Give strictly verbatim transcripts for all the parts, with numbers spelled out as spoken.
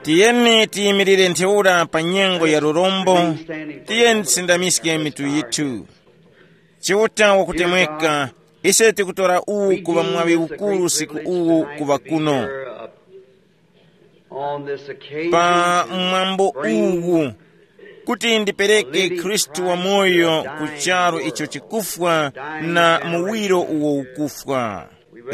Tiyeni tiyimirire ntheura pa nyengo ya lurombo. Tiyeni tisindamiske mitu yithu. Chiuta wakutemweka, ise tikutora uwu kuŵa mwaŵi ukuru usiku uwu kuŵa kuno pa mwambo uwu, kuti ndipereke Khristu wamoyo ku charu icho chikufwa na muwiro uwo ukufwa.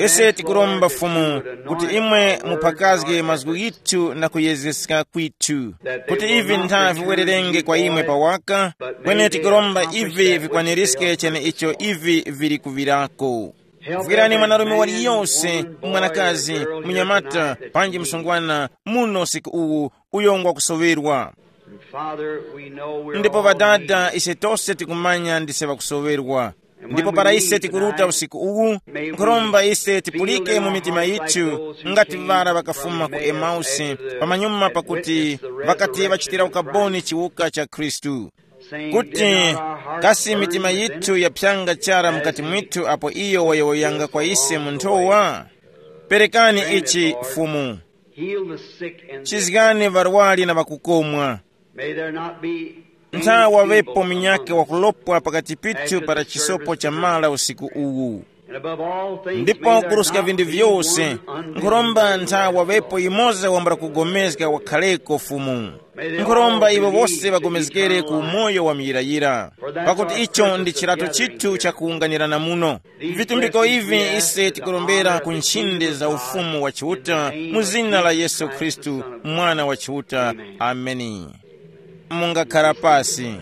Ise tikuromba Fumu kuti imwe muphakazge mazgu ghithu na kuyezeska kwithu, kuti ivi ntha viwererenge kwa imwe pawaka, kweni tikuromba ivi vikwanirizge cheneicho ivi vili kuŵirako. Vwirani mwanarume waliyonse, mwanakazi, munyamata, panji msungwana muno usiku uwu, uyo ngwakusoŵerwa. Ndipo Ŵadada, ise tose tikumanya ndise ŵakusoŵerwa. Ndipo para ise tikuruta usiku uwu, nkhuromba ise tipulike mu mitima yithu, ngati ŵara ŵakafuma ku Emausi, pamanyuma pakuti ŵakati ŵachitira ukaboni chiwuka cha Khristu, kuti kasi mitima yithu yaphyanga chara mukati mwithu apo iyo wayowoyanga kwa ise mu nthowa? Perekani ichi, Fumu. Heal the sick and chizgani varwari na vakukomwa. May there not be ntha wavepo munyake wakulopwa pakati pithu para chisopo cha mara usiku uwu. And above all things, ndipo may there kuruska not vinthu be vyose, one unbelieving nkhuromba ntha wavepo imoza wambula kugomezga wakhaleko Fumu. Nkhuromba iwo wose vagomezgere ku umoyo wa muyirayira, pakuti icho ndi chirato chithu cha kuwunganirana muno. Vitumbiko ivi ise tikurombera ku nchinde za Ufumu wa Chiuta mu zina la Yesu Khristu, Mwana wa Chiuta. Ameni. Mungakhala pasi.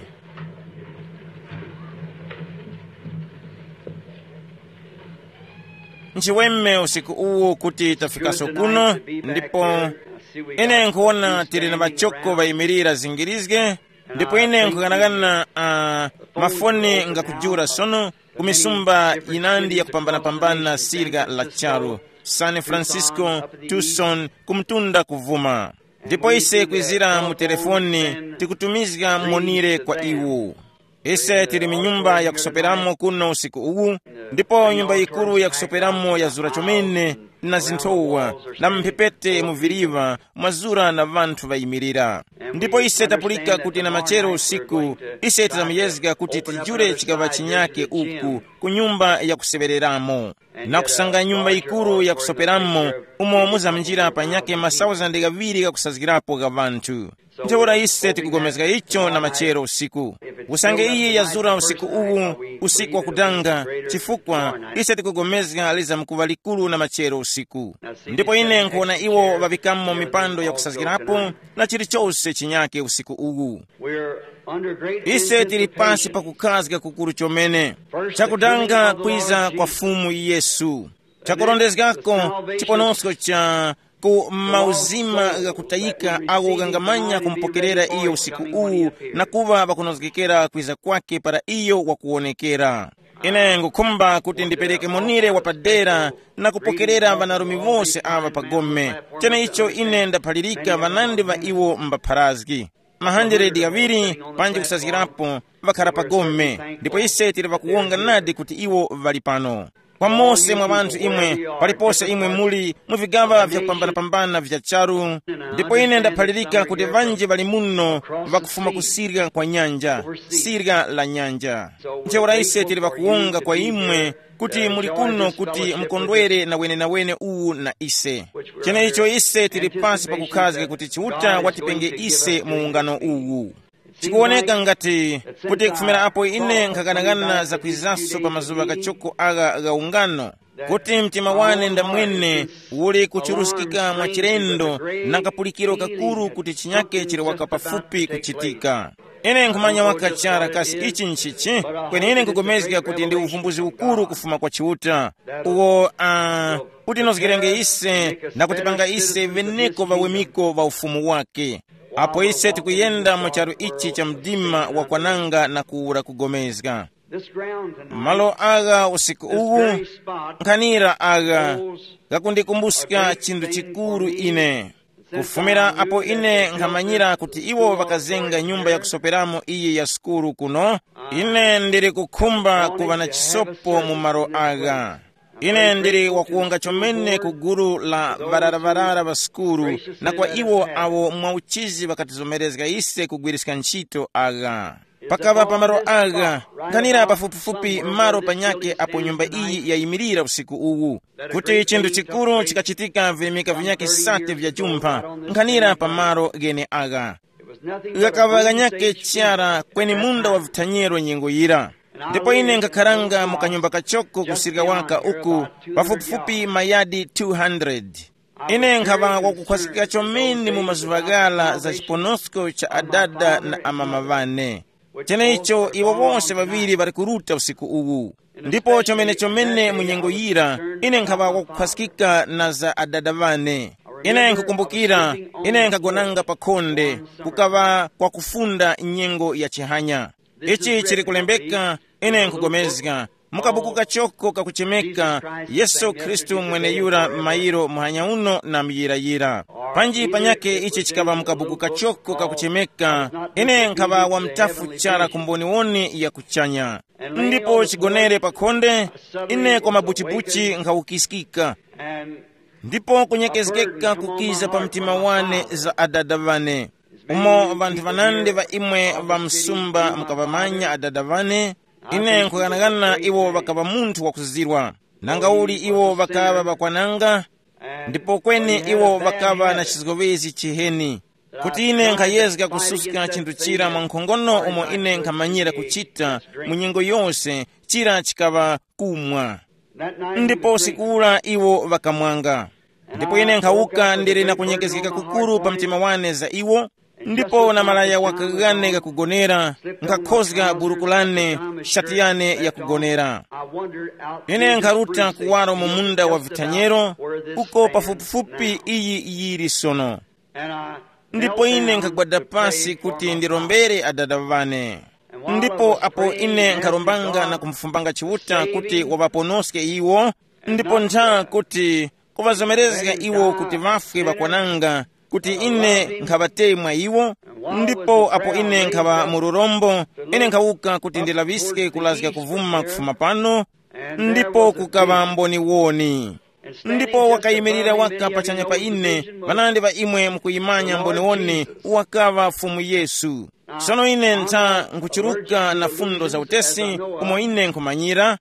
Nchiweme usiku uwu kuti tafikaso kuno, ndipo ine nkhuwona tili na ŵachoko ŵayimirira zingirizge, ndipo ine nkhughanaghana uh, mafoni ngakujula sono ku misumba yinandi yakupambanapambana sirga la charu, San Francisco, Tucson, kumtunda kuvuma. Ndipo ise kwizira mu telefoni tikutumizga monire kwa iwo. Ise tili mu nyumba yakusoperamo kuno usiku uwu, ndipo nyumba yikuru yakusoperamo yazura chomene na zinthowa, na mphepete mu viliva mwazura na ŵanthu ŵayimirira. Ndipo ise tapulika kuti na machero usiku ise tizamuyezga kuti tijure chikaŵa chinyake uku ku nyumba yakuseŵereramo, na kusanga nyumba yikuru yakusoperamo, umo muzamnjira panyake masauzande ghaŵiri ghakusazgirapo gha ŵanthu. Ntheura ise tikugomezga icho na machero usiku. Usange iyi yazura usiku uwu, usiku wakudanga, chifukwa ise tikugomezga lizamkuŵa likuru na machero usiku. Ndipo ine nkhuwona iwo ŵaŵikamo mipando yakusazgirapo na chilichose chinyake usiku uwu. Ise tili pasi pa kukhazga kukuru chomene, chakudanga kwiza kwa Fumu Yesu, chakurondezgako chiponosko cha ku mauzima ghakutayika agho ghangamanya kumupokerera iyo usiku uwu, na kuŵa ŵakunozgekera kwiza kwake para iyo wakuwonekera. Ine ngukhumba kuti ndipereke monire wapadera na kupokerera ŵanarume wose aŵa pagome. Cheneicho ine ndaphalirika ŵanandi ŵa iwo mbapharazgi mahanderedi ghaŵiri panji kusazgirapo ŵakhara pagome, ndipo ise tili ŵakuwonga nadi kuti iwo ŵali pano. Kwa mose mwa ŵanthu imwe, palipose imwe muli mu vigaŵa vyakupambanapambana vya charu, ndipo ine ndaphalirika kuti ŵanji ŵali muno ŵakufuma ku sirya kwa nyanja, sirya la nyanja. Ntheura ise tili ŵakuwonga kwa imwe kuti muli kuno kuti mukondwere na wenenawene uwu na ise. Cheneicho ise tili pasi pakukhazga kuti Chiuta watipenge ise mu ungano uwu. Chikuwoneka ngati kuti kufumira apo ine nkhakanang'ana zakwizaso pa mazuŵa kachoko agha gha ungano, kuti mtima wane ndamwene uli kuchuruskika mwa chilendo na kapulikiro kakuru kuti chinyake chili waka pafupi kuchitika. Ine nkhumanya waka chara kasi ichi nchichi, kweni ine nkugomezga kuti ndi uvumbuzi ukuru kufuma kwa Chiuta, uwo uh, utinozgerenge ise na kutipanga ise veneko ŵawemiko ŵa ufumu wake. Apo ise tikuyenda mu charu ichi cha mdima wakwananga na kuwura kugomezga. Malo agha usiku uwu, nkhanira agha, ghakundikumbuska chinthu chikuru ine. Kufumira apo ine nkhamanyira kuti iwo ŵakazenga nyumba yakusoperamo iyi ya sukulu kuno, ine ndili kukhumba kuŵa na chisopo mu malo agha. Ine ndili wakuwonga chomene ku gulu la ŵararaŵarara ŵa sukulu, na kwa iwo awo mwauchizi ŵakatizomerezga ise kugwiriska ntchito agha. Pakaŵa pa malo agha, nkhanira pafupifupi malo panyakhe apo nyumba iyi yayimirira usiku uwu, kuti chinthu chikuru chikachitika virimika vinyakhe sate vya jumpha, nkhanira pa malo gheneagha. Ghakaŵa ghanyakhe chara kweni munda wa vithanyero nyengo yira. Ndipo ine nkakharanga mu kanyumba kachoko kusirika waka uku, pafupifupi mayadi two hundred. Ine nkhaŵa wakukhwasikika chomene mu mazuŵa ghara za chiponosko cha adada na amama ŵane. Cheneicho iwo wose ŵaŵiri ŵali kuruta usiku uwu. Ndipo chomene chomene mu nyengo yira, ine nkhaŵa wakukhwasikika na za adada ŵane. Ine nkhukumbukira, ine nkhagonanga pa khonde, kukaŵa kwakufunda nyengo ya chihanya. Ichi chili kulembeka, ine nkhupulikana, mu kabuku kachoko kakuchemeka Yesu Khristu mweneyura, mayiro muhanya uno na muyirayira. Panji panyakhe ichi chikaŵa mu kabuku kachoko kakuchemeka, ine nkhaŵa wamtafu chara ku mboniwoni ya kuchanya. Ndipo chigonere pa khonde, ine kwa mabuchibuchi nkhawukiskika. Ndipo kunyekezgeka kukiza pa mtima wane za adada wane. Umo ŵanthu ŵanandi ŵa imwe ŵa msumba mukaŵamanya adada wane, ine nkhughanaghana iwo ŵakaŵa munthu wakuzirwa. Nangauli iwo ŵakaŵa ŵakwananga, ndipo kweni iwo ŵakaŵa na chizgowezi chiheni. Kuti ine nkhayezga kususka chinthu chira mwa nkhongono umo ine nkhamanyira kuchita mu nyengo yose, chira chikaŵa kumwa. Ndipo usiku ura iwo ŵakamwanga. Ndipo ine nkhawuka ndili na kunyekezgeka kukuru pa mtima wane za iwo, ndipo na malaya waka ghane ghakugonera, nkhakhozga buruku lane, shati yane yakugonera. Ine nkharuta kuwaro mu munda wa vithanyero, uko pafupifupi iyi yili sono. Ndipo ine nkhagwada pasi kuti ndirombere adada wane. Ndipo apo ine nkharombanga na kumufumbanga Chiuta kuti waŵaponoske iwo, ndipo ntha kuti kuŵazomerezga iwo kuti ŵafwe ŵakwananga, kuti ine nkhaŵatemwa iwo. Ndipo apo ine nkhaŵa mu lurombo, ine nkhawuka kuti ndilaŵiske kulazga kuvuma kufuma pano, ndipo kukaŵa mboniwoni. Ndipo wakayimirira waka pachanya pa ine, ŵanandi ŵa imwe mukuyimanya mboniwoni, wakaŵa Fumu Yesu. Sono ine ntha nkuchiruka na fundo za utesi umo ine nkhumanyira,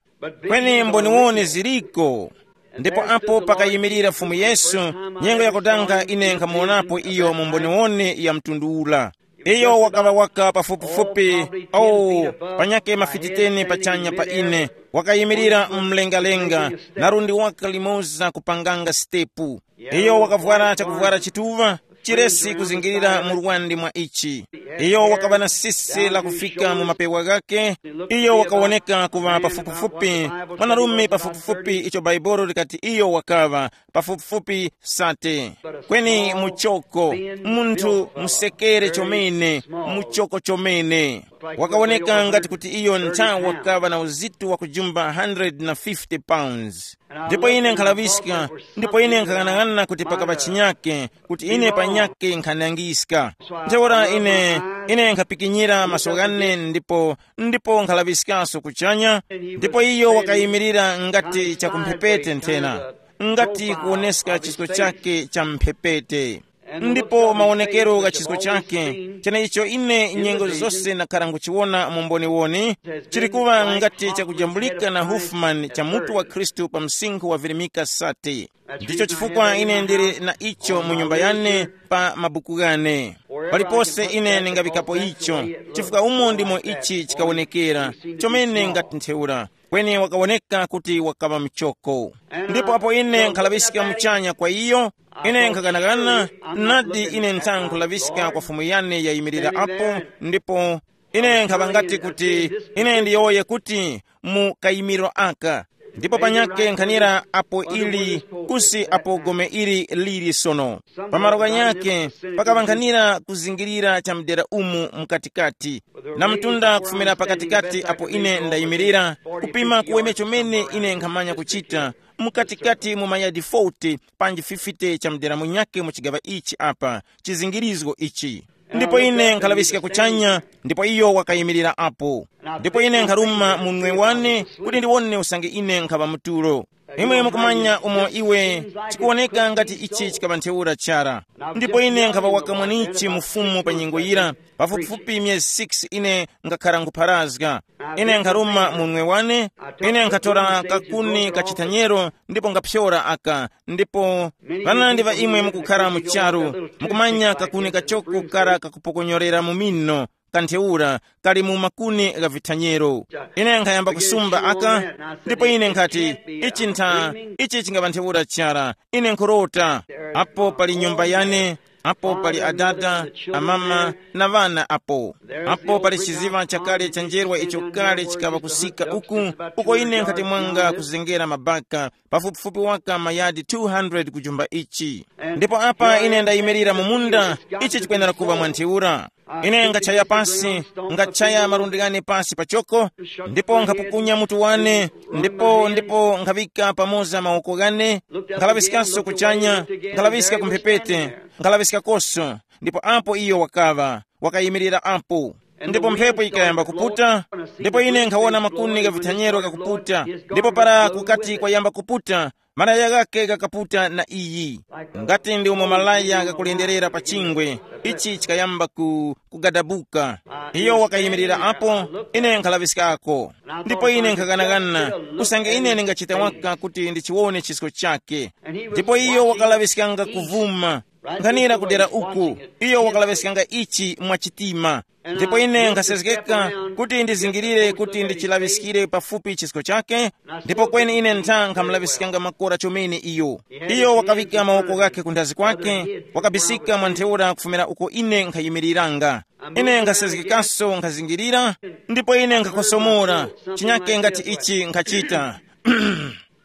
kweni mboniwoni ziriko. Ndipo apo pakayimirira Fumu Yesu, nyengo yakutanga ine nkhamuwonapo iyo mu mboniwoni ya mtundu ula. Iyo wakaŵa waka pafupifupi, oh, panyakhe mafiti teni pachanya pa ine, wakayimirira mlengalenga, na lundi waka limoza kupanganga sitepu. Iyo wakavwara chakuvwara chituŵa, chiresi kuzingirira mu lwandi mwa ichi. Iyo wakaŵa na sisi lakufika mu mapewa ghakhe. Iyo wakawoneka kuŵa pafupifupi, mwanarume pafupifupi icho Bhaibuli likati iyo wakaŵa, pafupifupi sate. Kweni muchoko, munthu musekere chomene, muchoko chomene. Wakawoneka ngati kuti iyo ntha wakaŵa na uzito wa kujumba hundred na fifty pounds. Ndipo ine nkhalaŵiska, ndipo ine nkhang'anang'ana kuti pakaŵa chinyake, kuti ine panyake nkhanangiska. Ntheura ine, ine nkhapikinyira maso ghane ndipo, ndipo nkhalaŵiskaso kuchanya, ndipo iyo wakayimirira ngati chakumphepete nthena, ngati kuwoneska chisko chake cha mphepete. Ndipo mawonekero gha chisko chake, cheneicho ine nyengo zose ndakhara nguchiwona mu mboniwoni, chili kuŵa ngati chakujambulika na Hofman cha mutu wa Khristu pa msinkhu wa virimika sate. Ndicho chifukwa ine ndili na icho mu nyumba yane pa mabuku ghane. Palipose ine ndingaŵikapo icho, chifukwa umo ndimo ichi chikawonekera, chomene ngati ntheura. Kweni wakawoneka kuti wakaŵa muchoko. Ndipo apo ine nkhalaŵiska muchanya kwa iyo, ine nkhakanakana, nadi ine ntha nkhulaŵiska kwa Fumu yane yayimirira apo, ndipo ine nkhaŵa ngati kuti ine ndiyowoye kuti mu kayimiriro aka. Ndipo panyakhe nkhanira apo ili, kusi apo gome ili lili sono. Pamalo ghanyakhe pakaŵa nkhanira kuzingirira cha mdera umu mkatikati, na mtunda kufumira pakatikati apo ine ndayimirira, kupima kuweme chomene ine nkhamanya kuchita, mukatikati mu mayadi forty panji fifty cha mdera munyakhe mu chigaŵa ichi apa, chizingirizgo ichi. Ndipo ine nkhalaŵiska kuchanya, ndipo iyo wakayimirira apo. Ndipo ine nkharuma munwe wane kuti ndiwone usange ine nkhaŵa mutulo. Imwe mukumanya umo iwe chikuwoneka ngati ichi chikaŵa ntheura chara. Ndipo ine nkhaŵa wakamwanichi mufumu pa nyengo yira, pafupifupi myezi six ine ngakhara nkupharazga. Ine nkharuma munwe wane, ine nkhatora kakuni kachithanyero ndipo ngaphyora aka, ndipo panandi ŵa imwe mukukhara mu charu, mukumanya kakuni kachoko kara kakupokonyorera mu mino, kantheura kali mu makuni gha vithanyero. Ine nkhayamba kusumba aka, ndipo ine nkhati, ichi ntha, ichi chingaŵa ntheura chara. Ine nkhurota, apo pali nyumba yane, apo pali adada, amama, na ŵana apo. Apo pali chiziŵa chakale cha njerwa icho kale chikaŵa kusika uku, uko ine nkhati mwanga kuzengera mabaka, pafupifupi waka mayadi two hundred kujumba ichi. Ndipo apa ine ndayimirira mu munda, ichi chikwenera kuŵa mwa ntheura. Ine ngachaya pasi, ngachaya malundi ghane pasi pachoko, ndipo nkhapukunya mutu wane, ndipo ndipo nkhaŵika pamoza mawoko ghane, nkhalaŵiskaso kuchanya, nkhalaŵiska ku mphepete, nkhalaŵiskakoso. Ndipo apo iyo wakaŵa, wakayimirira apo. Ndipo mphepo yikayamba kuputa, ndipo ine nkhawona makuni gha vithanyero ghakuputa, ndipo para kukati kwayamba kuputa, malaya ghakhe ghakaputa na iyi, ngati ndi umo malaya ghakulenderera pa chingwe, ichi chikayamba ku kugadabuka. Iyo wakayimirira apo, ine nkhalaŵiskako. Ndipo ine nkhaganaghana, usange ine ndingachita waka kuti ndichiwone chisko chake. Ndipo iyo wakalaŵiskanga kuvuma, nkhanira kudera uku, iyo wakalaŵiskanga ichi mwa chitima. Ndipo ine nkhasezgeka kuti ndizingirire kuti ndichilaŵiskire pafupi chisko chake, ndipo kweni ine ntha nkhamulaŵiskanga makora chomene iyo. Iyo wakaŵika mawoko ghakhe ku nthazi kwake, wakabisika mwa ntheura kufumira uko ine nkhayimiriranga. Ine nkhasezgekaso nkhazingirira, ndipo ine nkhakosomora, chinyake ngati ichi nkhachita.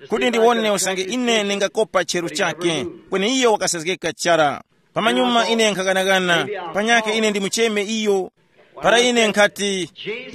Kuti ndiwone usange ine ndingakopa cheru chake, kweni iyo wakasezgeka chara. Pamanyuma ine nkhaghanaghana, panyakhe ine ndimucheme iyo. Para ine nkhati,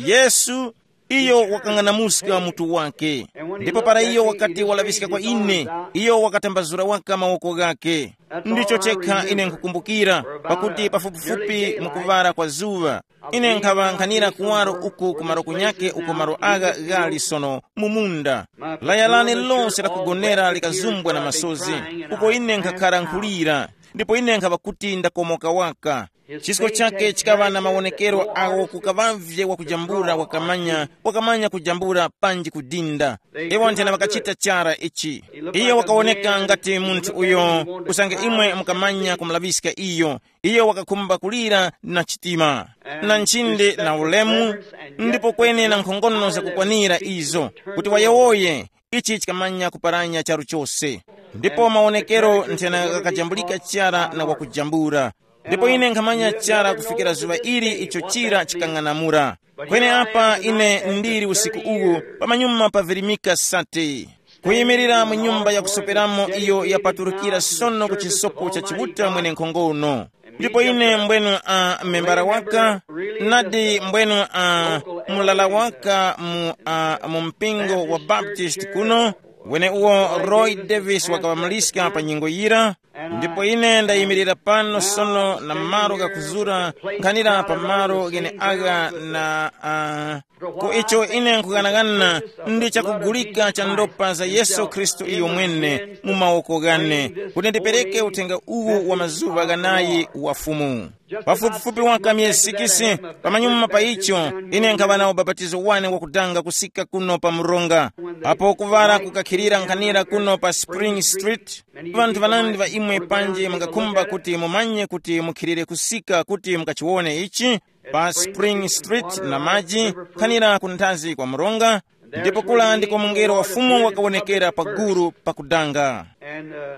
Yesu, iyo wakang'anamuska mutu wake. Ndipo para iyo wakati walaŵiska kwa ine, iyo wakatambazura waka mawoko ghake. Ndicho chekha ine nkhukumbukira, pakuti pafupifupi mukuŵara kwa zuŵa, ine nkhaŵa nkhanira kuwaro uku ku malo kunyake uko malo agha ghali sono mu munda. Laya lane lose la kugonera likazumbwa na masozi, uko ine nkhakhara nkhulira, ndipo ine nkhaŵa kuti ndakomoka waka. Chisko chake chikaŵa na mawonekero agho kukaŵavye wakujambula wakamanya, wakamanya kujambula panji kudinda. Iwo nthena ŵakachita chara ichi. Iyo wakawoneka ngati munthu uyo usange imwe mukamanya kumulaŵiska iyo. Iyo wakakhumba kulira na chitima, na nchinde na ulemu, ndipo kweni na nkhongono zakukwanira izo, kuti wayowoye, ichi chikamanya kuparanya charu chose. Ndipo mawonekero nthena ghakajambulika chara na wakujambula. Ndipo ine nkhamanya chara kufikira zuŵa ili icho chira chikang'anamula. Kweni apa ine ndili usiku uwu, pamanyuma pa virimika sate, kuyimirira mu nyumba yakusoperamo iyo yapaturukira sono ku chisopo cha Chiuta mwenenkhongono. Ndipo ine mbwenu a membara waka, nadi mbwenu a mulala waka mu, a, mu mpingo wa Baptist kuno, wene uwo Roy Davis wakaŵamaliska pa nyengo yira. Ndipo ine ndayimirira pano sono na malo ghakuzura nkhanira pa malo gheneagha na uh, ku icho ine nkughanagana ndi chakugulika cha ndopa za Yesu Khristu iyo mwene mu mawoko ghane, kuti ndipereke uthenga uwu wa mazuŵa ghanayi wa Fumu. Pafupifupi waka myezi sikisi, pamanyuma pa icho, ine nkhaŵa na ubapatizo wane wakudanga kusika kuno pa mronga, apo kuŵala kukakhilira nkhanira kuno pa Spring Street. Ŵanthu ŵanandi ŵa imwe panji mungakhumba kuti mumanye kuti mukhilire kusika kuti mukachiwone ichi, pa Spring Street na maji, nkhanira ku nthazi kwa mronga, ndipo kula ndiko mungelo wa Fumu wakawonekera pa guru pakudanga.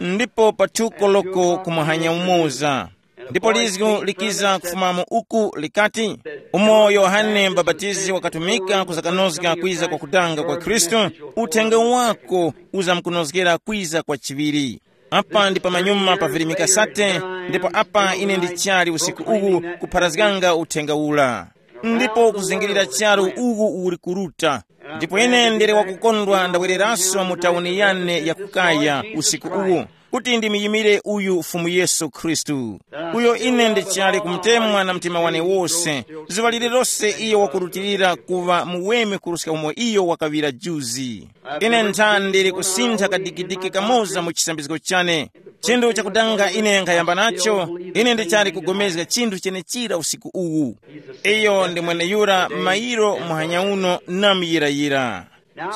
Ndipo pa thuko loko kumuhanya umoza. Ndipo lizgu likiza kufumamo uku likati, umo Yohane Mbapatizi wakatumika kuzakanozga kwiza kwa kudanga kwa Khristu, uthenga wako uzamkunozgera kwiza kwa chiŵiri. Apa ndi pamanyuma pa virimika sate, ndipo apa ine ndichali usiku uwu kupharazganga uthenga ula. Ndipo kuzingirira charu uwu uli kuruta. Ndipo ine ndili wakukondwa ndawereraso mu tauni yane ya kukaya usiku uwu. kuti ndimuyimire uyu Fumu Yesu Khristu, uyo ine ndichali kumutemwa na mtima wane wose, zuŵa lililose iyo wakurutilira kuŵa muweme kuruska umo iyo wakaŵira juzi. Ine nthani ndili kusintha kadikidiki kamoza mu chisambizgo chane. Chinthu chakudanga ine nkhayamba nacho, ine ndichali kugomezga chinthu chenechira usiku uwu. Iyo ndi mweneyura mayiro muhanya uno namuyirayira.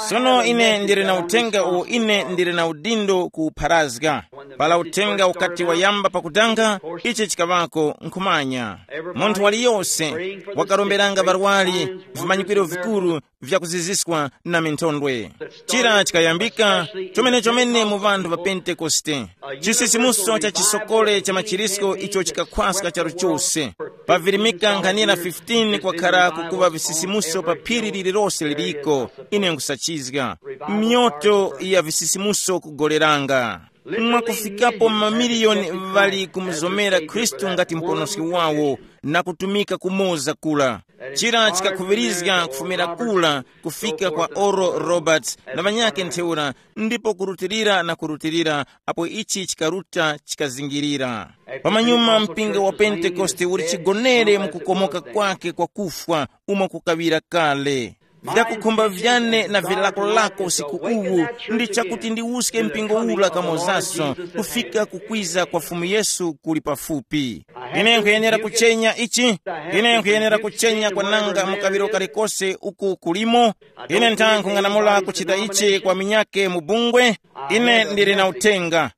Sono ine ndili na uthenga uwo ine ndili na udindo kuwupharazga. Pala uthenga ukati wayamba pakudanga, ichi chikaŵako nkhumanya. Munthu waliyose wakaromberanga ŵarwari vimanyikiro vikuru vyakuziziswa na minthondwe. Chira chikayambika chomene-chomene mu vanthu va Pentekoste. Chisisimuso cha chisokole cha machirisko icho chikakhwaska charu chose. Pavirimika nkhanira fifteen kwakhara kukuva visisimuso pa phiri lililose liliko. Ine nkusachizga myoto ya visisimuso kugoleranga. Mwakufikapo mamiliyoni ŵali kumuzomera Khristu ngati Muponoski wawo na kutumika kumoza kula. Chira chikakhuŵirizga kufumira kula kufika kwa Oral Roberts na ŵanyakhe ntheura, ndipo kurutilira na kurutilira, apo ichi chikaruta chikazingirira. Pamanyuma mpingo wa Pentekoste uli chigonere mu kukomoka kwake kwa kufwa umo kukaŵira kale. Vyakukhumba vyane na vilakolako usiku uwu ndi chakuti ndiwuske mpingo ula kamozaso kufika kukwiza kwa Fumu Yesu kuli pafupi. Ine nkhuyenera kuchenya ichi. Ine nkhuyenera kuchenya kwananga mu kaŵiro kalikose uku kulimo. Ine ntha nkhung'anamula kuchita ichi kwa minyake mu bungwe. Ine ndili na uthenga.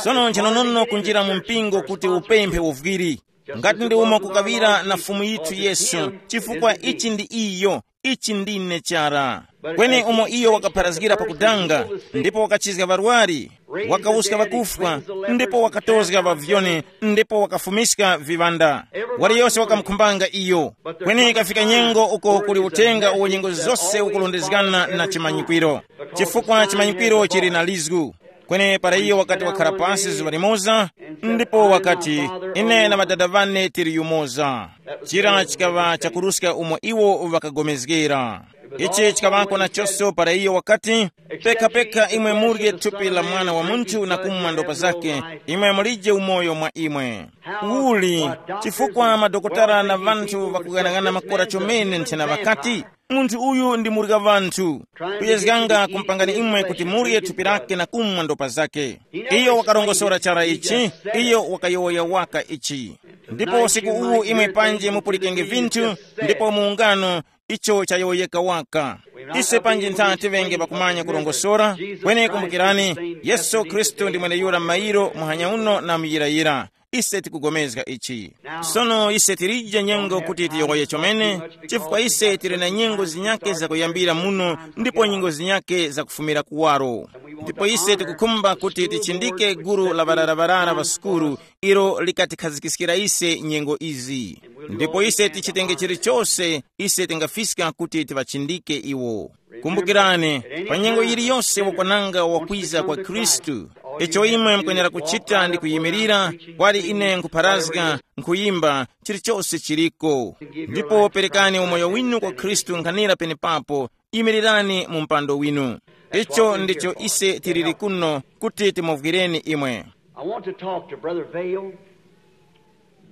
Sono nchinonono kunjira mu mpingo kuti upemphe uvwiri. Ngati ndi umo kukaŵira na Fumu yithu Yesu, chifukwa ichi ndi iyo, ichi ndine chara. Kweni umo iyo wakapharazgira pakudanga, ndipo wakachizga ŵarwari, wakawuska ŵakufwa, ndipo wakatozga ŵavyoni, ndipo wakafumiska viŵanda. Waliyose wakamukhumbanga iyo. Kweni ikafika nyengo uko kuli uthenga uwo nyengo zose ukulondezgana na chimanyikwiro, chifukwa chimanyikwiro chili na lizgu. Kweni para iyo wakati wakhala pasi zuŵa limoza, ndipo wakati, ine na ŵadada ŵane tili yumoza. Chira chikaŵa chakuruska umo iwo ŵakagomezgera. Ichi chikaŵako nachonso para iyo wakati, pekha-pekha imwe murye thupi la Mwana wa Munthu na kumwa ndopa zake, imwe mulije umoyo mwa imwe. Uli, chifukwa madokotala na ŵanthu ŵakughanagana makora chomene nthena ŵakati, munthu uyu ndi murya ŵanthu, kuyezganga kumpangani imwe kuti murye thupi lake na kumwa ndopa zake. Iyo wakarongosora chara ichi, iyo wakayowoya waka ichi. Ndipo usiku uwu imwe panji mupulikenge vinthu, ndipo mu ungano icho chayowoyeka waka. Ise panji ntha tiŵenge pakumanya kurongosora, kweni kumbukirani, Yesu Khristu ndi mweneyura mairo muhanya uno na muyirayira. Ise tikugomezga ichi. Sono ise tilije nyengo kuti tiyowoye chomene, chifukwa ise tili na nyengo zinyake zakuyambira muno ndipo nyengo zinyake zakufumira kuwaro. Ndipo ise tikukhumba kuti tichindike gulu la ŵarara-ŵarara ŵa sukulu ilo likatikhazikiskira ise nyengo izi. Ndipo ise tichitenge chilichose ise tingafiska kuti tiŵachindike iwo. Kumbukirani, pa nyengo yiliyose wakwananga wakwiza kwa Khristu, icho imwe mukwenera kuchita ndi kuyimirira, kwali ine nkupharazga, nkhuyimba, chilichose chiliko. Ndipo perekani umoyo winu kwa Khristu nkhanira penepapo, yimirirani mu mpando winu. Icho ndicho ise tiliri kuno kuti timuvwireni imwe. I want to talk to Brother Vail,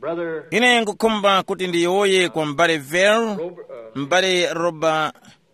Brother Ine ngukhumba kuti ndiyowoye kwa m'bale Vail, Robert, uh, m'bale Roba,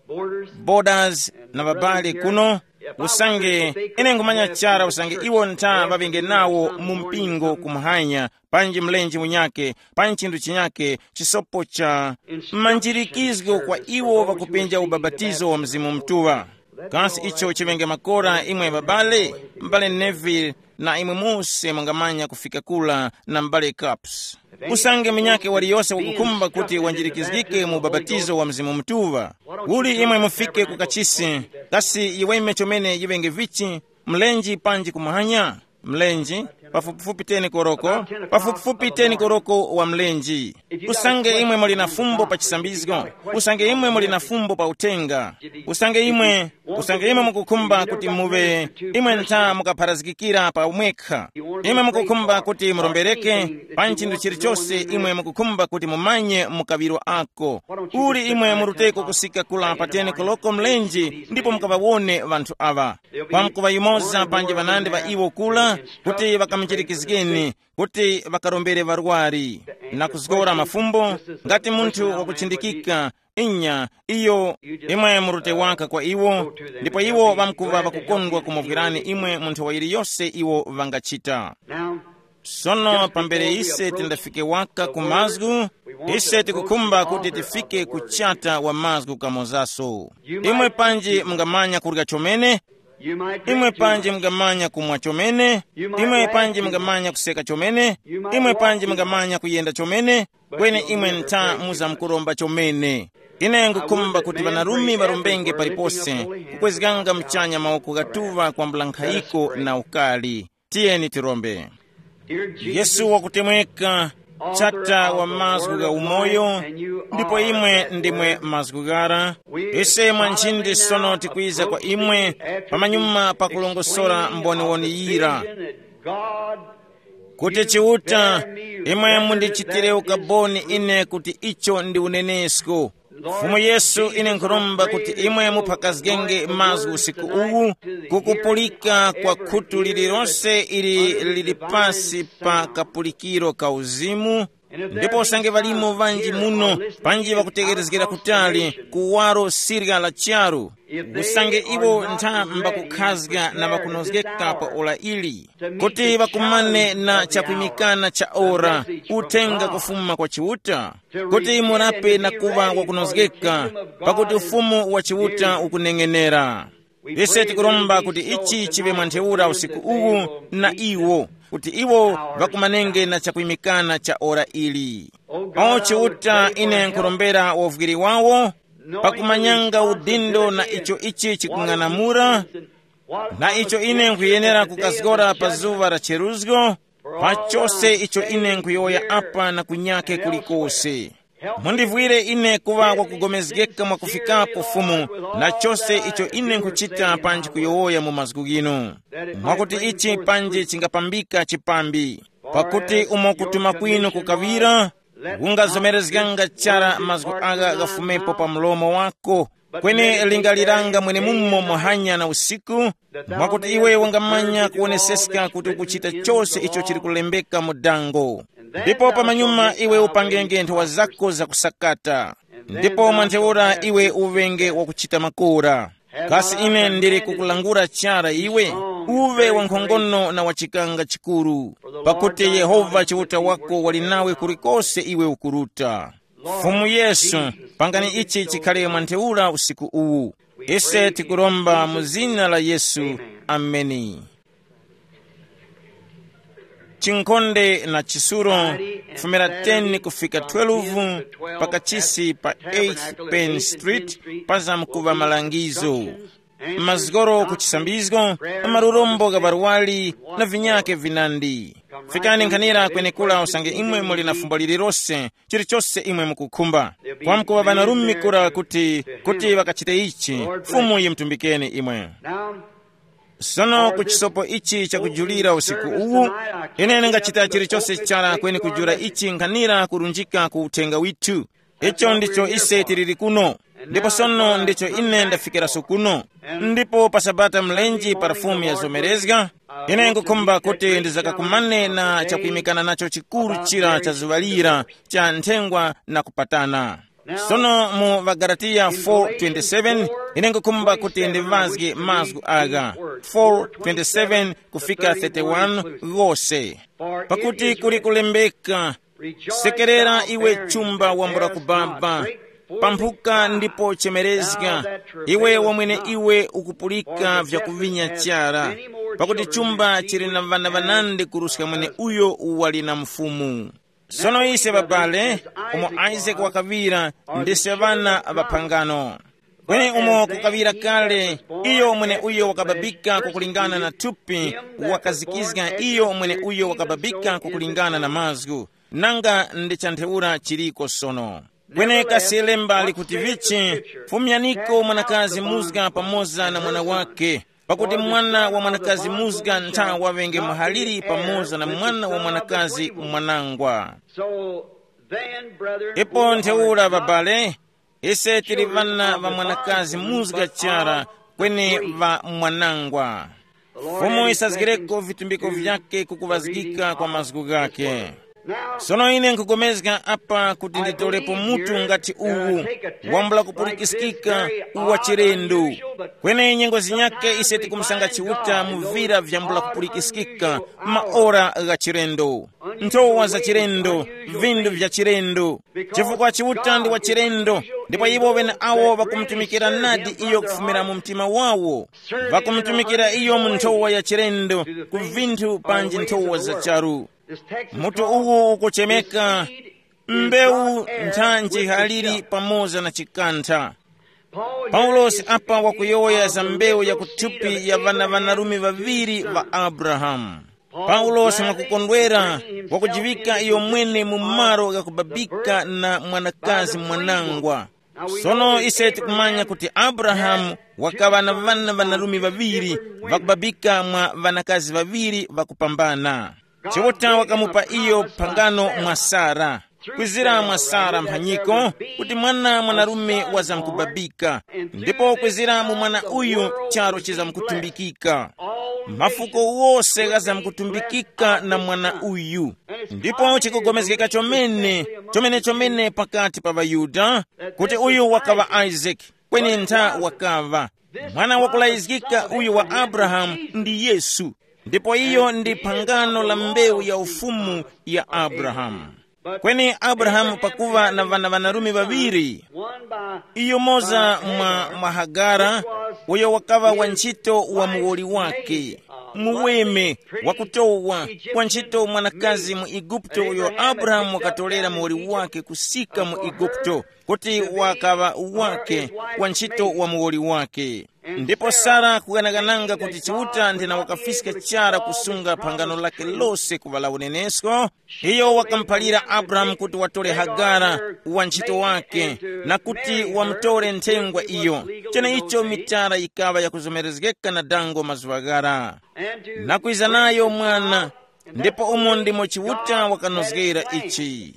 Borders, Borders na babali kuno. Usange ine ngumanya chara usange iwo ntha ŵaŵenge nawo mu mpingo kumhanya, panji mlenje unyake, panji chinthu chinyake, chisopo cha manjirikizgo kwa iwo ŵakupenja ubapatizo wa Mzimu Mutuŵa. Kasi icho chiŵenge makora imwe babale, m'bale Neville, na imwe mose mungamanya kufika kula na m'bale Caps. Usange munyakhe waliyose wakukhumba kuti wanjirikizgike mu ubapatizo wa Mzimu Mutuŵa, uli imwe mufike ku kachisi, kasi yiweme chomene yiŵenge vichi, mlenje panji kumahanya? Mlenje. pafupifupi teni koroko, pafupifupi teni koroko wa mlenji. Usange imwe muli na fumbo pa chisambizgo, usange imwe muli na fumbo pa uthenga, usange imwe, usange imwe mukukhumba kuti muve, imwe ntha mukapharazgikira pa mwekha. Imwe mukukhumba kuti murombereke pa chinthu chilichose, imwe mukukhumba kuti mumanye mukaŵiro ako. Uli imwe muruteko kusika kula pa teni koloko mlenji ndipo mukaŵawone ŵanthu awa. Kwamkuŵa yumoza panji ŵanandi ŵa iwo kula, kuti ŵakamuchirikizgeni, kuti ŵakarombere ŵarwari, na kuzgora mafumbo, ngati munthu wakuchindikika. Inya, iyo, imwe murute waka kwa iwo, ndipo iwo ŵamkuŵa ŵakukondwa kumuvwirani imwe munthu wa yiliyose iwo ŵangachita. Sono pambere ise tindafike waka ku mazgu, ise tikukhumba kuti tifike ku chata wa mazgu kamozaso. Imwe panji mungamanya kurya chomene, imwe panji mungamanya kumwa chomene, imwe panji mungamanya kuseka chomene, imwe panji mungamanya kuyenda chomene, kweni imwe ntha muzamkuromba chomene. Ine ngukhumba kuti ŵanarume ŵarombenge palipose, kukwezganga muchanya mawoko ghatuŵa kwambula nkhayiko na ukali. Tiyeni tirombe. Yesu wakutemweka, chata wa mazgu gha umoyo, ndipo imwe ndimwe mazgu ghara. Ise mwa nchindi sono tikwiza kwa imwe, pamanyuma pakulongosora mboniwoni yira, kuti Chiuta, imwe mundichitire ukaboni ine kuti icho ndi unenesko. Fumu Yesu, ine nkhuromba kuti imwe muphakazgenge mazgu usiku uwu, kukupulika kwa khutu lililonse ili lili pasi pa kapulikiro ka uzimu. Ndipo usange ŵalimo ŵanji muno, panji ŵakutegherezgera kutali ku waro sirya la charu, usange iwo ntha mbakukhazga na ŵakunozgeka pa ora ili, kuti ŵakumane na chakwimikana cha ora, uthenga kufuma kwa Chiuta, kuti murape na kuŵa wakunozgeka, pakuti ufumu wa Chiuta ukuneng'enera. Ise tikuromba kuti ichi chiŵe mwa ntheura usiku uwu na iwo, kuti iwo ŵakumanenge na chakwimikana cha ora ili. O Chiuta, ine nkurombera wovwiri wawo, pakumanyanga udindo na icho ichi chikung'anamula, na icho ine nkhuyenera kukazgora pa zuŵa la cheruzgo, pa chose icho ine nkhuyowoya apa na kunyake kulikose. Mundivwire ine kuŵa wakugomezgeka mwakufikapo Fumu, na chose icho ine nkhuchita panji kuyowoya mu mazgu ghinu, mwakuti ichi panji chingapambika chipambi. Pakuti umo kutuma kwinu kukaŵira, kungazomerezganga chara mazgu agha ghafumepo pa mlomo wako, kweni lingaliranga mwenemumo muhanya na usiku, mwakuti iwe wangamanya kuwoneseska kuti ukuchita chose icho chili kulembeka mu dango. Ndipo pamanyuma iwe upangenge nthowa zako zakusakata, ndipo mwa ntheura iwe uŵenge wakuchita makora. Kasi ine ndili kukulangula chara iwe, uve wankhongono na wachikanga chikuru, pakuti Yehova Chiuta wako wali nawe kulikose iwe ukuruta. Fumu Yesu, pangani ichi chikhale mwa ntheura usiku uwu. Ise tikuromba mu zina la Yesu. Ameni. Chinkhonde na chisuro, fumira ten kufika twelve, pakachisi pa eighth Penn Street, pazamkuva malangizo. Mazgoro ku chisambizgo, marurombo gha barwali, na vinyake vinandi. Fikani nkhanira kwenekura usange imwe muli na fumbo lililose, chilichose imwe mukukhumba. Kwamkuŵa ŵanarume kura kuti, kuti ŵakachite ichi, Fumu yimutumbikeni imwe. Sono ku chisopo ichi chakujulira usiku uwu, ine ndingachita chilichose chara kweni kujula ichi nkhanira kurunjika ku uthenga withu. Icho ndicho ise tiliri kuno, ndipo sono ndicho ine ndafikiraso kuno. Ndipo pa Sabata mlenje pa Fumu yazomerezga, ine nkukhumba kuti ndizakakumane na chakuyimikana nacho chikuru chira cha zuŵa lira cha nthengwa na kupatana. Sono mu ŵaGalatiya four twenty-seven, ine nkukhumba kuti ndivazge mazgu agha, four twenty-seven kufika thirty-one, ghose. Pakuti kuli kulembeka, sekerera iwe chumba wambula kubaba, pamphuka ndipo chemerezga, iwe wamwene iwe ukupulika vyakuvinya chara, pakuti chumba chili na ŵana ŵanandi kuruska mwene uyo wali na mfumu. Sono ise babale, umo Isaac wakaŵira, ndise ŵana ŵa phangano. Kweni umo kukaŵira kale, iyo mweneuyo wakababika kukulingana na thupi, wakazikizga iyo mweneuyo wakababika kukulingana na mazgu, nanga ndi cha ntheura chiliko sono. Kweni kasi lemba likuti vichi? Fumyaniko mwanakazi muzga pamoza na mwana wake, pakuti mwana wa mwanakazi muzga ntha waŵenge muhaliri pamoza na mwana wa mwanakazi mwanangwa. So then, brethren, ipo ntheura babale, ise tili ŵana ŵa mwanakazi muzga chara, kweni ŵa mwanangwa. Fumu isazgireko vitumbiko vyake kukuŵazgika kwa mazgu ghake. Sono ine nkugomezga apa kuti nditolepo mutu ngati uwu, wambula kupulikiskika, uwa chilendo. Kweni nyengo zinyake ise tikumusanga Chiuta mu vira vyambula kupulikiskika, maora gha chilendo, nthowa za chilendo, vindu vya chilendo. Chifukwa Chiuta ndi wa chilendo, ndipo iwo ŵeneawo ŵakumutumikira nadi iyo kufumira mu mtima wawo. Ŵakumutumikira iyo mu nthowa ya chilendo, ku vinthu panji nthowa za charu. Mutu uwu ukuchemeka mbewu nthanji haliri pamoza na chikantha. Paulosi apa wakuyowoya za mbewu ya kuthupi ya ŵana ŵanarume ŵaŵiri ŵa Abrahamu. Paulosi mwakukondwera wakujiŵika iyo mwene mu malo ghakubabika na mwanakazi mwanangwa. Sono ise tikumanya kuti Abrahamu wakaŵa na ŵana ŵanarume ŵaŵiri ŵakubabika mwa ŵanakazi ŵaŵiri ŵakupambana. Chiuta wakamupa iyo phangano mwa Sara. Kwizira mwa Sara mphanyiko, kuti mwana mwanarume wazamkubabika, ndipo kwizira mu mwana uyu charu chizamkutumbikika. Mafuko wose ghazamkutumbikika na mwana uyu. Ndipo chikugomezgeka chomene, chomene chomene pakati pa ŵaYuda, kuti uyu wakaŵa Isaac, kweni ntha wakaŵa mwana wakulayizgika uyu wa Abrahamu ndi Yesu. Ndipo iyo ndi phangano la mbewu ya ufumu ya Abrahamu. Kweni Abrahamu pakuŵa na ŵana ŵanarume ŵaŵiri, iyo moza mwa, mwa Hagara, uyo wakaŵa wa ntchito wa muwoli wake, muweme, wakutowa, wa ntchito mwanakazi mu Eguputo uyo Abrahamu wakatolera muwoli wake kusika mu Eguputo, kuti wakaŵa wake, wa ntchito wa muwoli wake. Ndipo Sara kuganagananga kuti Chiuta ndina wakafiska chara kusunga phangano lake lose kuŵala unenesko, iyo wakamuphalira Abrahamu kuti watore Hagara, wa ntchito wake, na kuti wamutore nthengwa iyo. Cheneicho mitara yikaŵa yakuzomerezgeka na dango mazuŵa ghara, na kwiza nayo mwana. Ndipo umo ndimo Chiuta wakanozgera ichi,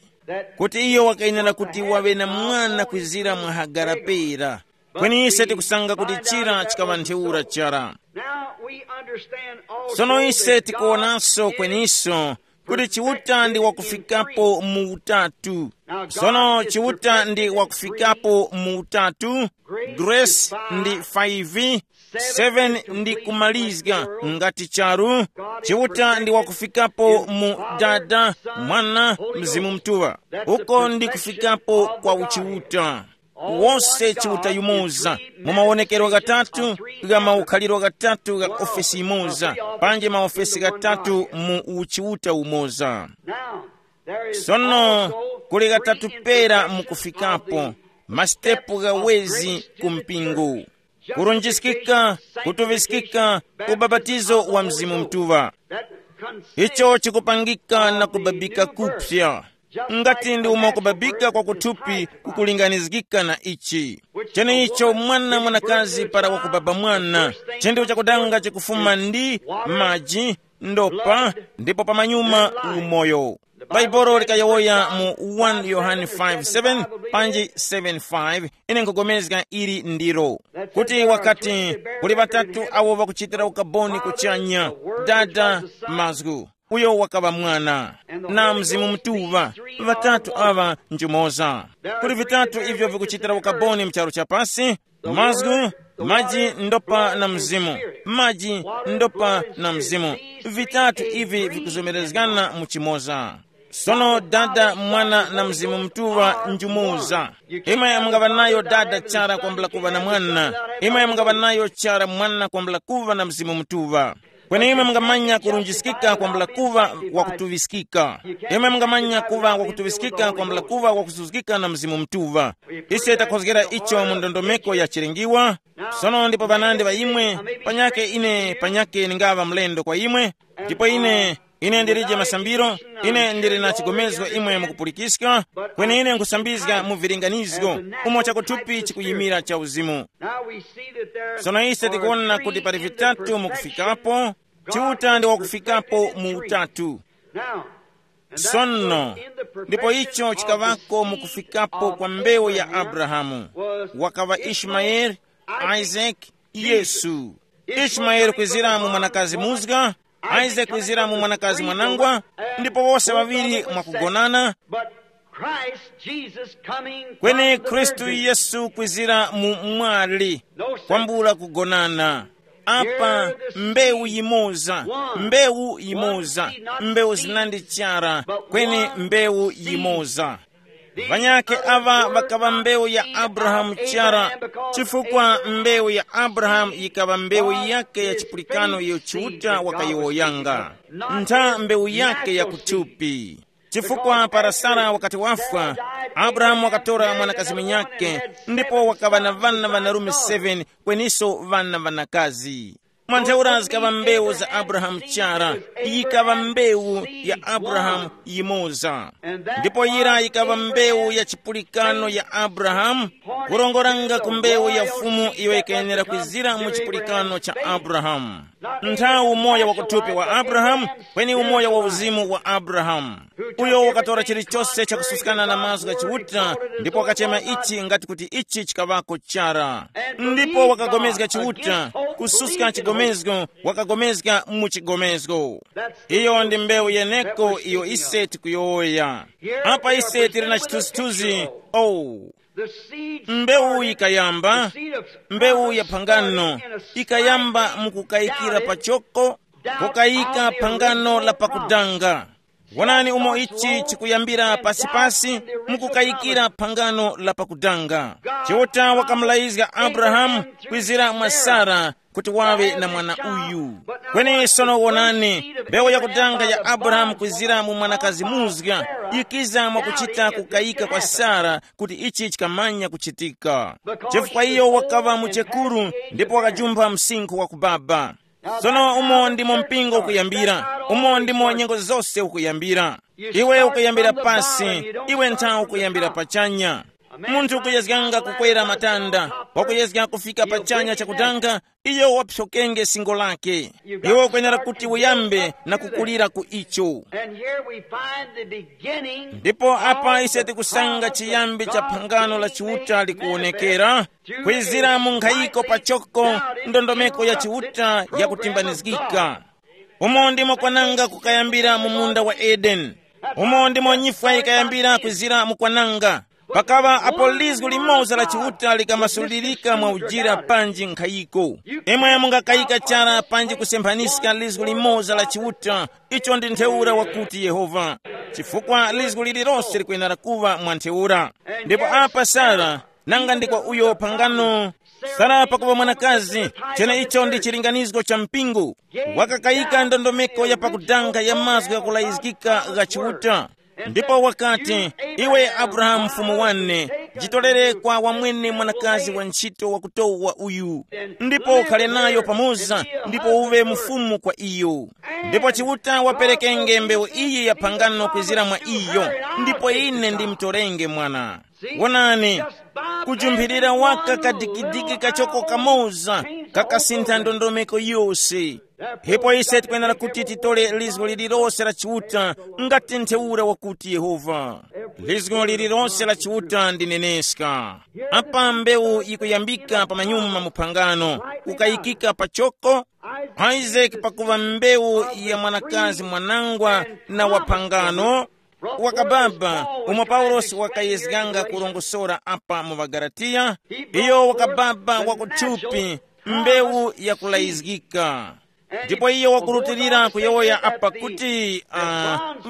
kuti iyo wakayenera kuti waŵe na mwana kwizira mwa Hagara pera. Kweni ise tikusanga kuti chira chikaŵa ntheura chara. Now we understand also sono ise that tikuwonanso God kweniso kuti Chiuta ndi wakufikapo mu utatu. Sono Chiuta ndi wakufikapo mu utatu. Grace ndi five, seven ndi kumalizga ngati charu. Chiuta ndi wakufikapo mu Dada, Mwana, Mzimu Mtuŵa. Uko ndi kufikapo kwa uchiuta. Wose Chiuta yumoza, mu mawonekero ghatatu, gha maukhaliro ghatatu gha ofesi imoza, panji maofesi ghatatu mu uchiuta umoza. Sono kuli ghatatu pera mukufikapo, masitepu ghawezi ku mpingo: kurunjiskika, kutuŵiskika, ubapatizo wa Mzimu Mutuŵa. Icho chikupangika na kubabika kupya. Ngati ndi umo kubabika kwa kuthupi kukulinganizgika na ichi, cheneicho mwana mwanakazi para wakubaba mwana, chinthu chakudanga chikufuma ndi maji, ndopa, ndipo pamanyuma umoyo. Bhaibuli likayowoya mu one Yohane five seven panji seven five, ine nkugomezga ili ndilo, kuti wakati, kuli ŵatatu awo ŵakuchitira ukaboni kuchanya, Dada, Mazgu, uyo wakaŵa Mwana, na Mzimu Mutuŵa, ŵatatu aŵa njumoza. Kuli vitatu ivyo vikuchitira ukaboni mu charu cha pasi: mazgu, maji, ndopa na mzimu, maji, ndopa na mzimu. Vitatu ivi vikuzomerezgana mu chimoza. Sono Dada, Mwana na Mzimu Mutuŵa njumoza. Imwe mungaŵa nayo Dada chara kwambula kuŵa na Mwana, imwe mungaŵa nayo chara Mwana kwambula kuŵa na Mzimu Mutuŵa. Kweni imwe mungamanya kurunjiskika kwambula kuŵa wakutuŵiskika. Imwe mungamanya kuŵa wakutuŵiskika kwambula kuŵa wakusuzgika na Mzimu Mutuŵa. Ise takhozgera icho mu ndondomeko ya chilingiwa. Sono ndipo panandi pa imwe, panyake ine panyake ningaŵa mlendo kwa imwe, ndipo ine ine ndilije masambiro, ine ndili na chigomezgo imwe mukupulikiska, kweni ine nkhusambizga mu vilinganizgo, umo chakuthupi chikuyimira cha uzimu. Now we see that there Sono ise are tikuona three kuti pali in the vitatu perfection mukufikapo. Chiuta ndi wakufikapo mu utatu. Now, and that Sono was in the ndipo perfection icho of the chikavako seed mukufikapo of kwa mbewu ya Abraham, Abrahamu, was wakava Ishmael, Ismael, Isaac, Isaac, Yesu. Ishmael kwizira mu mwanakazi muzga, Isaac kwizira mu mwanakazi mwanangwa, ndipo wose ŵaŵiri mwakugonana. But Christ Jesus coming Kweni from the Khristu virgin. Yesu kwizira mu mwali, kwambula kugonana. Apa mbewu yimoza, mbewu yimoza, mbewu zinandi chara, kweni mbewu yimoza. Vanyakhe aŵa ŵakaŵa mbewu ya Abrahamu chara, chifukwa mbewu ya Abrahamu yikaŵa mbewu yake ya chipulikano iyo Chiuta wakayowoyanga, ntha mbewu yake ya kuthupi. Chifukwa para Sara wakati wafwa, Abrahamu wakatora mwanakazi munyakhe, ndipo wakaŵa na ŵana ŵanarume seven, kweniso ŵana ŵanakazi. Mwa ntheura zikaŵa mbewu za Abrahamu chara, yikaŵa mbewu ya Abrahamu yimoza. Ndipo yira yikaŵa mbewu ya chipulikano ya Abrahamu, kurongoranga ku mbewu ya Fumu iyo yikayenera kwizira mu chipulikano cha Abrahamu. Nthawi umoyo wa kuthupi wa Abrahamu, kweni umoyo wa uzimu wa Abrahamu, uyo wakatora chilichose chakususkana na mazgu gha Chiuta, ndipo wakachema ichi ngati kuti ichi chikaŵako chara. Ndipo wakagomezga Chiuta, kususka chigomezgo, wakagomezga mu chigomezgo. Iyo ndi mbewu yeneko iyo ise tikuyowoya. Apa ise tili na chithunzithunzi. Oh, mbewu yikayamba, mbewu ya phangano ikayamba mukukayikira pachoko, kukayika phangano la pakudanga. Wonani umo ichi chikuyambira pasipasi, mukukayikira phangano la pakudanga. Chiuta wakamulayizga Abrahamu kwizira mwa Sara kuti wawe na mwana uyu. Kweni sono wonani, mbewu yakudanga ya Abrahamu kwizira mu mwanakazi muzga yikiza mwakuchita kukayika kwa Sara kuti ichi chikamanya kuchitika. Chifukwa iyo wakaŵa muchekuru ndipo wakajumpha msinkhu wa kubaba. Sono umo ndimo mpingo ukuyambira, umo ndimo nyengo zose ukuyambira. Iwe ukuyambira pasi, iwe nthawi ukuyambira pachanya. Munthu ukuyezganga kukwera matanda, wakuyezga kufika pachanya chakutanga, iyo waphyokenge singo lake. Iwe ukwenera kuti uyambe na kukulira ku icho. And here we find the beginning. Ndipo apa ise tikusanga chiyambi cha phangano la Chiuta likuwonekera, kwizira mu nkhayiko pachoko, ndondomeko ya Chiuta yakutimbanizgika. Umo ndimo kwananga kukayambira mu munda wa Edeni. Umo ndimo nyifwa yikayambira kwizira mu kwananga. Pakaŵa apo lizgu limoza la Chiuta likamasulirika mwa ujira panji nkhayiko. Imwe mungakayika chara panji kusemphanyiska lizgu limoza la Chiuta, icho ndi ntheura wakuti Yehova. Chifukwa lizgu lililose likwenera kuŵa mwa ntheura. Ndipo apa Sara, nanga ndi kwa uyo phangano, Sara pakuŵa mwanakazi, cheneicho ndi chilinganizgo cha mpingo, wakakayika ndondomeko ya pakudanga ya mazgu ghakulayizgika gha Chiuta. Ndipo wakati, iwe Abrahamu mfumu wane, jitolere kwa wamwene mwanakazi wa ntchito wakutowa uyu, ndipo ukhale nayo pamoza, ndipo uwe mfumu kwa iyo. Ndipo Chiuta waperekenge mbewu iyi ya phangano kwizira mwa iyo, ndipo ine ndimtorenge mwana. Wonani, kujumphirira waka kadikidiki kachoko kamoza kakasintha ndondomeko yose. Ndipo ise tikwenera kuti titole lizgo lililose la Chiuta, ngati ntheura wakuti Yehova. Lizgo lililose la Chiuta ndi neneska. Apa mbewu yikuyambika pa manyuma mu phangano, kukayikika pachoko. Isaac pakuva mbewu ya mwanakazi mwanangwa na wa phangano, wakababa, umo Paulosi wakayezganga kurongosora apa mu ŵaGalatiya, iyo wakababa wakuthupi, mbewu yakulayizgika. Ndipo iye wakurutilira kuyowoya apa kuti uh,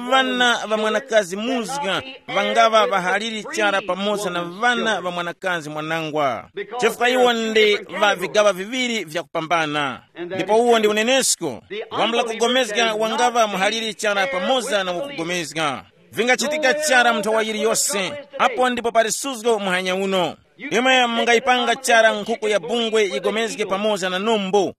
ŵana ŵa mwanakazi muzga ŵangaŵa ŵahaliri chara pamoza na ŵana ŵa mwanakazi mwanangwa, chifukwa iwo ndi ŵa vigaŵa viŵiri vyakupambana. Ndipo uwo ndi unenesko, wambula kugomezga wangaŵa muhaliri chara pamoza na wakugomezga. Vingachitika chara mu nthawa yiliyose. Apo ndipo pali suzgo muhanya uno. Imwe mungayipanga chara nkhuku ya bungwe yigomezge pamoza na nombo.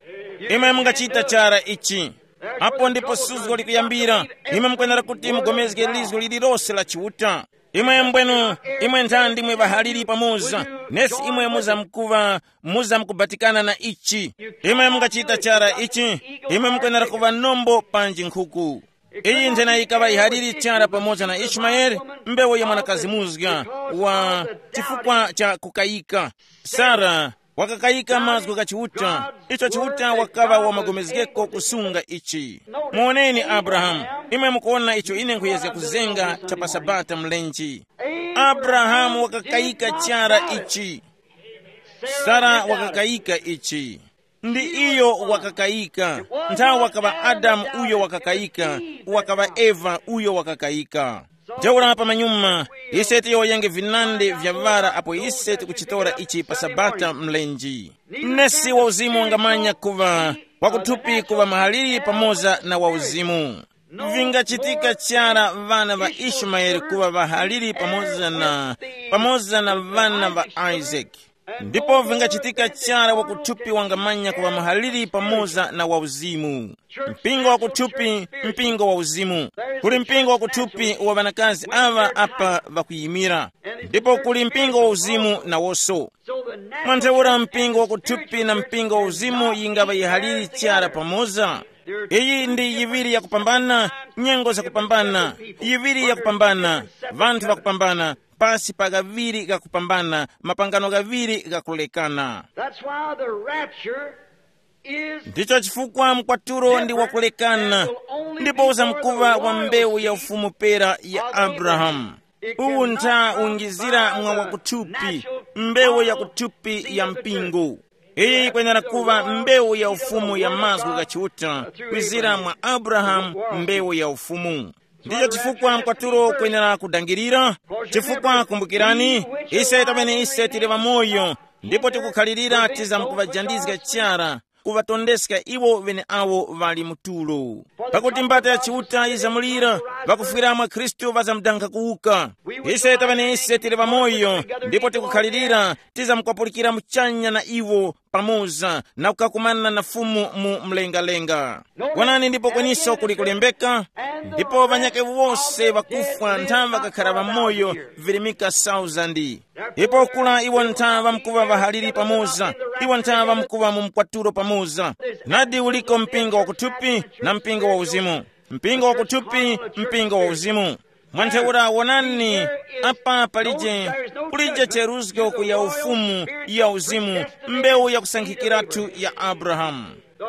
Imwe mungachita chara ichi. Apo ndipo suzgo likuyambira. Imwe mukwenera kuti mugomezge lizgo lililose la Chiuta. Imwe mbwenu, imwe ntha ndimwe ŵahaliri pamoza. Nesi imwe muzamkuva, muzamkubatikana na ichi. Imwe mungachita chara ichi. Imwe mukwenera kuva nombo panji nkhuku. Iyi nthena yikaŵa yihaliri chara pamoza na Ishimayeli, mbewu ya mwanakazi muzga, wa chifukwa cha kukayika. Sara wakakayika mazgu gha Chiuta, icho Chiuta wakaŵa wamagomezgeko kusunga ichi. Muoneni Abrahamu, imwe mukuona icho ine nkhuyezga kuzenga cha pa Sabata mlenji. Abrahamu wakakayika chara ichi. Sara wakakayika ichi. Ndi iyo wakakayika. Nthawi wakaŵa Adamu uyo wakakayika, wakaŵa Eva uyo wakakayika. Ntheura pamanyuma, ise tiyowoyenge vinandi vya vara apo ise tikuchitora ichi pa Sabata mlenji. Nesi wa uzimu wangamanya kuŵa wakuthupi kuŵa mahaliri pamoza na wa uzimu. Vingachitika chara ŵana ŵa Ishimayeli kuŵa ŵahaliri pamoza na, pamoza na ŵana ŵa Isaki. Ndipo vingachitika chara wakuthupi wangamanya kuŵa muhaliri pamoza na wauzimu. Mpingo wakuthupi, mpingo wauzimu. Kuli mpingo wakuthupi wa ŵanakazi aŵa apa ŵakuyimira. Ndipo kuli mpingo wauzimu nawoso. Mwantheura mpingo wakuthupi na mpingo wauzimu yingaŵa yihaliri chara pamoza. Iyi ndi yiŵiri yakupambana, nyengo zakupambana, yiŵiri yakupambana, vanthu vakupambana, pasi pa ghaŵiri ghakupambana, mapangano ghaŵiri ghakulekana. That's why the rapture is. Ndicho chifukwa mkwatulo ndi wakulekana, ndipo uzamkuŵa wa mbewu ya ufumu pera ya Abrahamu. Uwu ntha ungizira mwa wakuthupi, mbewu ya kuthupi ya mpingo. Iyi yikwenera kuŵa mbewu ya ufumu ya mazgu gha Chiuta, kwizira mwa Abrahamu, mbewu ya ufumu. Ndicho chifukwa mkwatulo kwenera kudangirira, chifukwa kumbukirani, ise tamene ise tili ŵamoyo, ndipo tikukhalirira tizamkuvajandizga chara, kuvatondeska iwo ŵeneawo ŵali mu tulo. Pakuti mbata ya Chiuta yizamulira, ŵakufwira mwa Khristu ŵazamdankha kuwuka. Ise tamene ise tili ŵamoyo, ndipo tikukhalirira, tizamkwapulikira muchanya na iwo, pamoza na kukakumana na Fumu mu mlengalenga. Wonani, ndipo kweniso kuli kulembeka, ndipo ŵanyakhe wose ŵakufwa ntha ŵakakhara ŵamoyo virimika sauzandi. Ndipo kula iwo ntha ŵamkuŵa ŵahaliri pamoza, iwo ntha ŵamkuŵa mu mkwatulo pamoza. Nadi uliko mpingo wakuthupi na mpingo wa uzimu. Mpingo wakuthupi, mpingo wa uzimu. Mwantheura wonani, apa palije, kulije cheruzgo ku ya ufumu ya uzimu, mbewu yakusankhikiratu ya Abrahamu.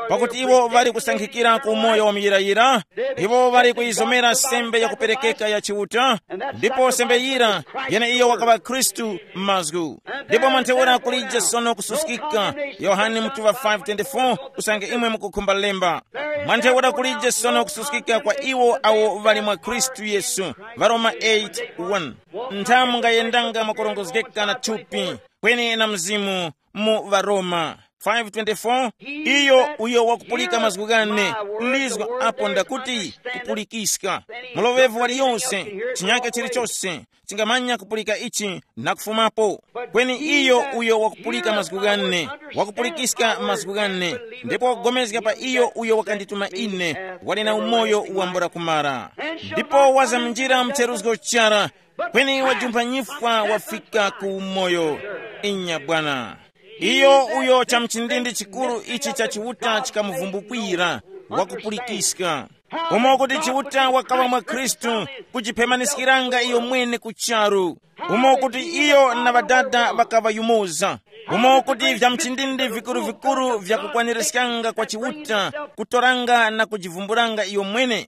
Pakuti iwo ŵali kusankhikira ku umoyo wa muyirayira, iwo ŵali kuyizomera sembe yakuperekeka ya Chiuta, ndipo sembe yira yeneiyo wakaŵa Khristu m'mazgu. Ndipo mwantheura kulije sono kususkika, Yohane mutuŵa five twenty-four, usange imwe mukukhumba lemba. Mwantheura kulije sono kususkika kwa iwo awo ŵali mwa Khristu Yesu, Varoma eight one. Ntha mungayendanga mwakurongozgeka na thupi, kweni na mzimu, mu Varoma five twenty-four. Iyo uyo wakupulika mazgu ghane, lizgo apo ndakuti kupulikiska. Muloŵevu waliyonse, chinyake chilichose, chingamanya kupulika ichi na kufumapo. Kweni iyo uyo wakupulika mazgu ghane, wakupulikiska mazgu ghane, ndipo wakugomezga pa iyo uyo wakandituma ine, wali na umoyo wambula kumara. Ndipo wazamnjira mcheruzgo chara, kweni wajumpha nyifwa wafika ku umoyo. Inya Bwana. Iyo uyo cha mchindindi chikuru ichi cha Chiuta chikamuvumbukira, wakupulikiska. Umo kuti Chiuta wakaŵa mwa Khristu, kujiphemaniskiranga iyo mwene ku charu. Umo kuti iyo na Ŵadada ŵakaŵa yumoza. Umo kuti vya mchindindi vikuru-vikuru vya kukwanirizganga kwa Chiuta, kutoranga na kujivumbulanga iyo mwene,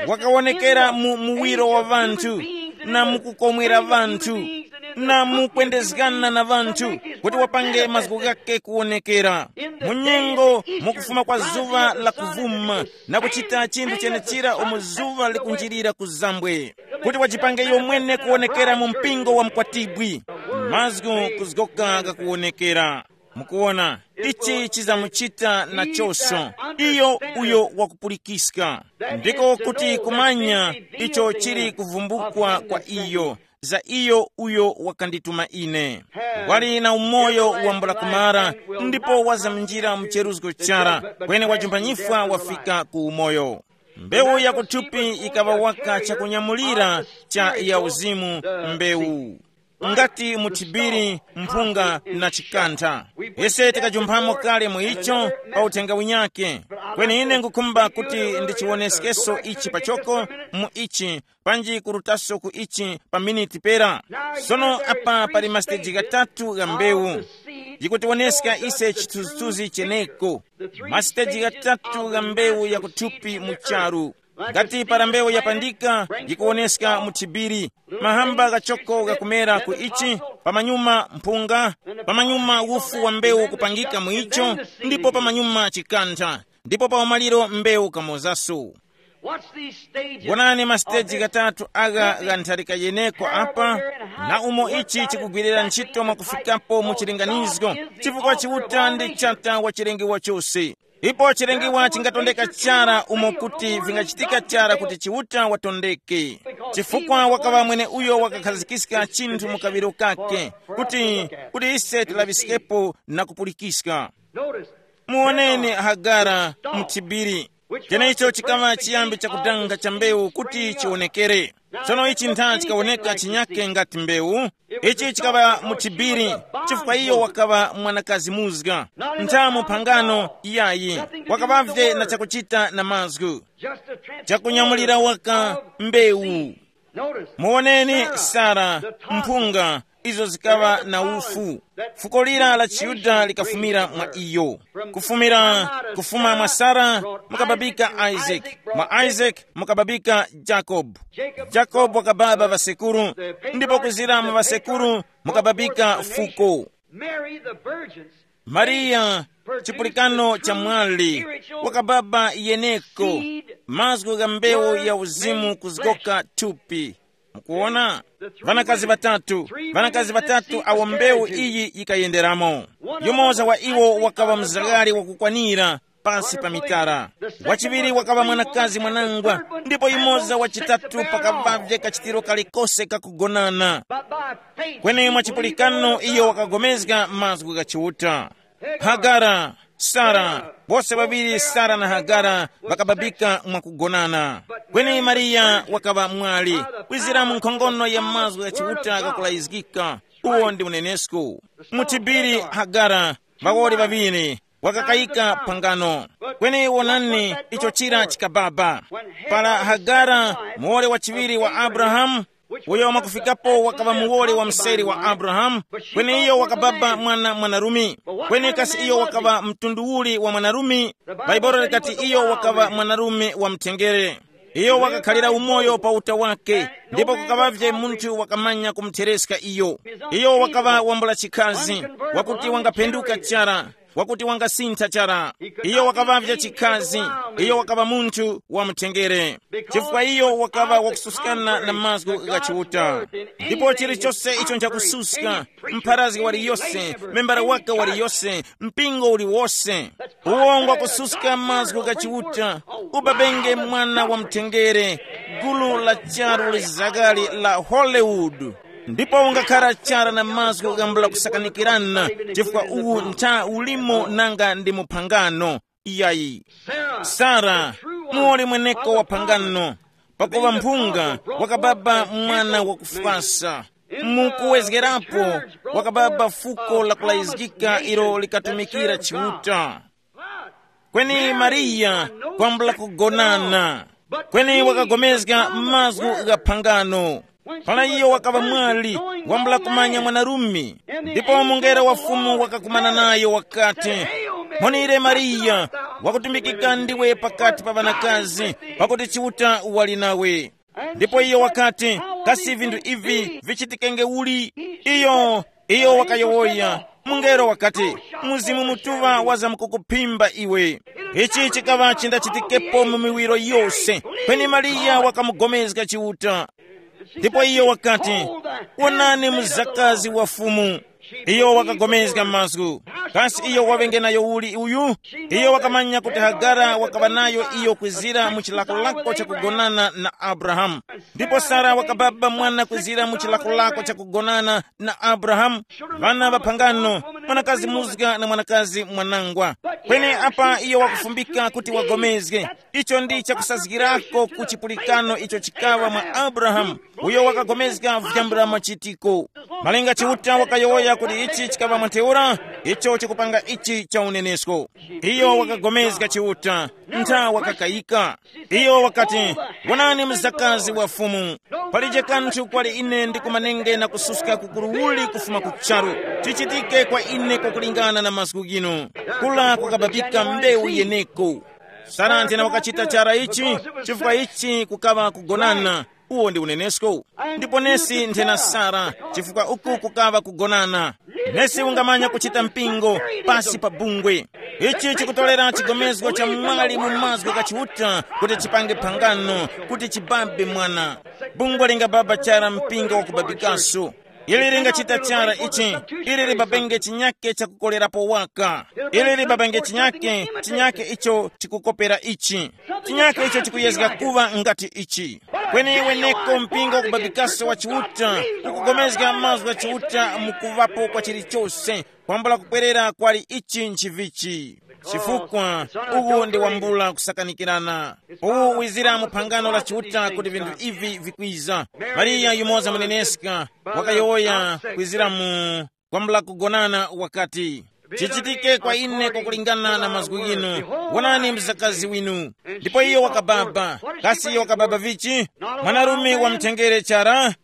wakawonekera mu muwiro wa ŵanthu, na mukukomwera ŵanthu. na mukwendezgana na ŵanthu, kuti wapange mazgu ghake kuwonekera. Mu nyengo mukufuma kwa zuŵa la kuvuma, na kuchita chinthu chenechira umo zuŵa likunjirira ku zambwe, kuti wajipange iyo mwene kuwonekera mu mpingo wa mkwatibwi. Mazgu kuzgoka ghakuwonekera. Mukuwona, ichi chizamuchita na choso iyo uyo wakupulikiska, ndiko kuti kumanya icho chili kuvumbukwa kwa iyo, za iyo uyo wakandituma ine. Wali na umoyo wambula kumara, ndipo wazamnjira mu cheruzgo chara, kweni wajumbanyifwa wafika ku umoyo. Mbewu ya kuthupi ikaŵa waka chakunyamulira cha ya uzimu, mbewu ngati muthibiri, mphunga na chikantha. Ise tikajumphamo kale mu icho pa uthenga winyake, kweni ine ngukhumba kuti ndichiwoneskeso ichi pachoko mu ichi, panji kurutaso ku ichi pa miniti pera. Sono apa pali masiteji ghatatu gha mbewu, yikutiwoneska ise chithunzithunzi cheneko. Masiteji ghatatu gha mbewu ya kuthupi mu charu. Ngati para mbewu yapandika, yikuwoneska muthibiri, mahamba ghachoko ghakumera ku ichi, pamanyuma mphunga, pamanyuma ufu wa mbewu kupangika mu icho, ndipo pamanyuma chikantha, ndipo pa umaliro mbewu kamozaso. Watch these stages. Wonani masiteji ghatatu agha gha ntharika yeneko apa, na umo ichi chikugwirira ntchito mwakufikapo mu chilinganizo, chifukwa Chiuta ndi chata wa chilengewa chose. Ipo chilengewa chingatondeka chara umo kuti vingachitika chara kuti Chiuta watondeke, chifukwa wakaŵa mwene uyo wakakhazikiska chinthu mu kaŵiro kake, kuti kuti ise tilaŵiskepo na kupulikiska. Notice, muwoneni Hagara mthibiri. Chenecho chikaŵa chiyambi chakudanga cha mbewu kuti chiwonekere. Tsono ichi ntha chikawoneka chinyake ngati mbewu. Ichi chikaŵa muthibiri, chifukwa iyo wakaŵa mwanakazi muzga. Ntha mu phangano iyayi, wakaŵavye na chakuchita na mazgu, chakunyamulira waka mbewu. Muwoneni Sara, mphunga, izo zikaŵa na ufu. Fuko lira la Chiyuda likafumira mwa iyo. Kufumira, kufuma mwa Sara mukababika Isaac, mwa Isaac mukababika Jacob. Jacob wakababa ŵasekuru, ndipo kuzira mu ŵasekuru mukababika fuko. Mary the virgin, Mariya, chipulikano cha mwali, wakababa yeneko mazgu gha mbewu ya uzimu kuzgoka thupi. Mukuona, vanakazi vatatu, vanakazi vatatu awo mbewu iyi yikayenderamo. Yumoza wa iwo wakawa mzagari wakukwanira pasi pa mitara. Wachiŵiri wakaŵa mwanakazi mwanangwa, ndipo yumoza wachitatu pakavavye kachitiro kalikose kakugonana. Kweni mwa chipulikano iyo wakagomezga mazgu gha Chiuta. Hagara, Sara, bose ŵaŵiri Sara na Hagara ŵakababika mwakugonana. Kweni Mariya wakaŵa mwali, kwizira mu nkhongono ya mazgu gha Chiuta ghakulayizgika. Uwo ndi unenesko. Muthibiri Hagara, ŵawoli ŵaŵiri, wakakayika phangano. Kweni wonani icho chira chikababa. Para Hagara, muwoli wa chiŵiri wa Abrahamu, uyo mwakufikapo wakaŵa muwoli wa mseri wa Abrahamu, kweni iyo wakababa mwana mwanarume. Kweni kasi iyo wakaŵa mtundu uli wa mwanarume? Bhaibuli likati iyo wakaŵa mwanarume wa mtengere. Iyo wakakhalira umoyo pa uta wake, ndipo kukaŵavye munthu wakamanya kumuthereska iyo. Iyo wakaŵa wambula chikhazi, wakuti wangaphenduka chara, wakuti wangasintha chara. Iyo wakaŵavya chikhazi, iyo wakaŵa munthu wa mtengere, chifukwa iyo wakaŵa wakususkana na mazgu gha Chiuta. Ndipo chilichose icho nchakususka, mpharazgi waliyose, membara wake waliyose, mpingo uliwose, uwo ngwakususka mazgu gha Chiuta, ubabenge mwana wa mtengere, gulu la charu lizakali la Hollywood. Ndipo ungakhara chara na mazgu ghambula kusakanikirana, chifukwa uwu ntha ulimo nanga ndi muphangano. Iyayi. Sara, muwoli mweneko wa phangano, pakuva mphunga wakababa mwana wakufwasa. Mukuwezgerapo, wakababa fuko la kulayizgika ilo likatumikira Chiuta. Kweni Mariya kwambula kugonana, kweni wakagomezga mazgu gha phangano. Para iyo wakaŵa mwali, wambula kumanya mwanarume, ndipo mungelo wa Fumu wakakumana nayo wakati, "Mphonire Mariya, wakutumbikika ndiwe pakati pa ŵanakazi, pakuti Chiuta wali nawe." Ndipo iyo wakati, kasi vinthu ivi vichitikenge uli? Iyo, iyo wakayowoya. Mungelo wakati, Mzimu Mutuŵa wazamkukuphimba iwe. Ichi chikaŵa chindachitikepo mu miwiro yose. Kweni Mariya wakamugomezga Chiuta. Ndipo iyo wakati, wonani mzakazi wa Fumu. Iyo wakagomezga mazgu. Kasi iyo waŵenge nayo uli uyu? Iyo wakamanya kuti Hagara wakaŵa nayo iyo kwizira mu chilakolako chakugonana na Abrahamu. Ndipo Sara wakababa mwana kwizira mu chilakolako chakugonana na Abrahamu. Vana ŵaphangano, mwanakazi muzga na mwanakazi mwanangwa. Kweni apa iyo wakufumbika kuti wagomezge. Icho ndi chakusazgirako ku chipulikano icho chikawa mwa Abrahamu, uyo wakagomezga vyambula machitiko. Malinga Chiuta wakayowoya kuti ichi chikawa mwa ntheura, icho chikupanga ichi cha unenesko. Iyo wakagomezga Chiuta, ntha wakakayika. Iyo wakati, wonani mzakazi wa Fumu. Palije kanthu kwali ine ndikumanenge na kususka kukuru uli kufuma ku charu. Chichitike kwa ine kwakulingana na mazgu ghinu. Kula kukababika mbewu yeneko. Sara nthena wakachita chara ichi, chifukwa ichi kukaŵa kugonana. Uwo ndi unenesko. Ndipo nesi nthena Sara, chifukwa uku kukaŵa kugonana. Nesi ungamanya kuchita mpingo pasi pa bungwe. Ichi chikutolera chigomezgo cha mwali mu mazgu gha Chiuta kuti chipange phangano, kuti chibabe mwana. Bungwe lingababa chara mpingo wakubabikaso. Ili lingachita chara ichi, ili libabenge chinyake chakukolerapo waka. Ili libabenge chinyake, chinyake icho chikukopera ichi. Chinyake icho chikuyezga kuŵa ngati ichi. Kweni weneko mpingo kubabikaso wa Chiuta, ukugomezga mazgu gha Chiuta mukuvapo kwa chilichose, kwambula kupwerera kwali ichi nchivichi. Chifukwa uwu ndi wambula kusakanikirana. Uwu wizira mu phangano la Chiuta kuti vinthu ivi vikwiza. Mariya yumoza muneneska wakayowoya kwizira mu kwambula kugonana wakati, chichitike kwa ine kwakulingana na mazgu ghinu. Wonani mzakazi winu. Ndipo iyo wakababa. Kasi iyo wakababa vichi? Mwanarume wa mthengere chara,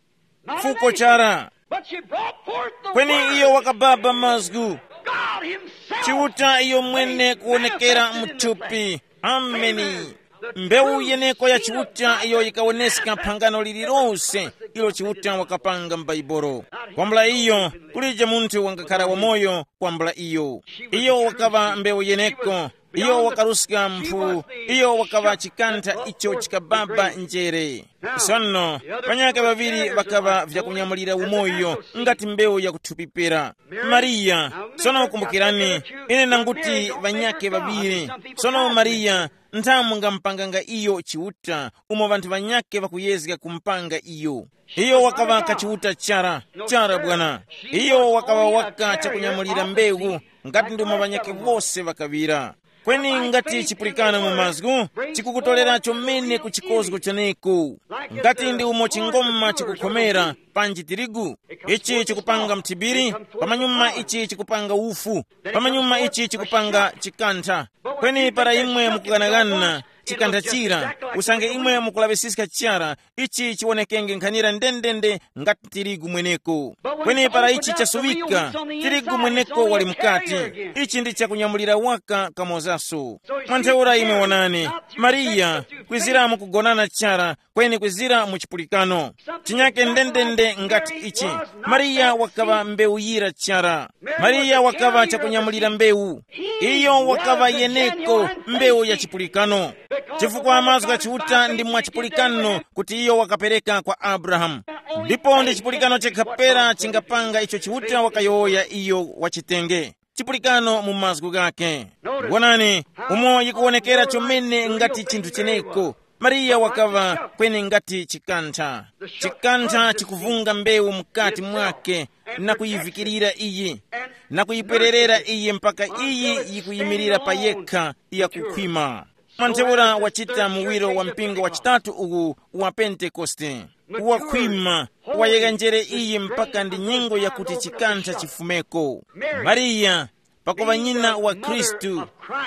fuko chara. But she brought forth the Kweni word. Iyo wakababa mazgu. God himself. Chiuta iyo mwene kuwonekera mthupi. Ameni. Mbewu yeneko ya Chiuta iyo yikawoneska phangano lililose ilo Chiuta wakapanga m'Baibolo. Kwambula iyo, kulije munthu wangakhala wamoyo kwambula iyo. Iyo wakaŵa mbewu yeneko. Iyo wakaruska mphu. Iyo wakaŵa chikantha icho chikababa njere. Sono, ŵanyaka ŵaŵiri ŵakaŵa vyakunyamulira umoyo ngati mbewu yakuthupipira. Mariya, sono kumbukirani, ine nanguti ŵanyake ŵaŵiri. Sono Mariya, nthamu ngampanganga iyo Chiuta, umo ŵanthu ŵanyake ŵakuyezga kumpanga iyo. Iyo wakaŵa kachiuta chara, chara bwana. Iyo wakaŵa waka chakunyamulira mbewu, ngati ndimo ŵanyake wose ŵakaŵira. Kweni ngati chipulikana mu mazgu, chikukutolera chomene ku chikozgo chaneko. Ngati ndi umo chingoma chikukhomera, panji tirigu, ichi chikupanga mthibiri, pamanyuma ichi chikupanga ufu, pamanyuma ichi chikupanga chikantha. Kweni para imwe mukughanaghana chikantha chira, usange imwe mukulaŵisiska chara, ichi chiwonekenge nkhanira ndendende ngati tirigu mweneko. Kweni para ichi chasuŵika, tirigu mweneko wali mukati. Ichi ndi chakunyamulira waka kamozaso. Mwa ntheura imwe wonani, Mariya, kwizira mukugonana chara, kweni kwizira mu chipulikano. Chinyake ndendende ngati ichi. Mariya wakaŵa mbewu yira chara. Mariya wakaŵa chakunyamulira mbewu. Iyo wakaŵa yeneko mbewu ya chipulikano. Chifukwa mazgu gha Chiuta ndi mwa chipulikano kuti iyo wakapereka kwa Abrahamu. Ndipo ndi chipulikano chekha pera chingapanga icho Chiuta wakayowoya iyo wachitenge. Chipulikano mu mazgu ghake. Wonani, umo yikuwonekera chomene ngati chinthu cheneko. Mariya wakaŵa kweni ngati chikantha. Chikantha chikuvunga mbewu mukati mwake na kuyivikirira iyi, na kuyipwererera iyi mpaka iyi yikuyimirira pa yekha yakukhwima. Mwa ntheura wachita muwiro wa mpingo wa chitatu uwu wa Pentekoste, wakhwima, wayegha njere iyi mpaka ndi nyengo yakuti chikantha chifumeko. Mariya, pakuŵa nyina wa Khristu,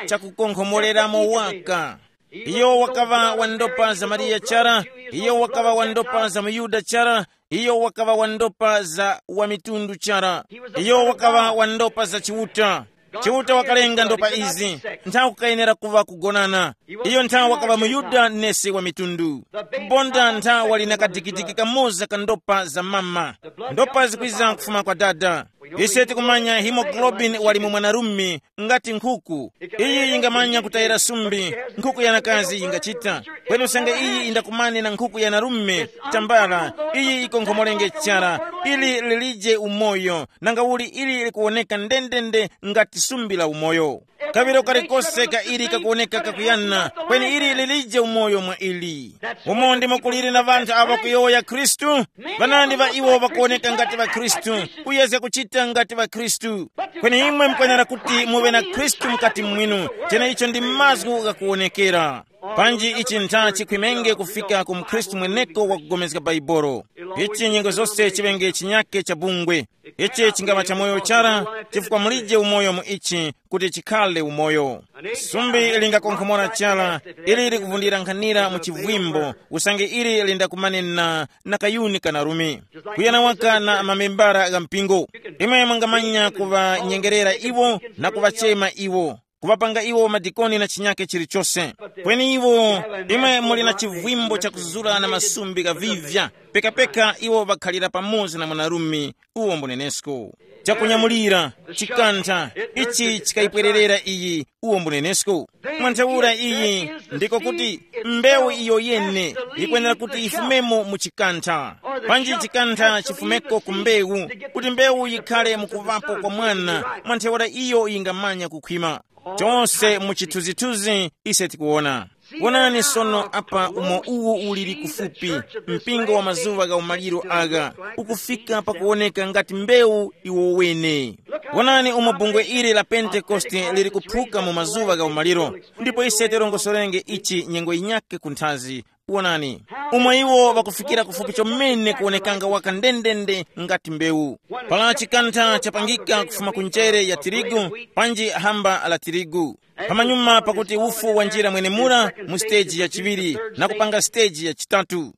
chakukonkhomoreramo waka. Iyo wakaŵa wa ndopa za Mariya chara, iyo wakaŵa wa ndopa za muYuda chara, iyo wakaŵa wa ndopa za wa mitundu chara, iyo wakaŵa wa ndopa za Chiuta. Chiuta wakalenga ndopa izi, nthawi kukayenera kuŵa kugonana. Iyo nthawi wakaŵa muYuda nesi wa mitundu. Bonda nthawi wali na kadikidiki kamoza ka ndopa za mama. Ndopa zikwiza kufuma kwa dada. Ise tikumanya hemoglobin wali mu mwanarume, ngati nkhuku. Iyi yingamanya kutayira sumbi, nkhuku yanakazi yingachita. Kweni usange iyi indakumane na nkhuku yanarume, tambala, iyi ikonkhomolenge chara, ili lilije umoyo, nanga uli ili likuwoneka ndendende ngati sumbi la umoyo. Kaŵiro kalikose ka ili kakuwoneka kakuyana, kweni ili lilije umoyo mwa ili. Umo ndimo kuliri na ŵanthu awo kuyowoya Khristu. Ŵanandi ŵa iwo ŵakuwoneka ngati ŵa Khristu, kuyezga kuchita ngati ŵa Khristu. Kweni imwe mukwenera kuti muŵe na Khristu mukati mwinu, cheneicho ndi mazgu ghakuwonekera. Panji ichi ntha chikhwimenge kufika ku mkhristu mweneko wakugomezga Baibolo. Ichi nyengo zose chiŵenge chinyake cha bungwe. Ichi chingama cha moyo chara, chifukwa mulije umoyo mu ichi kuti chikhale umoyo. Sumbi lingakonkhomora chara, ili likuvundira nkhanira mu chivwimbo, usange ili lindakumane na, na kayuni kanarumi. Kuyana waka na mamembara gha mpingo. Imwe mungamanya kuŵanyengerera iwo na kuŵachema iwo, kuŵapanga iwo madikoni na chinyake chilichose. Kweni iwo, imwe muli na chivwimbo chakuzura na masumbi ghavivya, pekapeka iwo ŵakhalira pamoza na mwanarume, uwo mbunenesko. Chakunyamulira, chikantha, ichi chikayipwererera iyi, uwo mbunenesko. Mwa ntheura iyi, ndiko kuti mbewu iyo yene yikwenera kuti yifumemo mu chikantha. Panji chikantha chifumeko ku mbewu, kuti mbewu yikhale mukuvapo kwa mwana, mwa ntheura iyo yingamanya kukhwima. Chose mu chithunzithunzi ise tikuwona. Wonani sono apa umo uwo uliri kufupi, mpingo wa mazuŵa gha umaliro agha, ukufika pakuwoneka ngati mbewu iwo wene. Wonani umo bungwe ili la Pentekoste liri kuphuka mu mazuŵa gha umaliro, ndipo ise tirongosorenge ichi nyengo yinyakhe kunthazi. Wonani, umo iwo ŵakufikira kufupi chomene kuwonekanga waka ndendende ngati mbewu. Para chikantha chapangika kufuma ku njere ya tirigu, panji hamba la tirigu. Pamanyuma pakuti ufu wanjira mwenemura mu siteji ya chiŵiri na kupanga siteji ya chitatu.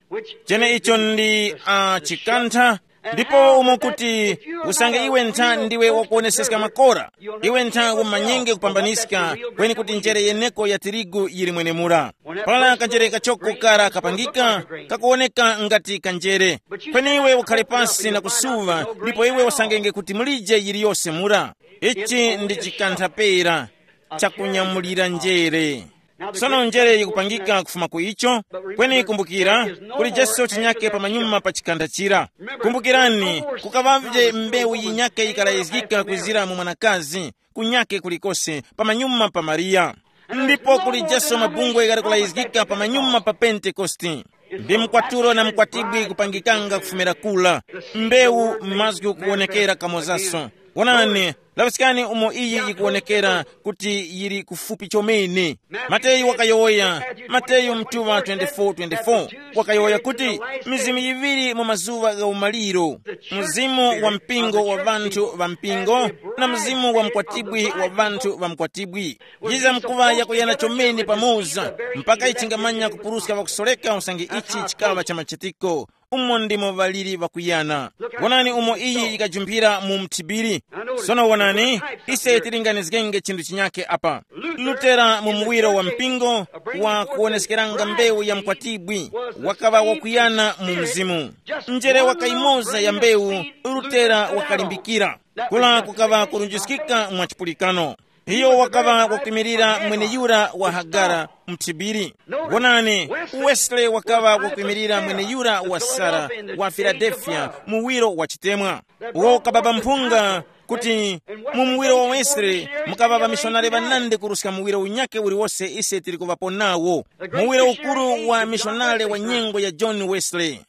Chene icho ndi uh, chikantha. Ndipo umo kuti, usange iwe ntha ndiwe wakuoneseska makora, iwe ntha umanyenge kupambaniska, kweni kuti njere yeneko ya tirigu yili mwenemura. Para kanjere kachoko kara kapangika, kakuwoneka ngati kanjere. Kweni iwe ukhale pasi na kusuva, ndipo iwe usangenge kuti mulije yiliyose mura. Ichi ndi chikantha pera chakunyamulira njere. Sono njere yikupangika kufuma ku icho. Kweni kumbukira, kuli Yesu chinyake pamanyuma pa chikantha chira. Kumbukirani, kukaŵavye mbewu yinyake yikalayizgika kwizira mu mwanakazi, kunyake kulikose pamanyuma pa Mariya. Ndipo kuli Yesu mabungwe ghali kulayizgika pamanyuma pa Pentekoste. Ndi mkwatulo na mkwatibwi kupangikanga kufumira kula. Mbewu mazgu kuwonekera kamozaso. Wonani, laŵiskani umo iyi yikuwonekera kuti yili kufupi chomene. Mateyu wakayowoya, Mateyu mtuŵa twenty-four twenty-four, wakayowoya kuti, mizimu yiŵiri mu mazuŵa gha umaliro, mzimu wa mpingo wa ŵanthu ŵa mpingo, na mzimu wa mkwatibwi wa ŵanthu ŵa mkwatibwi. Yizamkuŵa yakuyana chomene pamoza, mpaka ichingamanya kupuruska ŵakusoreka usange ichi chikaŵa cha machitiko. Umo ndimo ŵaliri ŵakuyana. Wonani umo iyi yikajumphira mu mthibiri. Sono wonani, ise tilinganizgenge chinthu chinyakhe apa. Lutera mu muwiro wa mpingo wa kuwoneskeranga mbewu ya mkwatibwi, wakaŵa wakuyana mu mzimu. Njere waka imoza ya mbewu, Lutera wakalimbikira. Kula kukaŵa kurunjiskika mwa chipulikano. Iyo wakaŵa wakwimirira mweneyura wa Hagara mthibiri. Wonani, Wesley wakaŵa wakwimirira mweneyura wa Sara wa Filadelfiya, muwiro wa chitemwa. Uwo ukababa mphunga kuti mu muwiro wa Wesley mukaŵa ŵamishonari ŵanandi kuruska muwiro unyakhe uliwose ise tili kuŵapo nawo. Muwiro ukuru wa mishonari wa nyengo ya John Wesley.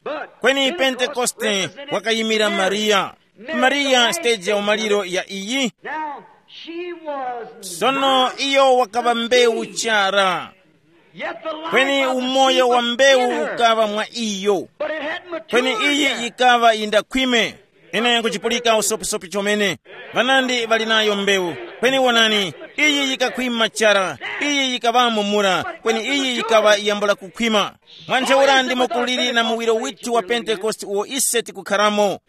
Kweni Pentekoste wakayimira Mariya. Mariya stage ya umaliro ya iyi. Now, she was sono not iyo wakaŵa mbewu seed, chara, yet the life kweni of the umoyo seed wa was mbewu in her. Ukaŵa mwa iyo. But it hadn't matured kweni iyi yet. Ikaŵa yindakhwime. Ine nkuchipulika usopisopi chomene. Vanandi vali nayo mbewu. Kweni wonani, iyi yikakhwima chara, iyi yikaŵamo mura, kweni iyi yikaŵa yambula kukhwima. Mwa ntheura ndimo kuliri na muwiro withu wa Pentekoste uwo ise tikukharamo.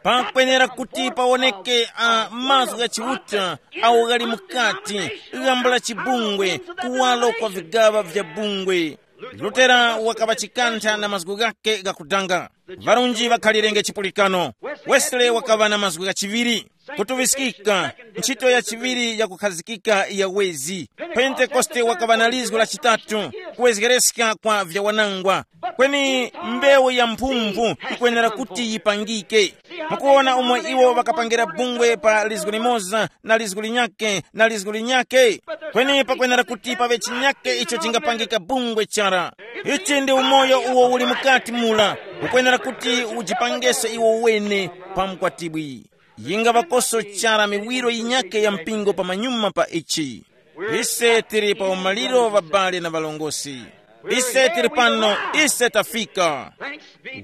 Pakwenera kuti pawoneke a mazgu gha Chiuta awo ghali mukati, ghambo la chibungwe, kuwalo kwa vigaŵa vya bungwe. Lutera wakaŵa chikantha na mazgu ghakhe ghakudanga. Varunji ŵakhalirenge chipulikano. Wesley wakaŵa na mazgu ghachiŵiri, kutuŵiskika, ntchito ya chiŵiri ya kukhazikika ya wezi. Pentekoste wakaŵa na lizgu la chitatu, kuwezgereska kwa vyawanangwa. Kweni mbewu ya mphumphu ikwenera kuti yipangike. Mukuwona umo iwo ŵakapangira bungwe pa lizgu limoza na lizgu linyake na lizgu linyake? Kweni pakwenera kuti paŵe chinyake icho chingapangika bungwe chara. Ichi ndi umoyo uwo uli mukati mula, ukwenera kuti ujipangese iwo wene pa mkwatibwi. Yinga ŵakoso chara miwiro yinyake ya mpingo pamanyuma pa ichi. Ise tili pa umaliro, ŵabale na ŵalongosi. Ise tili pano, ise tafika.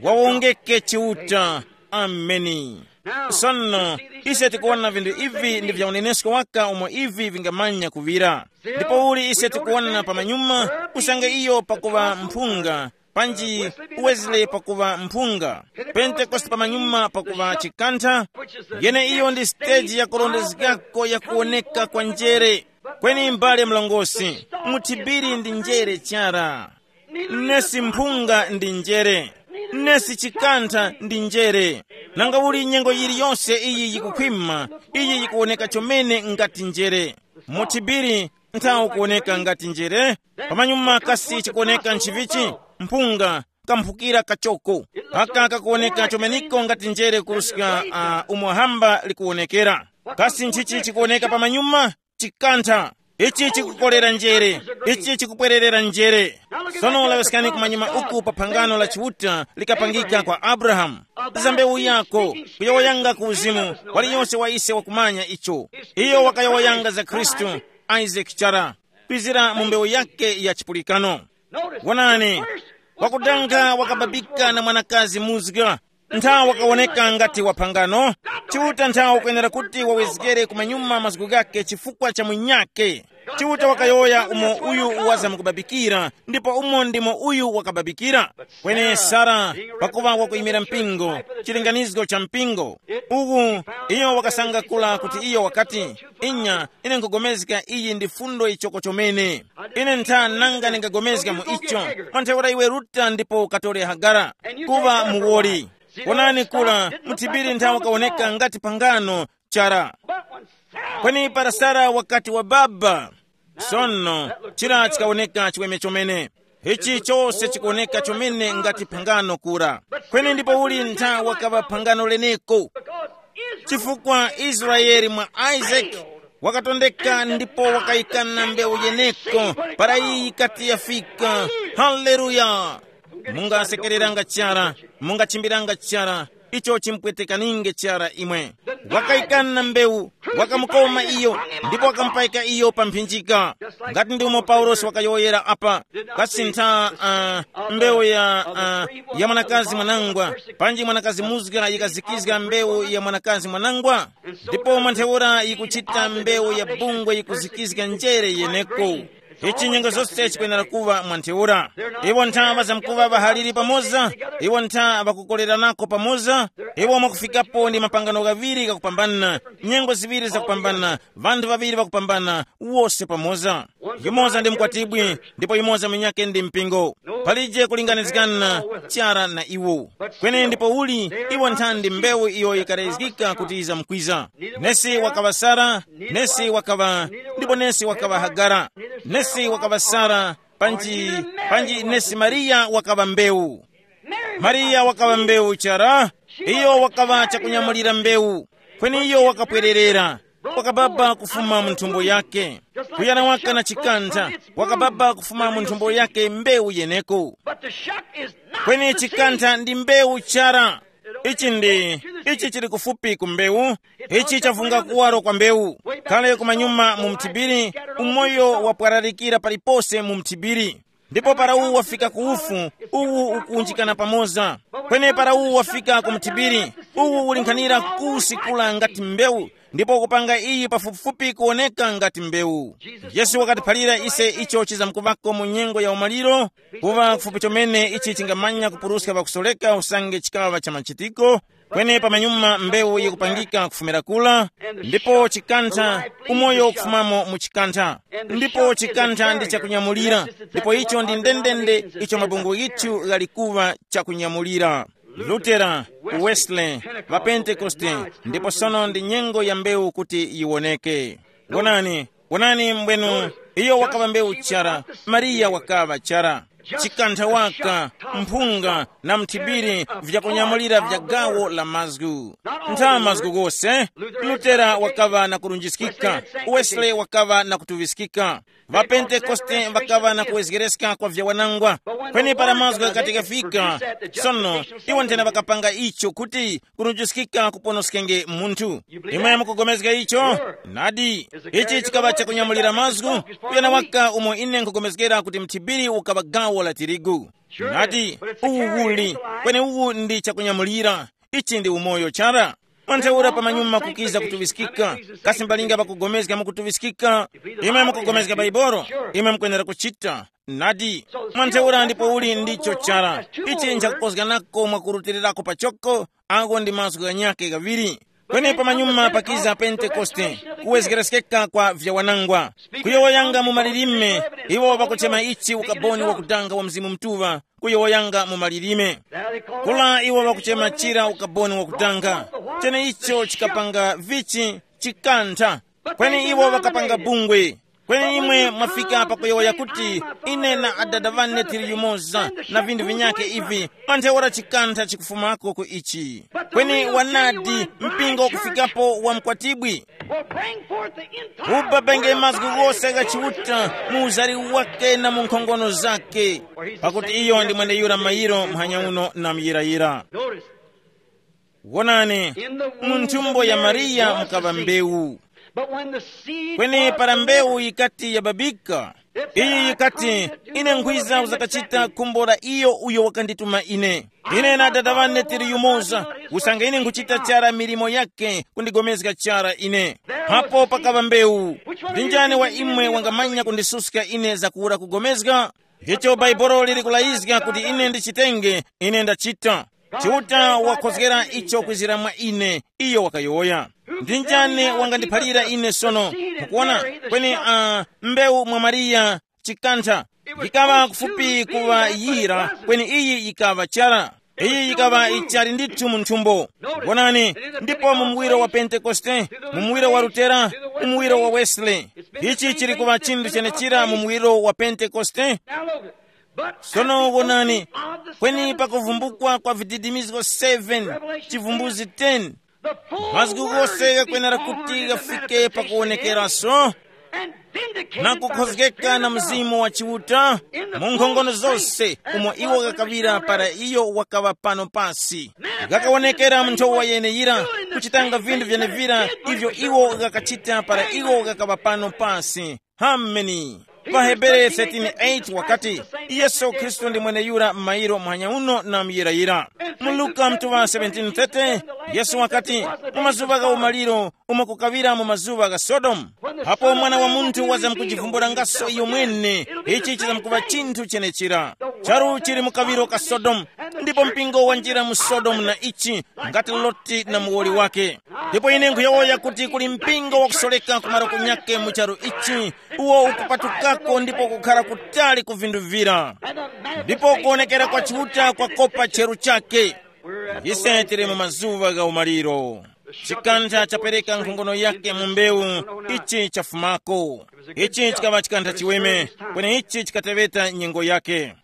Wawongeke Chiuta. Ameni. Sono, ise tikuwona vinthu ivi ndi vya unenesko waka umo ivi vingamanya kuŵira. Ndipo uli ise tikuwona pamanyuma, usange iyo pakuŵa mphunga, panji Wesley pakuŵa mphunga, Pentekoste pamanyuma pakuŵa chikantha, yene iyo ndi siteji ya kurondezgako ya kuwoneka kwa njere. Kweni mbale mlongosi, muthibiri ndi njere chara. Nesi mphunga ndi njere. Nesi chikantha ndi njere. Nanga uli nyengo yiliyonse iyi yikukhwima, iyi yikuwoneka chomene ngati njere. Muthibiri nthawi kuwoneka ngati njere, pamanyuma kasi chikuwoneka nchivichi? Mphunga, kamphukira kachoko. Aka kakuwoneka chomeniko ngati njere kuruska uh, umo hamba likuwonekera. Kasi nchichi chikuwoneka pamanyuma? Chikantha. Ichi chikukolera njere. Ichi chikupwererera njere. Sono laŵiskani kumanyuma uku pa phangano la Chiuta likapangika kwa Abrahamu. Za mbewu yako, kuyowoyanga ku uzimu, waliyonse wa ise wakumanya icho. Iyo wakayowoyanga za Khristu, Isaac chara, kwizira mu mbewu yake ya chipulikano. Wonani, wakudanga wakababika na mwanakazi muzga. Nthawi wakawoneka ngati waphangano. Chiuta nthawi ukwenera kuti wawezgere kumanyuma mazgu ghake chifukwa cha munyake. Chiuta wakayowoya umo uyu wazamkubabikira, ndipo umo ndimo uyu wakababikira. Kweni Sara, pakuva wakuyimira mpingo, chilinganizo cha mpingo, uwu, iyo wakasangakula kuti iyo wakati, inya, ine nkugomezga iyi ndi fundo ichoko chomene. Ine ntha nanga ndingagomezga mu icho. Mwa ntheura iwe ruta ndipo ukatore Hagara, kuva muwoli. Wonani kula muthibiri nthawi kawoneka ngati pangano chara. Kweni para Sara wakati wa baba, sono chira chikawoneka chiweme chomene. Ichi chose chikuwoneka chomene ngati phangano kura. Kweni ndipo uli nthawi wakaŵa phangano leneko, chifukwa Israeli mwa Isaac wakatondeka ndipo wakayikana mbewu yeneko para iyi yikati yafika. Haleluya! Mungasekereranga chara, mungachimbiranga chara, icho chimpwetekaninge chara imwe. Wakayikana mbewu, wakamukoma iyo, ndipo wakamupayika iyo pa mphinjika. Ngati ndi umo Paulosi wakayowoyera apa, kasi ntha uh, mbewu ya, uh, ya mwanakazi mwanangwa, panji mwanakazi muzga yikazikizga mbewu ya mwanakazi mwanangwa, ndipo mwa ntheura yikuchita mbewu ya bungwe yikuzikizga njere yeneko. Ichi nyengo zose chikwenera kuŵa mwa ntheura. Iwo ntha ŵazamkuŵa ŵahaliri pamoza, iwo ntha ŵakukoleranako pamoza, iwo mwakufikapo ndi mapangano ghaŵiri ghakupambana, nyengo ziŵiri zakupambana, vanthu ŵaŵiri ŵakupambana, wose pamoza. Yumoza ndi mkwatibwi, ndipo yumoza munyakhe ndi mpingo. Palije kulinganizgana chara na iwo. Kweni ndipo uli, iwo nthandi mbewu iyo yikarayizgika kuti yizamkwiza. Nesi wakaŵa Sara, nesi wakaŵa, ndipo nesi wakaŵa Hagara. Nesi wakaŵa Sara, panji, panji nesi Mariya wakaŵa mbewu. Mariya wakaŵa mbewu chara, iyo wakaŵa chakunyamulira mbewu, kweni iyo wakapwererera, wakababa kufuma mu nthumbo yake. Kuyana waka na chikantha, wakababa kufuma mu nthumbo yake mbewu yeneko. But the shock is not kweni the chikantha seed. Ndi mbewu chara. Ichi ndi, ichi chili kufupi ku mbewu. Ichi chavunga kuwaro kwa mbewu. Kale kumanyuma mu mthibiri, umoyo wapwararikira palipose mu mthibiri. Ndipo para uwu wafika ku ufu, uwu ukuwunjikana pamoza. Kweni para uwu wafika ku mthibiri, uwu ulinkhanira kusikula ngati mbewu, ndipo kupanga iyi pafupifupi kuwoneka ngati mbewu. Yesu wakatiphalira ise icho chizamkuvako mu nyengo ya umaliro, kuva kufupi chomene ichi chingamanya kupuruska pakusoreka usange chikaŵa cha machitiko. Kweni pamanyuma mbewu yikupangika kufumira kula, ndipo chikantha, umoyo ukufumamo mu chikantha, ndipo chikantha ndi chakunyamulira, ndipo icho ndi ndendende icho mabungwe yithu ghali kuŵa chakunyamulira. Lutera, Wesley, ŵapentekoste, ndipo sono ndi nyengo ya mbewu kuti yiwoneke. Wonani, wonani mbwenu, iyo wakaŵa mbewu chara, Mariya wakaŵa chara. Chikantha waka, mphunga, na mthibiri vyakunyamulira vya gawo la mazgu. Ntha mazgu ghose, Lutera wakaŵa na kurunjiskika, Wesley wakaŵa na kutuŵiskika, ŵapentekoste ŵakaŵa na kuwezgereska kwa vyawanangwa. Kweni para mazgu ghakati ghafika, sono iwo nthena ŵakapanga icho kuti kurunjiskika kuponoskenge munthu. Imwe mukugomezga icho? Nadi, ichi chikaŵa chakunyamulira mazgu, kuyana waka umo ine nkugomezgera kuti mthibiri ukaŵa gawo la tirigu. Nadi, uwu uli, kweni uwu ndi chakunyamulira. Ichi ndi umoyo chara. Mwantheura pamanyuma kukiza kutuŵiskika, kasi mbalinga pakupulikana mukutuŵiskika? Imwe mukupulikana Baibolo, imwe mukwenera kuchita. Nadi, mwantheura ndipo uli ndicho chara. Ichi nchakukozganako mwakurutilirako pachoko, agho ndi mazgu ghanyakhe ghaŵiri. Kweni pamanyuma pakiza Pentekoste, kuwezgereskeka kwa vyawanangwa, kuyowoyanga mu malilime, iwo ŵakuchema ichi ukaboni wakudanga wa Mzimu Mutuŵa, kuyowoyanga mu malilime. Kula iwo ŵakuchema chira ukaboni wakudanga. Cheneicho chikapanga vichi chikantha. Kweni iwo ŵakapanga bungwe. Kweni imwe mwafika pakuyowoya kuti, ine na adada ŵane tili yumoza, na vinthu vinyakhe ivi, manthe ora chikantha chikufumako ku ichi. Kweni wanadi, mpingo ukufikapo wa mkwatibwi. Will bring forth the entire ubabenge world mazgu of God ghose gha chiuta mu uzari wake na mu nkhongono zake. Pakuti iyo ndi mweneyura mayiro mphanya uno na muyirayira. Notice. Wonani, mu nthumbo ya Mariya mukaŵa mbewu. But when the seed kweni was para delivered, mbewu yikati yababika, iyi yikati, ine nkhwiza uzakachita khumbo la iyo uyo wakandituma ine. Ine na Atate wane tili yumoza, usange ine nkhuchita chara milimo yake kundigomezga chara ine. Hapo pakaŵa mbewu. Ndi njani wa imwe wangamanya kundisuska ine zakuwura kugomezga? Icho Bhaibuli liri kulayizga kuti ine ndichitenge, ine ndachita. Chiuta wakhozgera icho kwizira mwa ine, iyo wakayowoya. Ndi njani wangandiphalira ine sono? Mukuona? Kweni uh, mbewu mwa Mariya chikantha, yikaŵa kufupi kuŵa yira, kweni iyi yikaŵa chara. Iyi yikaŵa ichali ndithu mu nthumbo. Wonani, ndipo mu muwiro wa Pentekoste, mu muwiro wa Lutera, mu muwiro wa Wesley, ichi chili kuŵa chinthu chenechira mu muwiro wa Pentekoste. Sono wonani, kweni pakuvumbukwa kwa vididimizgo seven, chivumbuzi ten, mazgu ghose ghakwenera kuti ghafike pakuwonekeraso na kukhozgeka na Mzimu wa Chiuta mu nkhongono zose umo iwo ghakaŵira para iyo wakaŵa pano pasi. Ghakawonekera mu nthowa yeneyira, kuchitanga vinthu vyenevira ivyo iwo ghakachita para iwo ghakaŵa pano pasi. Hameni. Pa Hebere thirteen eight wakati, Yesu Khristu ndi mweneyura m'mayiro muhanya uno na muyirayira. Mu Luka mtuŵa seventeen thirty, Yesu wakati, mu mazuŵa gha umaliro, umo kukaŵira mu mazuŵa gha Sodomu, apo Mwana wa Munthu wazamkujivumbulangaso iyo mwene, ichi chizamkuŵa chinthu chenechira. Charu chili mu kaŵiro ka Sodomu, ndipo mpingo wanjira mu Sodomu na ichi, ngati Loti na muwoli wake. Ndipo ine nkhuyowoya kuti kuli mpingo wakusoleka ku malo kunyake mu charu ichi, uwo ukupatukako ndipo kukhara kutali ku vinthu vira, ndipo kuwonekera kwa Chiuta kwakopa cheru chake. Ise tili mu mazuŵa gha umaliro. Chikantha chapereka nkhongono yake mu mbewu, ichi chafumako. Ichi chikaŵa chikantha chiweme, kweni ichi chikateŵeta nyengo yake.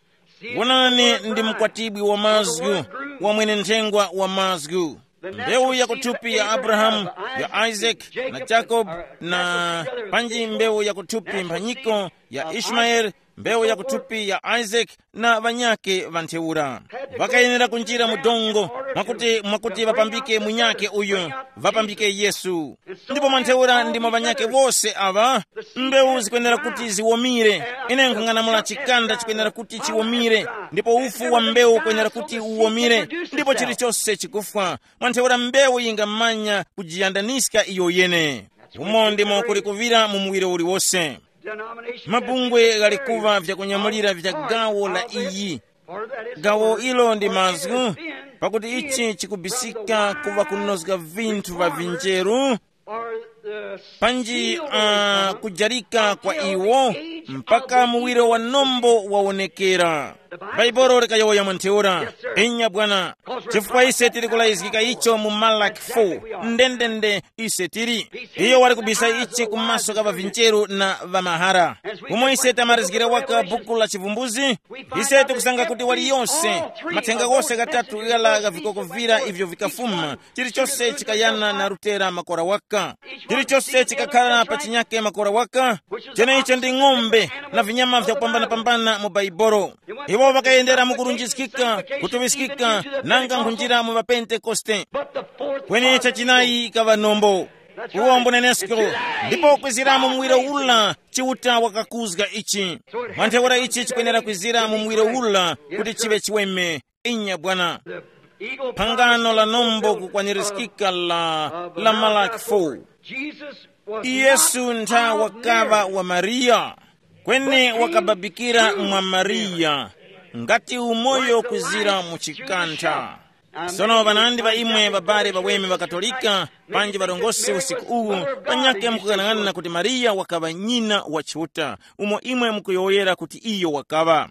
Wonani, ndi mkwatibwi wa mazgu, wa mwene nthengwa wa mazgu. Mbewu yakuthupi ya Abrahamu, ya Isaac, na Jacob, na panji mbewu yakuthupi mphanyiko ya Ishmaeli, mbewu yakuthupi ya Isaac, na ŵanyakhe ŵa ntheura. Ŵakayenera kunjira mu dongo, mwakuti mwakuti ŵapambike munyakhe uyu, ŵapambike Yesu. Ndipo mwa ntheura ndimo ŵanyakhe wose aŵa, mbewu zikwenera kuti ziwomire. Ine nkhung'anamula chikanda chikwenera kuti chiwomire, ndipo ufu wa mbewu ukwenera kuti uwomire, ndipo chilichose chikufwa. Mwa ntheura mbewu yingamanya kujiyandaniska iyo yene. Umo ndimo kuli kuŵira mu muwiro uliwose. Mabungwe ghali kuŵa vyakunyamulira vya gawo la iyi. Gawo ilo ndi mazgu, pakuti ichi chikubisika kuŵa kunozga vinthu va vinjeru, panji uh, kujarika kwa iwo mpaka muwiro wa nombo wawonekera. Bhaibuli likayowoya mwa ntheura. Inya bwana. Chifukwa ise tili kulayizgika icho mu Malaki four. Ndendende ise tili. Iyo wali kubisa ichi kumaso ka ŵavinjeru na ŵamahara. Umo ise tamarizgira waka buku la chivumbuzi, ise tikusanga kuti waliyonse, mathenga ghose ghatatu ghara gha vikoko vira ivyo vikafuma, chilichose chikayana na rutera makora waka. Chilichose chikakhala pa chinyake makora waka. Cheneicho ndi ng'ombe na vinyama vyakupambanapambana mu Baibolo. Iwo ŵakayendera mu kurunjiskika, kutuŵiskika, nanga nkhunjira mu ŵapentekoste. Kweni chachinayi ikaŵa nombo. Uwo mbunenesko. Ndipo kwizira mu muwiro ula, Chiuta wakakuzga ichi. Mwa ntheura ichi chikwenera kwizira mu muwiro ula kuti chiŵe chiweme. Inya bwana. Phangano la nombo kukwanirizikika la, la Malaki four. Yesu ntha wakaŵa wa Mariya, kweni wakababikira mwa Mariya, ngati umoyo kuzira mu chikantha. Sono ŵanandi ŵa imwe ŵabale ŵaweme ŵa Katolika, panji ŵarongose usiku uwu, panyakhe mukughanaghanana kuti Mariya wakaŵa nyina wa Chiuta, umo imwe mukuyowoyera kuti iyo wakaŵa.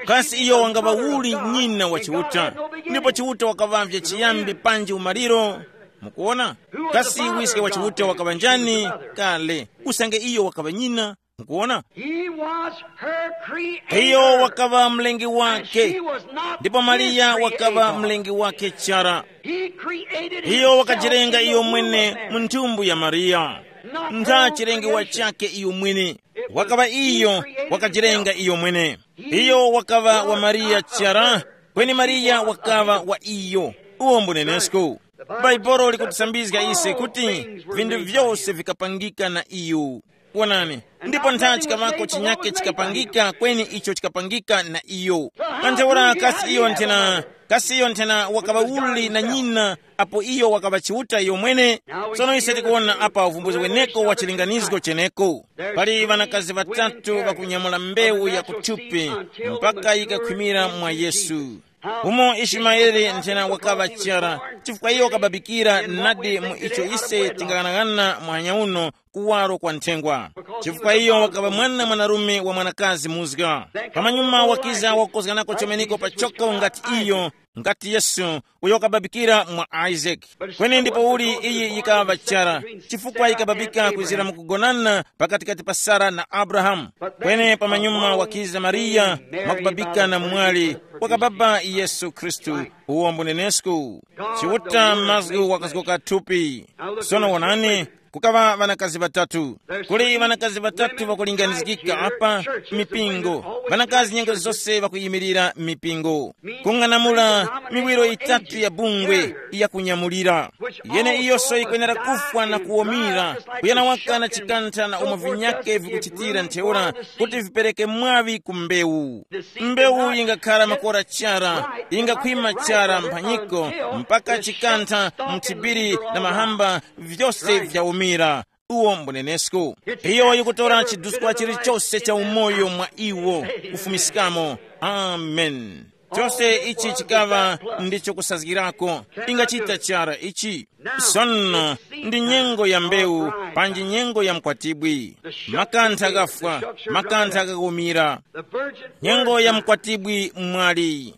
Kasi iyo wangaŵa uli nyina wa Chiuta? Ndipo Chiuta wakaŵavye chiyambi panji umaliro. Mukuona? Kasi wiske wa Chiuta wakaŵa njani? Kale, usange iyo wakaŵa nyina. Mukuona? He was her creator. Iyo wakaŵa mlengi wake. She was not ndipo Mariya his wakaŵa creator. Mlengi wake chara. He created iyo himself wakajirenga in the iyo womb mwene of Mary. Mu nthumbu ya Mariya. Not her own creation. Ntha chilengewa chake iyo mwene. Wakaŵa iyo wakajirenga iyo mwene. Iyo wakaŵa wa Mariya chara, kweni Mariya wakaŵa wa iyo. Uwo mbunenesko. Bhaibuli likutisambizga ise kuti vinthu vyose vikapangika na iyo. Wonani, ndipo ntha chikaŵako chinyake chikapangika kweni icho chikapangika na iyo. Kantheura kasi iyo nthena, kasi iyo nthena wakaŵa uli na nyina, apo iyo wakaŵa Chiuta iyo mwene. Sono ise tikuwona apa uvumbuzi weneko wa chilinganizgo cheneko. Pali ŵanakazi ŵatatu ŵakunyamula mbewu ya kuthupi mpaka yikakhwimira mwa Yesu. Umo Ishimaele nthena wakaŵa chara, chifukwa iyo wakababikira nadi mu icho ise tingaghanaghananga muhanya uno kuwaro kwa nthengwa. Chifukwa iyo wakaŵa mwana mwanarume wa mwanakazi muzga. Pamanyuma wakiza wakukozganako chomeneko pachoko ngati iyo, ngati Yesu, uyo wakababikira mwa Isaac. Kweni ndipo uli iyi yikaŵa chara, chifukwa yikababika kwizira mukugonana pakatikati pa Sara na Abrahamu. Kweni pamanyuma wakiza Mariya, mwakubabika na mwali, wakababa Yesu Khristu, uwo mbunenesku. Chiuta mazgu wakazgoka thupi. Sono wonani, kukaŵa ŵanakazi ŵatatu. Kuli ŵanakazi ŵatatu ŵakulinganizgika apa, mipingo. Ŵanakazi nyengo zose ŵakuyimirira mipingo. Kung'anamula miwiro yitatu ya bungwe yakunyamulira. Yeneiyoso yikwenera kufwa na kuwomira, kuyana waka na chikantha na umo vinyake vikuchitira ntheura kuti vipereke mwaŵi ku mbewu. Mbewu yingakhala makora chara, yingakhwima chara mphanyiko, mpaka chikantha, mthibiri na mahamba, vyose vyawumira. Uwo mbunenesku. Iyo yikutora chiduskwa chilichose cha umoyo mwa iwo, kufumiskamo. Amen. Chose ichi chikaŵa ndicho kusazgirako. Ingachita chara ichi. Sono ndi nyengo ya mbewu, panji nyengo ya mkwatibwi. Makantha ghafwa, makantha ghakumira. Nyengo ya mkwatibwi mwali.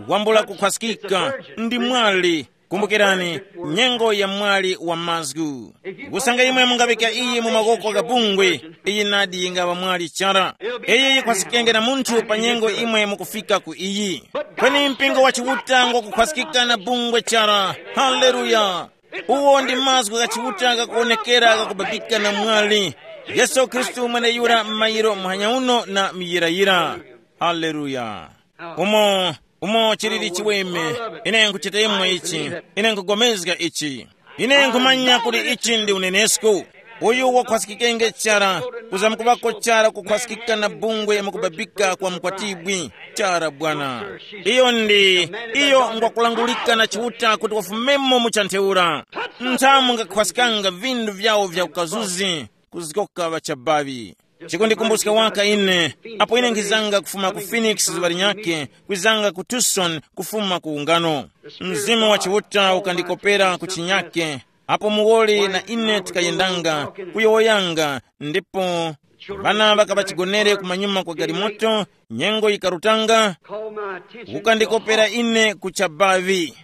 Wambula kukhwaskika ndi mwali. Kumbukirani, nyengo ya mwali wa mazgu. Kusanga imwe mungaŵika iyi mu makoko gha bungwe, iyi nadi yingaŵa mwali chara. Iyi yikhwasikenge na munthu pa nyengo imwe mukufika ku iyi. Kweni mpingo wa Chiuta ngwakukhwasikika na bungwe chara. Haleluya! Uwo ndi mazgu gha Chiuta ghakuwonekera ghakubabika na mwali. Yesu Khristu mweneyura m'mayiro muhanya uno na muyirayira. Haleluya! Umo, umo chilili chiweme. Ine nkuchita imwe ichi. Ine nkugomezga ichi. Ine nkhumanya kuti ichi ndi unenesko. Uyu wakhwasikikenge chara, kuzamkuŵako chara kukhwasikika na bungwe mukubabika kwa mkwatibwi. Chara bwana. Iyo ndi, iyo ngwakulangulika na Chiuta kuti wafumemo mu chantheura. Nthamu ngakhwasikanga vindu vyawo vya ukazuzi, kuzgoka ŵachabaŵi. Chikundikumbuska waka ine, apo ine nkhizanga kufuma ku Phoenix zuŵa linyakhe, kwizanga ku Tucson kufuma ku ungano. Mzimu wa Chiuta ukandikopera ku chinyake, apo muwoli na ine tikayendanga, kuyowoyanga, ndipo ŵana ŵakaŵa chigonere kumanyuma kwa galimoto, nyengo yikarutanga, ukandikopera ine ku chabavi.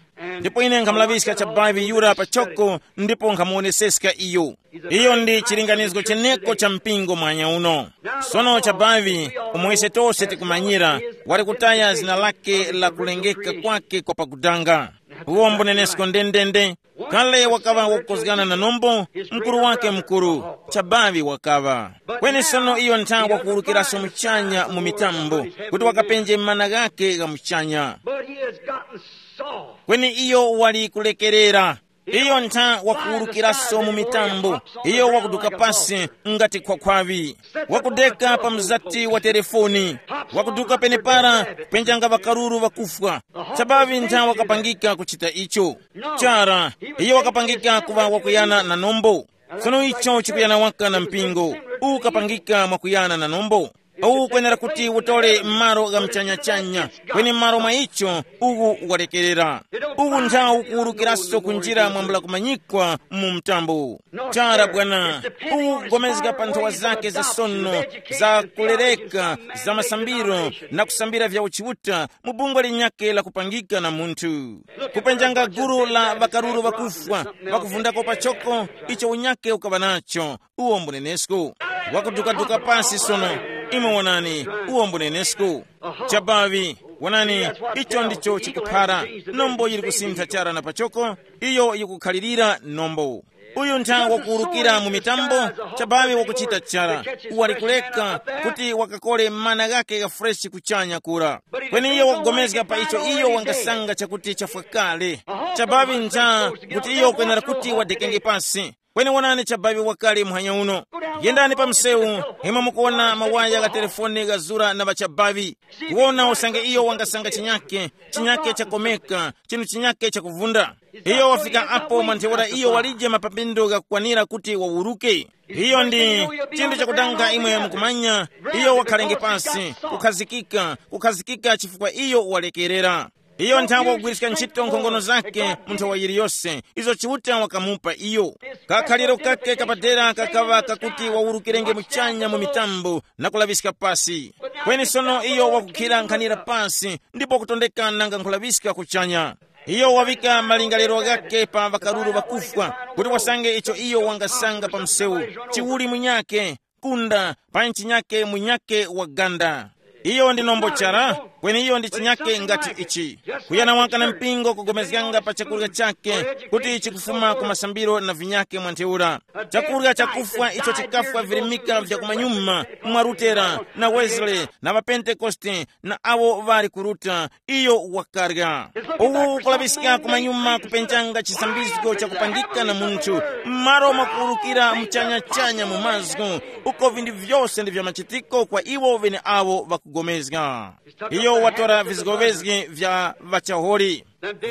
Ndipo ine nkhamulaŵiska chabavi yura pachoko, ndipo nkhamuwoneseska iyo. Iyo ndi chilinganizgo cheneko cha mpingo mwanya uno. Sono chabavi, umo ise tose tikumanyira, wali kutaya zina lake la kulengeka kwake kwa pakudanga. Uwo mbunenesko ndendende. Kale wakaŵa wakukozgana na nombo, mkuru wake mkuru, chabavi wakaŵa. Kweni sono iyo ntha wakuwurukiraso muchanya mu mitambo, kuti wakapenje mana ghake gha muchanya. But he has gotten soft. Kweni iyo wali kulekerera. Iyo ntha wakuwurukiraso mu mitambo. Iyo wakuduka pasi ngati khwakhwavi. Wakudeka pa mzati wa telefoni. Wakuduka penepara, kupenjanga ŵakaruru ŵakufwa. Chabavi ntha wakapangika kuchita icho. Chara, iyo wakapangika kuŵa wakuyana na nombo. Sono icho chikuyana waka na mpingo. Uwu ukapangika mwakuyana na nombo. Uwu ukwenera kuti utole malo gha mchanyachanya, kweni malo mwa icho uwu walekerera. Uwu nthawu ukuwurukiraso kunjira mwambula kumanyikwa mu mtambo. Chara bwana, uwu ukugomezga pa nthowa zake za sono, za kulereka, za masambiro, na kusambira vya uchiuta mu bungwe linyakhe la kupangika na munthu. Kupenjanga gulu la ŵakaruru ŵakufwa, ŵakuvundako pachoko, icho unyakhe ukaŵa nacho, uwo mbunenesko. Wakudukaduka pasi sono, imwe wonani, uwo mbunenesko. Chabavi, wonani, icho ndicho chikuphara. Nombo yili kusintha chara na pachoko, iyo yikukhalirira nombo. Uyu ntha wakuwurukira mu mitambo, chabavi wakuchita chara, wali kuleka kuti wakakole mana ghake gha freshi kuchanya kura. Kweni iyo wakugomezga pa icho iyo wangasanga chakuti chafwa kale. Chabavi ntha kuti iyo kwenera kuti wadekenge pasi. Kweni wonani chabavi wakale muhanya uno. Yendani pa msewu, imwe mukuwona mawaya gha telefoni ghazura na ŵachabavi. Kuwona usange iyo wangasanga chinyake, chinyake chakomeka, chinthu chinyake chakuvunda. Iyo wafika apo mwa ntheura iyo walije mapapindo ghakukwanira kuti wawuruke. Iyo ndi chinthu chakudanga imwe mukumanya, iyo wakhalenge pasi, kukhazikika, kukhazikika chifukwa iyo walekerera. Iyo nthawe wakugwiriska ntchito nkhongono zake mu nthawa yiliyose, izo Chiuta wakamupa iyo. Kakhaliro kake kapadera kakaŵa kakuti wawurukirenge muchanya mu mitambo na kulaŵiska pasi. Kweni sono iyo wakukhira nkhanira pasi ndipo kutondeka nanga nkhulaŵiska kuchanya. Iyo waŵika malingaliro ghakhe pa ŵakaruru ŵakufwa, kuti wasange icho iyo wangasanga pa msewu, chiwuli munyakhe, kunda, pa nchinyakhe munyakhe wa ganda. Iyo ndi nombo chara, kweni iyo ndi chinyakhe ngati ichi. Kuyana waka na mpingo kugomezganga pa chakurya chakhe, kuti chikufuma ku masambiro na vinyakhe mwa ntheura. Chakurya chakufwa icho chikafwa virimika vya kumanyuma mwa Lutera na Wesley na ŵaPentekoste na awo ŵali kuruta, iyo wakarya. Uwu ukulaŵiska kumanyuma kupenjanga chisambizgo chakupangika na munthu, m'malo mwakuwurukira muchanyachanya mu mazgu, uko vinthu vyose ndi vya machitiko kwa iwo ŵeneawo ŵakugomezga. Iyo watora vizgovezgi vya ŵachaholi.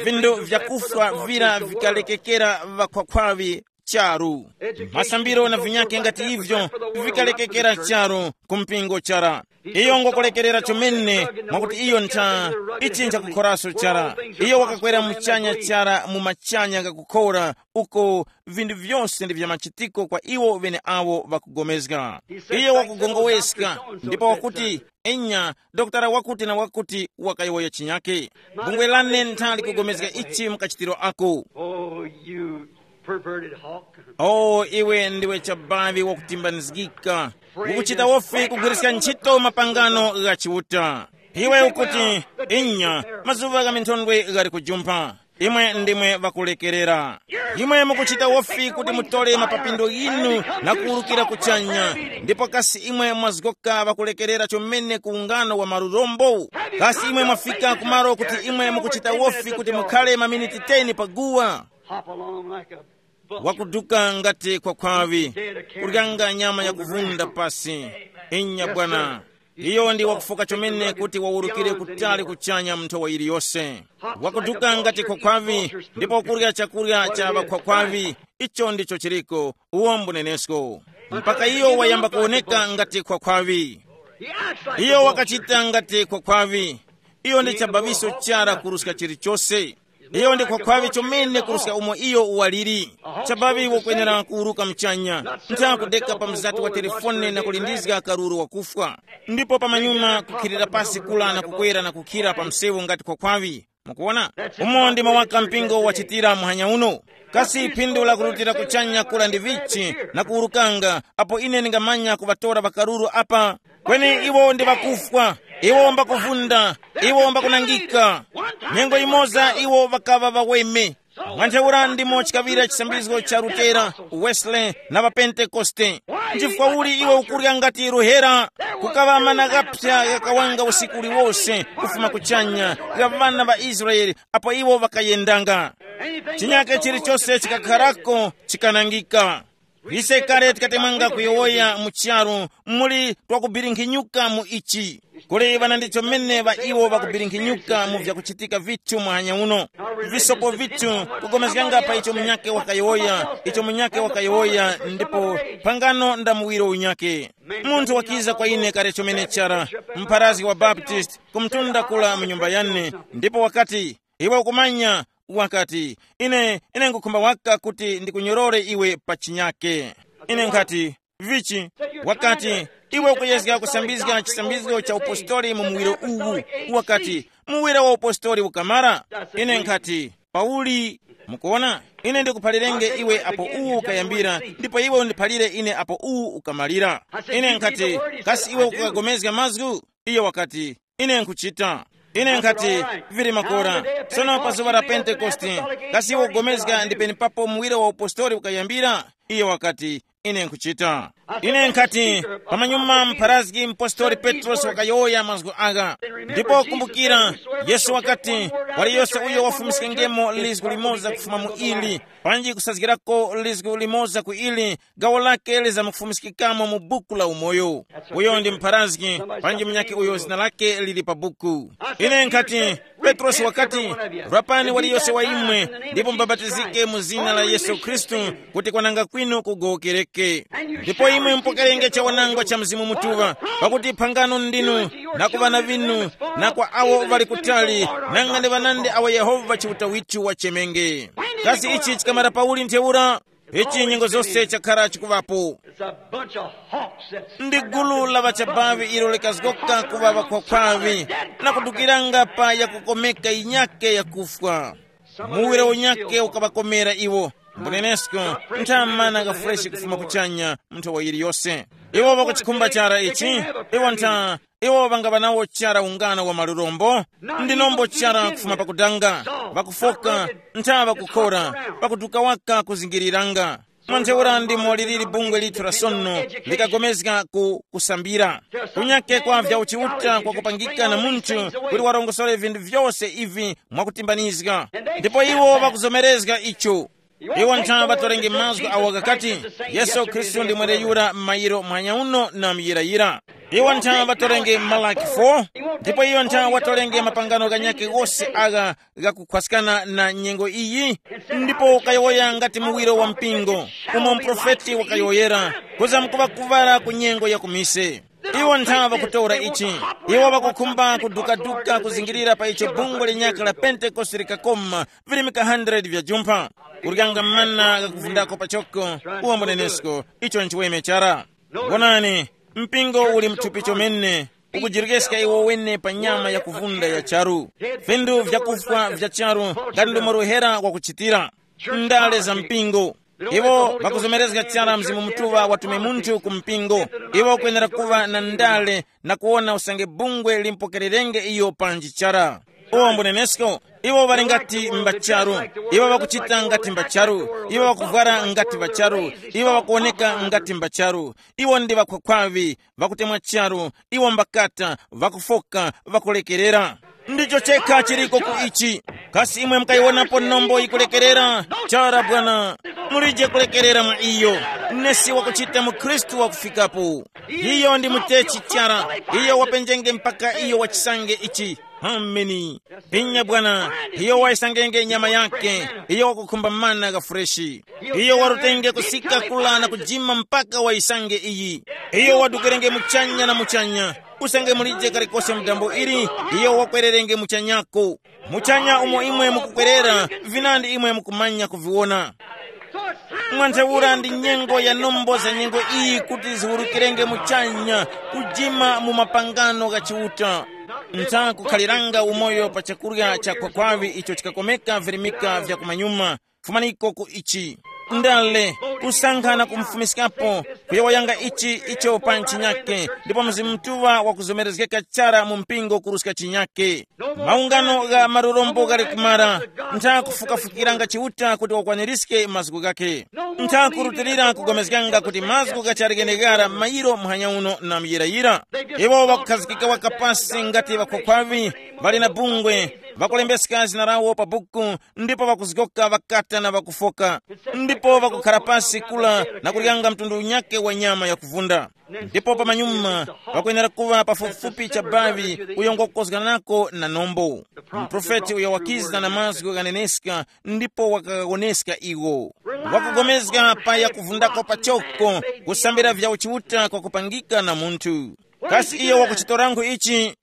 Vinthu vyakufwa vira vikalekekera ŵakhwakhwaŵi charu. Masambiro na vinyakhe ngati ivyo vikalekekera charu ku mpingo chara. Iyo ngokulekerera chomene, mwakuti iyo ntha ichinja kukhoraso chara. Iyo wakakwera muchanya chara mu machanya ghakukhora, uko vinthu vyose ndi vya machitiko kwa iwo ŵeneawo ŵakugomezga. Iyo wakugongoweska, ndipo wakuti, enya, dokotala wakuti na wakuti wakayowoya chinyake. Bungwe lane ntha likugomezga ichi mukachitiro ako. Oh, you perverted hawk. O iwe ndiwe chabavi wakutimbanizgika, ukuchita wofi kugwiriska ntchito mapangano gha Chiuta. Iwe ukuti, inya, mazuŵa gha minthondwe ghali kujumpha. Imwe ndimwe ŵakulekerera. Imwe mukuchita wofi kuti mutole mapapindo ghinu na kuwurukira kuchanya, ndipo kasi imwe mwazgoka ŵakulekerera chomene ku ungano wa marurombo? Kasi imwe mwafika kumalo kuti imwe mukuchita wofi kuti mukhale maminiti teni pa guwa? Hop along like a buck. Wakuduka ngati khwakhwaŵi, kuryanga nyama yakuvunda pasi. Inya bwana. Iyo ndi wakufoka chomene kuti wawurukire kutali kuchanya mu nthowa yiliyose. Wakuduka ngati khwakhwaŵi, ndipo kurya chakurya cha ŵakhwakhwaŵi. Icho ndicho chiriko. Uwo mbunenesko. mpaka iyo wayamba kuwoneka ngati khwakhwaŵi. Iyo wakachita ngati khwakhwaŵi. Iyo ndi chabaŵiso chara kuruska chilichose. Iyo ndi khwakhwaŵi chomene kuruska umo iyo waliri. Chabaŵi wokwenera kuwuruka muchanya, ntha kudeka pa mzati wa telefone na kulindizga karuru wakufwa, ndipo pamanyuma kukhirira pasi kula na kukwera na kukhira pa msewu ngati khwakhwaŵi. Mukuona? Umo ndimo waka mpingo wachitira muhanya uno. Kasi phindu la kurutira kuchanya kula ndi vichi na kuwurukanga, apo ine ndingamanya kuŵatora ŵakaruru apa? Kweni iwo ndi ŵakufwa, iwo mbakuvunda, iwo mbakunangika. Nyengo imoza iwo ŵakaŵa ŵaweme. Mwa ntheura ndimo chikaŵira chisambizgo cha Lutera, Wesley, na ŵaPentekoste. Nchifukwa uli iwe ukurya ngati ruhera? Kukaŵa mana ghaphya ghakawanga usiku uliwose kufuma kuchanya, gha ŵana ŵa Israele, apo iwo ŵakayendanga. Chinyake chilichose chikakharako chikanangika. Ise kale tikatemwanga kuyowoya mu charu, muli twakubirinkhinyuka mu ichi. Kuli ŵanandicho mene ŵa iwo ŵakubirinkhinyuka mu vyakuchitika vithu muhanya uno. Visopo vithu kugomezganga pa icho munyake wakayowoya, icho munyake wakayowoya, ndipo phangano nda muwiro unyake. Munthu wakiza kwa ine kale chomene chara, mpharazgi wa Baptist, kumtunda kula mu nyumba yane, ndipo wakati, iwe ukumanya, wakati, ine, ine ngukhumba waka kuti ndikunyorore iwe pa chinyake. Ine nkhati, vichi? Wakati, iwe ukuyezga kusambizga chisambizgo cha upostori mu muwiro uwu. Wakati, muwiro wa upostori ukamara? Ine nkhati, Pauli, mukuona, ine ndikuphalirenge iwe apo uwu ukayambira, ndipo iwe undiphalire ine apo uwu ukamalira. Ine nkhati, kasi iwe ukagomezga mazgu? Iyo wakati, ine nkuchita. Ine nkhati, vili makora. Sono pa zuŵa la Pentekoste, kasi iwe ukugomezga ndi penepapo muwiro wa upostori ukayambira? Iyo wakati, ine nkuchita. Ine nkhati, pamanyuma mpharazgi mpostori Petrosi wakayowoya mazgu agha. Ndipo kumbukira, Yesu wakati, waliyose uyo wafumiskengemo lizgu limoza kufuma mu ili, panji kusazgirako lizgu limoza ku ili, gawo lake lizamufumiskikamo mu buku la umoyo. Uyo ndi mpharazgi, panji munyakhe uyo zina lake lili pa buku. Ine nkhati, Petrosi wakati, rapani waliyose wa imwe, ndipo mbabatizike mu zina la Yesu Khristu, kuti kwananga kwinu kugowokereke. Ndipo imwe mupokerenge chawanangwa cha Mzimu Mutuŵa, pakuti phangano ndinu, na ku ŵana vinu, na kwa awo ŵali kutali, nanga ndi ŵanandi awo Yehova Chiuta withu wachemenge. Kasi ichi chikamara pauli ntheura? Ichi nyengo zose chakhara chikuŵapo. It's a bunch of hawks that's ndi gulu la ŵachabavi ilo likazgoka kuŵa ŵakhwakhwavi, na kudukiranga pa yakukomeka yinyake yakufwa. Muwiro unyake ukaŵakomera iwo. Mbunenesko, nthamana kafureshi kufuma kuchanya, nthowa yiliyose. Iwo ŵakuchikhumba chara ichi. Iwo ntha, iwo ŵangaŵa nawo chara ungano wa malurombo. Ndinombo chara kufuma pakudanga, ŵakufoka, ntha ŵakukhora, ŵakuduka waka kuzingiriranga. Mwa ntheura ndimo liliri bungwe lithu la sono, likagomezga ku kusambira. Kunyake kwa vya uchiuta kwa kupangika na munthu, kuti warongosore vinthu vyose ivi mwakutimbanizga. Ndipo iwo ŵakuzomerezga icho. Iwo ntha ŵatorenge mazgu awo ghakati, Yesu Khristu ndi mweneyura m'mayiro muhanya uno na muyirayira. Iwo ntha ŵatorenge Malaki four, ndipo iyo ntha watorenge mapangano ghanyakhe ghose agha ghakukhwaskana na nyengo iyi. Ndipo ukayowoya ngati muwiro wa mpingo, umo muprofeti wakayowoyera, kuza mkuŵa kuŵala ku nyengo ya kumise. Iwo ntha ŵakutora ichi. Iwo ŵakukhumba kudukaduka kuzingirira pa icho bungwe linyakhe la Pentekoste likakoma, virimika hundred vya jumpha. Kuryanga mana ghakuvundako pachoko, uwo mbunenesko, icho nchiweme chara. Wonani, mpingo uli mthupi chomene, ukujirekeska iwo wene pa nyama yakuvunda ya charu. Vindu vyakufwa vya charu, ngati ndomwe ruhera wakuchitira. Ndale za mpingo. Iwo ŵakuzomerezga chara Mzimu Mutuŵa watume munthu ku mpingo. Iwo kwenera kuŵa na ndale na kuwona usange bungwe limpokererenge iyo panji chara. Uwo mbunenesko, iwo ŵali ngati mbacharu. Iwo ŵakuchita ngati mbacharu. Iwo ŵakuvwara ngati mbacharu. Iwo ŵakuwoneka ngati mbacharu. Iwo ndi ŵakhwakhwaŵi, ŵakutemwa charu. Iwo mbakata, ŵakufoka, ŵakulekerera. Ndicho chekha chiriko ku ichi. Kasi imwe mukayiwonapo nombo yikulekerera? Chara bwana, mulije kulekerera mwa iyo. Nesi wakuchita mu Khristu wakufikapo. Iyo ndi mutechi chara. Iyo wapenjenge mpaka iyo wachisange ichi. Ameni. Pinya bwana, iyo wayisangenge nyama yake, iyo wakukhumba mana gha freshi. Iyo warutenge kusika kula na kujima mpaka wayisange iyi. Iyo wadukirenge muchanya na muchanya. Usange mulije kalikose mdambo ili, iyo wakwererenge muchanyako. Muchanya umo imwe mukukwerera, vinandi imwe mukumanya kuviwona. Mwa ntheura ndi nyengo ya nombo za nyengo iyi kuti ziwurukirenge muchanya, kujima mu mapangano gha Chiuta. Nthakukhaliranga umoyo pa chakurya cha khwakhwaŵi icho chikakomeka virimika vya kumanyuma. Fumaniko ku ichi. Ndale, kusankha na kumfumiskapo, kuyowoyanga ichi icho pa chinyake, ndipo Mzimu Mutuŵa wakuzomerezgeka chara mu mpingo kuruska chinyake. Maungano gha malurombo ghali kumara. Ntha kufukafukiranga Chiuta kuti wakwaniриske mazgu ghakhe. Ntha kurutilira kugomezganga kuti mazgu ghachali gheneghara mayiro muhanya uno na muyirayira. Iwo ŵakukhazikika waka pasi ngati ŵakhwakhwaŵi, ŵali na bungwe, ŵakulembeska zina lawo pa buku, ndipo ŵakuzgoka ŵakata na ŵakufoka, ndipo ŵakukhara pasi kula na kuryanga mtundu unyakhe wa nyama yakuvunda. Ndipo pamanyuma pakwenera kuŵa pafupifupi chabaŵi uyo ngwakukozganako na nombo. Muprofeti uyo wakiza na mazgu ghaneneska ndipo wakaghawoneska iwo. Wakugomezga pa yakuvundako pachoko, kusambira vya uchiuta kwakupangika na munthu. Kasi iyo wakuchitorangu ichi?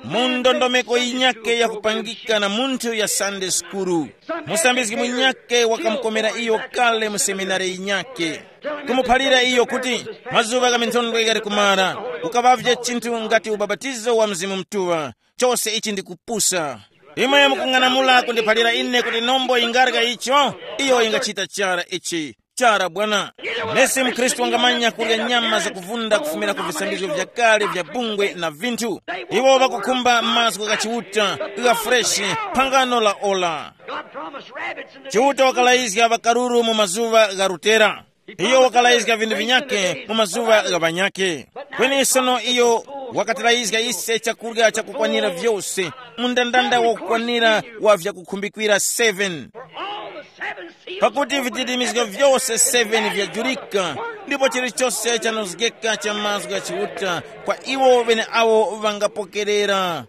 Mu ndondomeko yinyakhe yakupangika na munthu ya Sunday sukuru, musambizgi munyakhe wakamukomera iyo kale mu seminari yinyakhe, kumuphalira iyo kuti mazuŵa gha minthondwe ghali kumara, ukaŵavye chinthu ngati ubapatizo wa Mzimu Mutuŵa. Chose ichi ndi kupusa. Imwe mukung'anamula kundiphalira ine kuti nombo yingarya icho? Iyo yingachita chara ichi. Chara bwana. Nesi mkhristu wangamanya kurya nyama zakuvunda kufumira ku visambizgo vyakale vya bungwe na vinthu. Iwo ŵakukhumba mazgu gha Chiuta, gha freshi, phangano la ola. God promised rabbits in the Chiuta wakalayizga ŵakaruru mu mazuŵa gha Rutera. Iyo wakalayizga vinthu vinyakhe mu mazuŵa gha ŵanyakhe. Kweni sono iyo wakatilayizga ise chakurya chakukwanira vyose, mundandanda wakukwanira wa vyakukhumbikira seven. Pakuti vididimizgo vyose seven vyajurika, ndipo chilichose chanozgeka cha mazgu gha Chiuta kwa iwo ŵeneawo ŵangapokerera.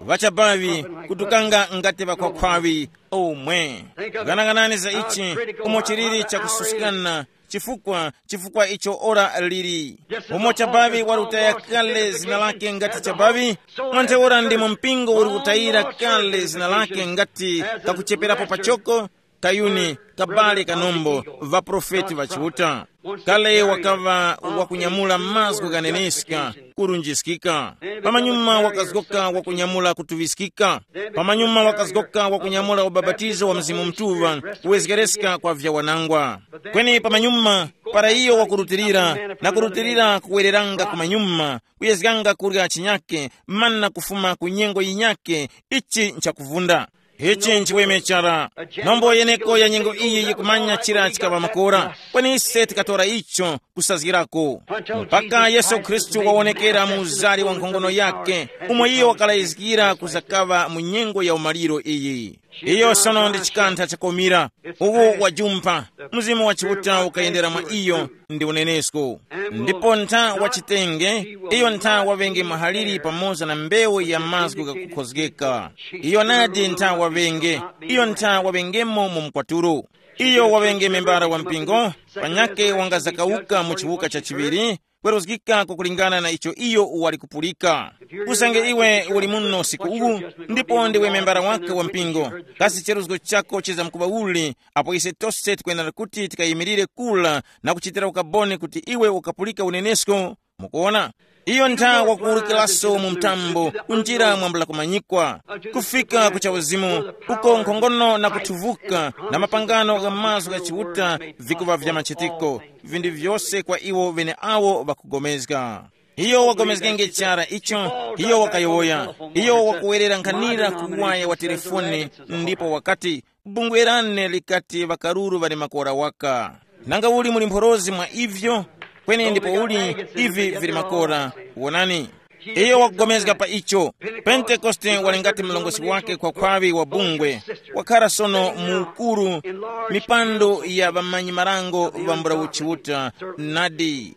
Ŵachabaŵi kutukanga ngati ŵakhwakhwaŵi omwe. Ghanaghanani za ichi, umo chiliri chakususkana, chifukwa chifukwa icho ora lili. Umo chabaŵi wali kutaya kale zina lake ngati chabaŵi, mwa ntheura ndimo mpingo uli kutayira kale zina lake ngati kakucheperapo pachoko, kayuni, kabale kanombo, ŵaprofeti ŵa Chiuta. Kale wakaŵa wakunyamula mazgu ghaneneska, kurunjiskika. Pamanyuma wakazgoka wakunyamula kutuŵiskika. Pamanyuma wakazgoka wakunyamula ubapatizo wa Mzimu Mutuŵa, kuwezgereska kwa vyawanangwa. Kweni pamanyuma, para iyo wakurutilira, na kurutilira kuwereranga kumanyuma, kuyezganga kurya chinyake, mana kufuma ku nyengo yinyake, ichi nchakuvunda. Ichi nchiweme chara. Nombo yeneko ya nyengo iyi yikumanya chira chikaŵa makora, kweni ise tikatora icho kusazgirako. Mpaka Yesu Khristu wawonekera mu uzari wa nkhongono yake, umo iyo wakalayizgira kuzakaŵa mu nyengo ya umaliro iyi. Iyo sono ndi chikantha chakomira. Uwu wajumpha. Mzimu wa Chiuta ukayendera mwa iyo, ndi unenesko. Ndipo ntha wachitenge, iyo ntha waŵenge mahaliri pamoza na mbewu ya mazgu ghakukhozgeka. Iyo nadi ntha waŵenge, iyo ntha waŵengemo mu mkwatulo. Iyo waŵenge membara wa mpingo, panyakhe wangazakawuka mu chiwuka cha chiŵiri, kweruzgika kukulingana na icho iyo wali kupulika. Usange iwe uli muno usiku uwu, ndipo ndiwe membara wake wa mpingo, kasi cheruzgo chako chizamkuŵa uli? Apo ise tose tikwenera kuti tikayimirire kula na kuchitira ukaboni kuti iwe ukapulika unenesko. Mukuona, iyo ntha wakuwurukiraso mu mtambo kunjira mwambula kumanyikwa, kufika ku chauzimu, uko nkhongono na kuthuvuka na mapangano gha mazgu gha Chiuta vikuŵa vya machitiko, vinthu vyose kwa iwo ŵeneawo ŵakugomezga. Iyo wagomezgenge chara icho, iyo wakayowoya, iyo wakuwerera nkhanira ku waya wa telefoni, ndipo wakati, bungwe lane likati ŵakaruru ŵali makora waka. Nanga uli muli mphorozi mwa ivyo? Kweni ndipo uli, ivi vili makora. Wonani, iyo wakugomezga pa icho. Pentekoste wali ngati mlongosi wake kwa khwaŵi wa bungwe, wakhara sono mu ukuru, mipando ya ŵamanyi marango ŵambula uchiuta. Nadi.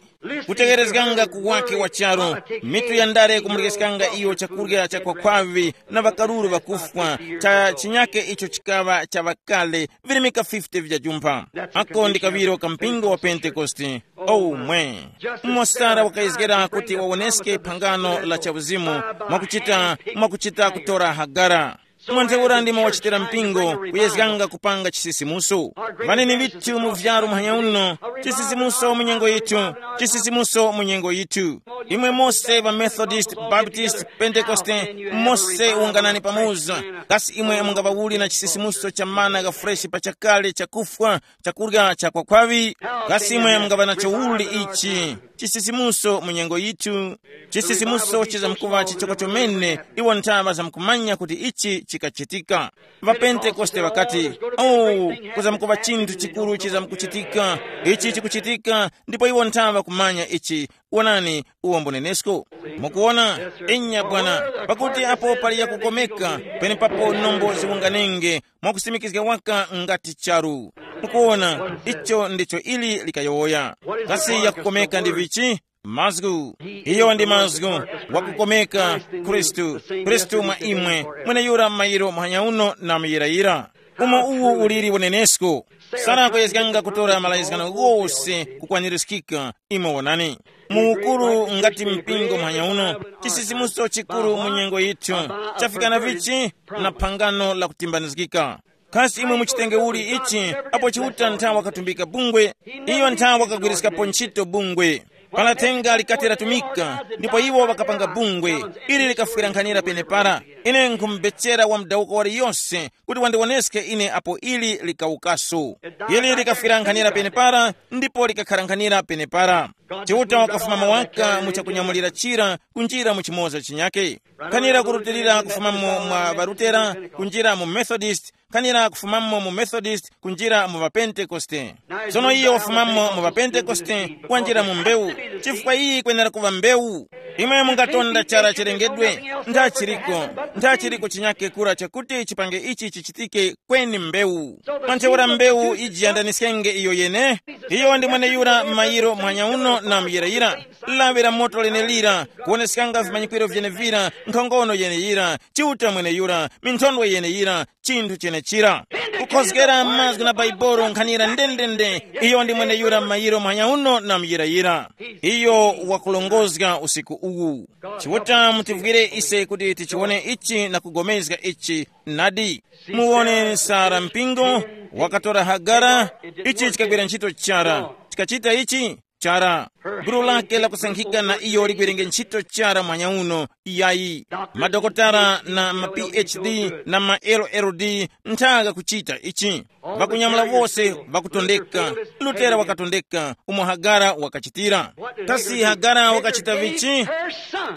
Kutegerezganga ku wake wa charu, mitu ya ndale kumurekeskanga iyo chakurya cha kwakhwavi, na ŵakaruru ŵakufwa, cha chinyake icho chikaŵa cha ŵakale, virimika fifty vya jumpha. Ako ndi kaŵiro ka mpingo wa Pentekoste. Omwe mosara wakayezgera kuti wawoneske phangano la chauzimu, mwakuchita mwakuchita kutora Hagara. Mwa ntheura ndimo wachitira mpingo kuyezganga kupanga chisisimuso. Vaneni vithu mu vyaro muhanya uno, chisisimuso mu nyengo yithu, chisisimuso mu nyengo yithu. Imwe mose va Methodist, Baptist, Pentekoste, mose unganani pamoza. Kasi imwe mungaŵawuli na chisisimuso cha mana gha freshi pa chakale chakufwa, chakurya cha kwakhwaŵi? Kasi imwe mungaŵa nacho uli ichi chisisimuso mu nyengo yithu? Chisisimuso chizamkuŵa chichoko chomene. Iwo nthaŵa zamkumanya kuti ichi chikachitika. Ŵapentekoste ŵakati, oh, kuzamkuŵa chinthu chikuru chizamkuchitika. Ichi chikuchitika, ndipo iwo nthaŵa kumanya ichi. Wonani, uwo mbunenesko. Mukuwona? Inya bwana. Pakuti apo pali yakukomeka, penepapo nombo ziwunganenge, mwakusimikizga waka ngati charu. Mukuwona, icho ndicho ili likayowoya. Kasi yakukomeka ndi vichi? Mazgu. Iyo ndi mazgu. Wakukomeka, Khristu. Khristu mwa imwe, mweneyura m'mayiro muhanya uno na muyirayira. Umo uwu uliri unenesko. Sara kuyezganga kutora malayizgano ghose kukwanirizgika. Imwe wonani, mu ukuru ngati mpingo muhanya uno, chisisimuso chikuru mu nyengo yithu, chafikana vichi na phangano la kutimbanizgika. Kasi imwe muchitenge uli ichi? Apo Chiuta nthawa wakatumbika bungwe, iyo nthawa wakagwiriskapo ntchito bungwe. Pala thenga likati latumika, ndipo iwo ŵakapanga bungwe. Ili likafwira nkhanira penepara. Ine nkhumubechera wa mudawuko waliyose kuti wandiwoneske ine apo ili likawukaso. Ili likafwira nkhanira penepara, ndipo likakhara nkhanira penepara. Chiuta wakafumamo waka mu chakunyamulira chira kunjira mu chimoza chinyake. Khanira kurutilira kufumamo mwa ŵarutera, kunjira mu Methodist, khanira kufumamo mu Methodist kunjira mu ŵapentekoste. Tsono iyo wafumamo mu ŵapentekoste, wanjira mu mbewu. Chifukwa iyi kwenera kuŵa mbewu. Imwe mungatonda chara chilengedwe, nthachiriko, nthachiriko chinyake kura chakuti chipange ichi chichitike kweni mbewu. Mwa ntheura mbewu ijiyandaniskenge iyo yene. Iyo ndi mweneyura m'mayiro muhanya uno na muyirayira. Lawi la moto lenelira, kuwoneskanga vimanyikwiro vyenevira, nkhongono yeneyira, Chiuta mweneyura, minthondwe yeneyira, chinthu chenechira. Kukhozgera mazgu na Baibolo nkhanira ndendende. Iyo ndi mweneyura m'mayiro muhanya uno na muyirayira. Iyo wakulongozga usiku uwu. Chiuta mutivwire ise kuti tichiwone ichi na kugomezga ichi. Nadi, muwone Sara mpingo, wakatora Hagara. Ichi chikagwira ntchito chara. Chikachita ichi chara. Gulu lake lakusankhika na iyo ligwerenge ntchito chara mwanya uno. Yayi, madokotala na ma P H D na ma L L D nthaga kuchita ichi. Vakunyamula wose vakutondeka. Lutera wakatondeka umo Hagara wakachitira. Kasi Hagara wakachita vichi?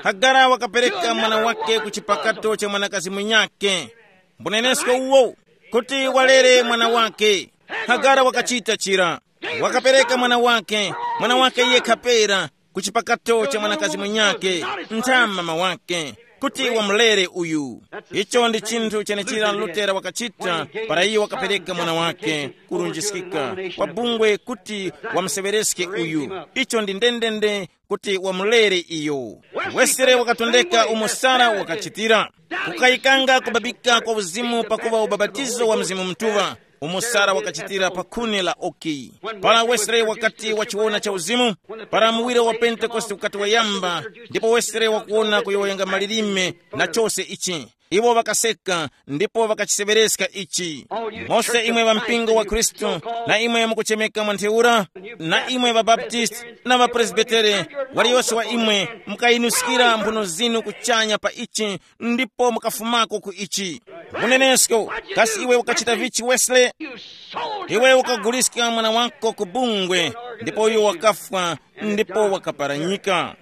Hagara wakapereka mwana wake ku chipakato cha mwanakazi munyake. Mbunenesko uwo, kuti walere mwana wake. Hagara wakachita chira. Wakapereka mwana wake, mwana wake yekha pera, ku chipakato cha mwanakazi munyake, ntha mama wake, kuti wamulere uyu. Icho ndi chinthu chenechira Lutera wakachita. Para iye wakapereka mwana wake kurunjiskika kwa bungwe kuti wamuseŵereske uyu. Icho ndi ndendende kuti wamulere iyo. Wesere wakatondeka umo Sara wakachitira. Kukayikanga kubabika kwa uzimu pakuva ubabatizo wa Mzimu Mutuŵa, umo Sara wakachitira pa khuni la oki. Para Wesley wakati wachiwona cha uzimu, para muwiro wa Pentekoste ukati wayamba, ndipo Wesley wakuwona kuyowoyanga malilime na chose ichi. Iwo ŵakaseka ndipo ŵakachiseŵereska ichi. Mose imwe ŵa mpingo wa Khristu, na imwe mukuchemeka mwa ntheura, na imwe ŵa Baptist na ŵa Presbitere, waliyose wa imwe mukayinuskira mphuno zinu kuchanya pa ichi, ndipo mukafumako ku ichi. Unenesko, kasi iwe ukachita vichi Wesley? Iwe ukaguliska mwana wako ku bungwe, ndipo uyo wakafwa, ndipo wakaparanyika.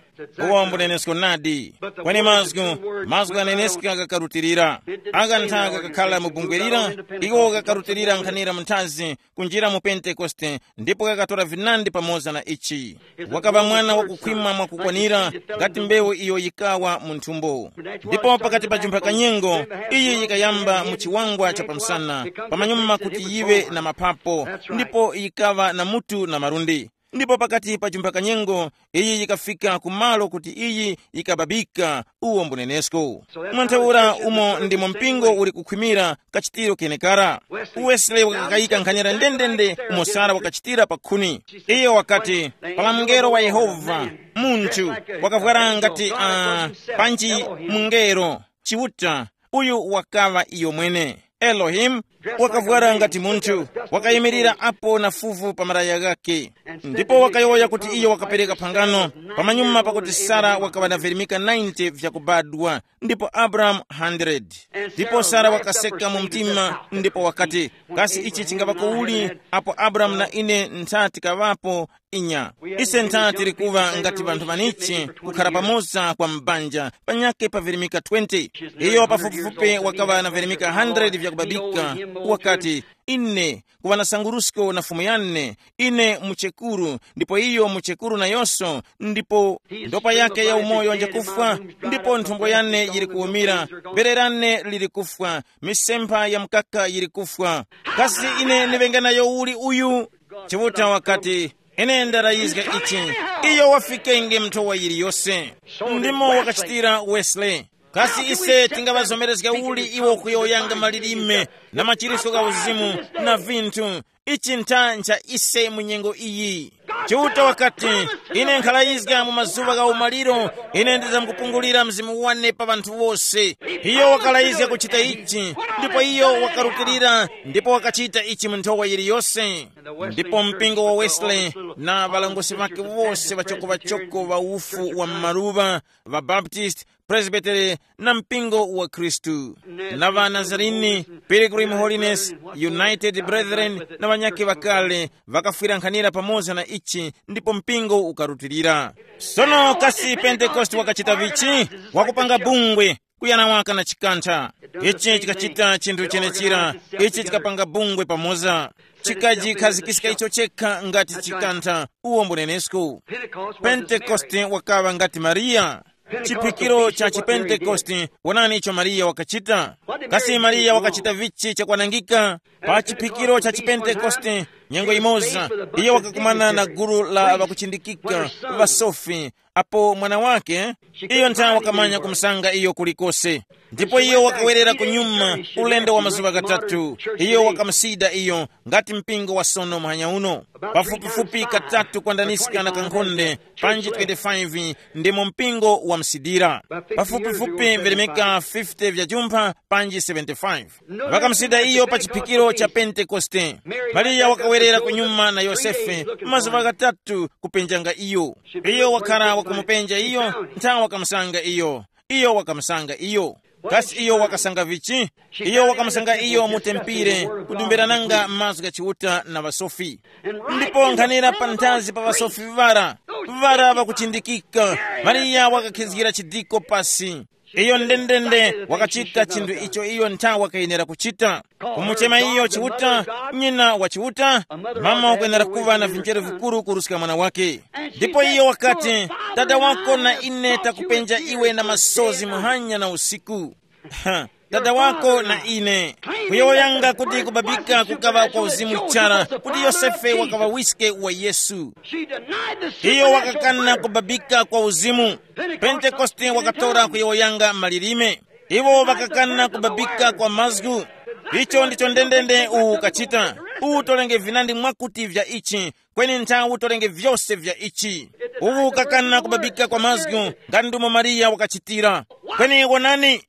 Uwo mbunenesko nadi. Kweni mazgu, mazgu aneneska gakarutilira. Aka ntha gakakhala mu bungwe lira, iwo gakarutilira nkhanira mu nthazi, kunjira mu Pentekoste, ndipo gakatora vinandi pamoza na ichi. Wakaŵa mwana wakukhwima mwakukwanira, ngati mbewu iyo yikawa mu nthumbo. Ndipo pakati pa jumpha kanyengo, iyi yikayamba mu chiwangwa cha pamsana, pamanyuma kuti yiwe na maphapo, ndipo yikawa na mutu na malundi. Ndipo pakati pa chumba kanyengo, iyi yikafika ku malo kuti iyi yikababika uwo mbunenesko. Mwa ntheura umo ndimo mpingo uli kukhwimira kachitiro kenekara. Wesley wakakayika nkhanira ndendende umo Sara wakachitira pa khuni. Iyo wakati, pala mngelo wa Yehova, munthu wakavwara ngati uh, panji mungelo, Chiuta, uyu wakaŵa iyo mwene. Elohim wakavwara ngati munthu, wakayimirira apo na fuvu pa maraya ghakhe. Ndipo wakayowoya kuti iyo wakapereka phangano pamanyuma pakuti Sara wakaŵa na virimika ninety vyakubadwa, ndipo Abrahamu hundred. Ndipo Sara wakaseka mu mtima ndipo wakati, kasi ichi chingaŵako uli apo Abrahamu na ine ntha tikaŵapo? Inya, ise ntha tili kuŵa ngati ŵanthu ŵanichi kukhara pamoza kwa mbanja panyake pa virimika twenty. Iyo pafupifupi wakaŵa na virimika hundred vyakubabika. Wakati, ine kuŵa na sangurusko na fumu yane, ine muchekuru, ndipo iyo muchekuru nayonso, ndipo ndopa yake ya umoyo njakufwa, ndipo nthumbo yane yiri kuwumira, bere lane liri kufwa, misempha ya mkaka yiri kufwa. Kasi ine ndiŵenge nayo uli uyu? Chiuta wakati, ine ndarayizga ichi. Iyo wafikenge mnthowa yiliyose. Ndimo wakachitira Wesley. Kasi ise tingaŵazomerezga uli iwo kuyowoyanga malilime na machiritso gha uzimu na vinthu? Ichi ntha ncha ise mu nyengo iyi. Chiuta wakati, ine nkhalayizga mu mazuŵa gha umaliro, ine ndizamkupungulira mzimu wane pa ŵanthu wose. Iyo wakalayizga kuchita ichi, ndipo iyo wakarutilira ndipo wakachita ichi mu nthowa yiliyose. Ndipo mpingo wa Wesley na ŵalangosi ŵake wose ŵachoko ŵachoko ŵa ufu wa m'maluŵa, ŵaBaptist, Presbytery, na mpingo wa Khristu, na ŵa Nazarene, Pilgrim Holiness, United Brethren, na ŵanyakhe ŵakale ŵakafwirankhanira pamoza na ichi, ndipo mpingo ukarutilira. Sono kasi Pentekoste wakachita vichi? Wakupanga bungwe, kuyana waka na chikantha. Ichi chikachita chinthu chenechira. Ichi chikapanga bungwe pamoza, chikajikhazikika icho chekha ngati chikantha. Uwo mbunenesko. Pentekoste wakaŵa ngati Mariya. Chiphikiro cha chipentekoste. Wonani icho Mariya wakachita. Kasi Mariya wakachita vichi chakwanangika? Pa chiphikiro cha chipentekoste, nyengo imoza, iyo wakakumana na gulu la ŵakuchindikika, ŵasofi, apo mwana wake, iyo nthawe wakamanya kumusanga iyo kulikose. Ndipo iyo wakawerera kunyuma ulendo wa mazuŵa ghatatu. Iyo wakamusida iyo, ngati mpingo wa sono muhanya uno, pafupifupi katatu kwandaniska na kankhonde, panji twenty-five, ndimo mpingo wamsidira. Pafupifupi vilemeka fifty vya jumpha, panji seventy-five. Ŵakamsida iyo pa chiphikiro cha Pentekoste. Mariya wakawerera kunyuma na Yosefe mazuŵa ghatatu kupenjanga iyo. Iyo wakhala wakumupenja iyo, nthawe wakamusanga iyo. Iyo wakamusanga iyo. Kasi iyo wakasanga vichi? Iyo wakamusanga iyo mu tempire, kudumbirananga mazgu gha Chiuta na ŵasofi. Ndipo nkhanira panthazi pa ŵasofi ŵara, ŵara ŵakuchindikika, Mariya wakakhizgira chidiko pasi. Iyo ndendende wakachita chinthu icho iyo nthawe wakayenera kuchita. Kumuchema iyo Chiuta, nyina wa Chiuta, mama wakwenera kuŵa na vinjeru vikuru kuruska mwana wake. Ndipo iyo wakati, dada wako na ine takupenja iwe na masozi muhanya na usiku. Dada wako na ine, kuyowoyanga kuti kubabika kukaŵa kwa uzimu chara, kuti Yosefe wakaŵa wiske wa Yesu. Iyo wakakana kubabika kwa uzimu. Pentekoste wakatora kuyowoyanga malilime. Iwo ŵakakana kubabika kwa mazgu. Icho ndicho ndendende uwu ukachita. Uwu tolenge vinandi mwakuti vya ichi, kweni nthawe utolenge vyose vya ichi. Uwu ukakana kubabika kwa mazgu, nga ndumo Mariya wakachitira. Kweni wonani,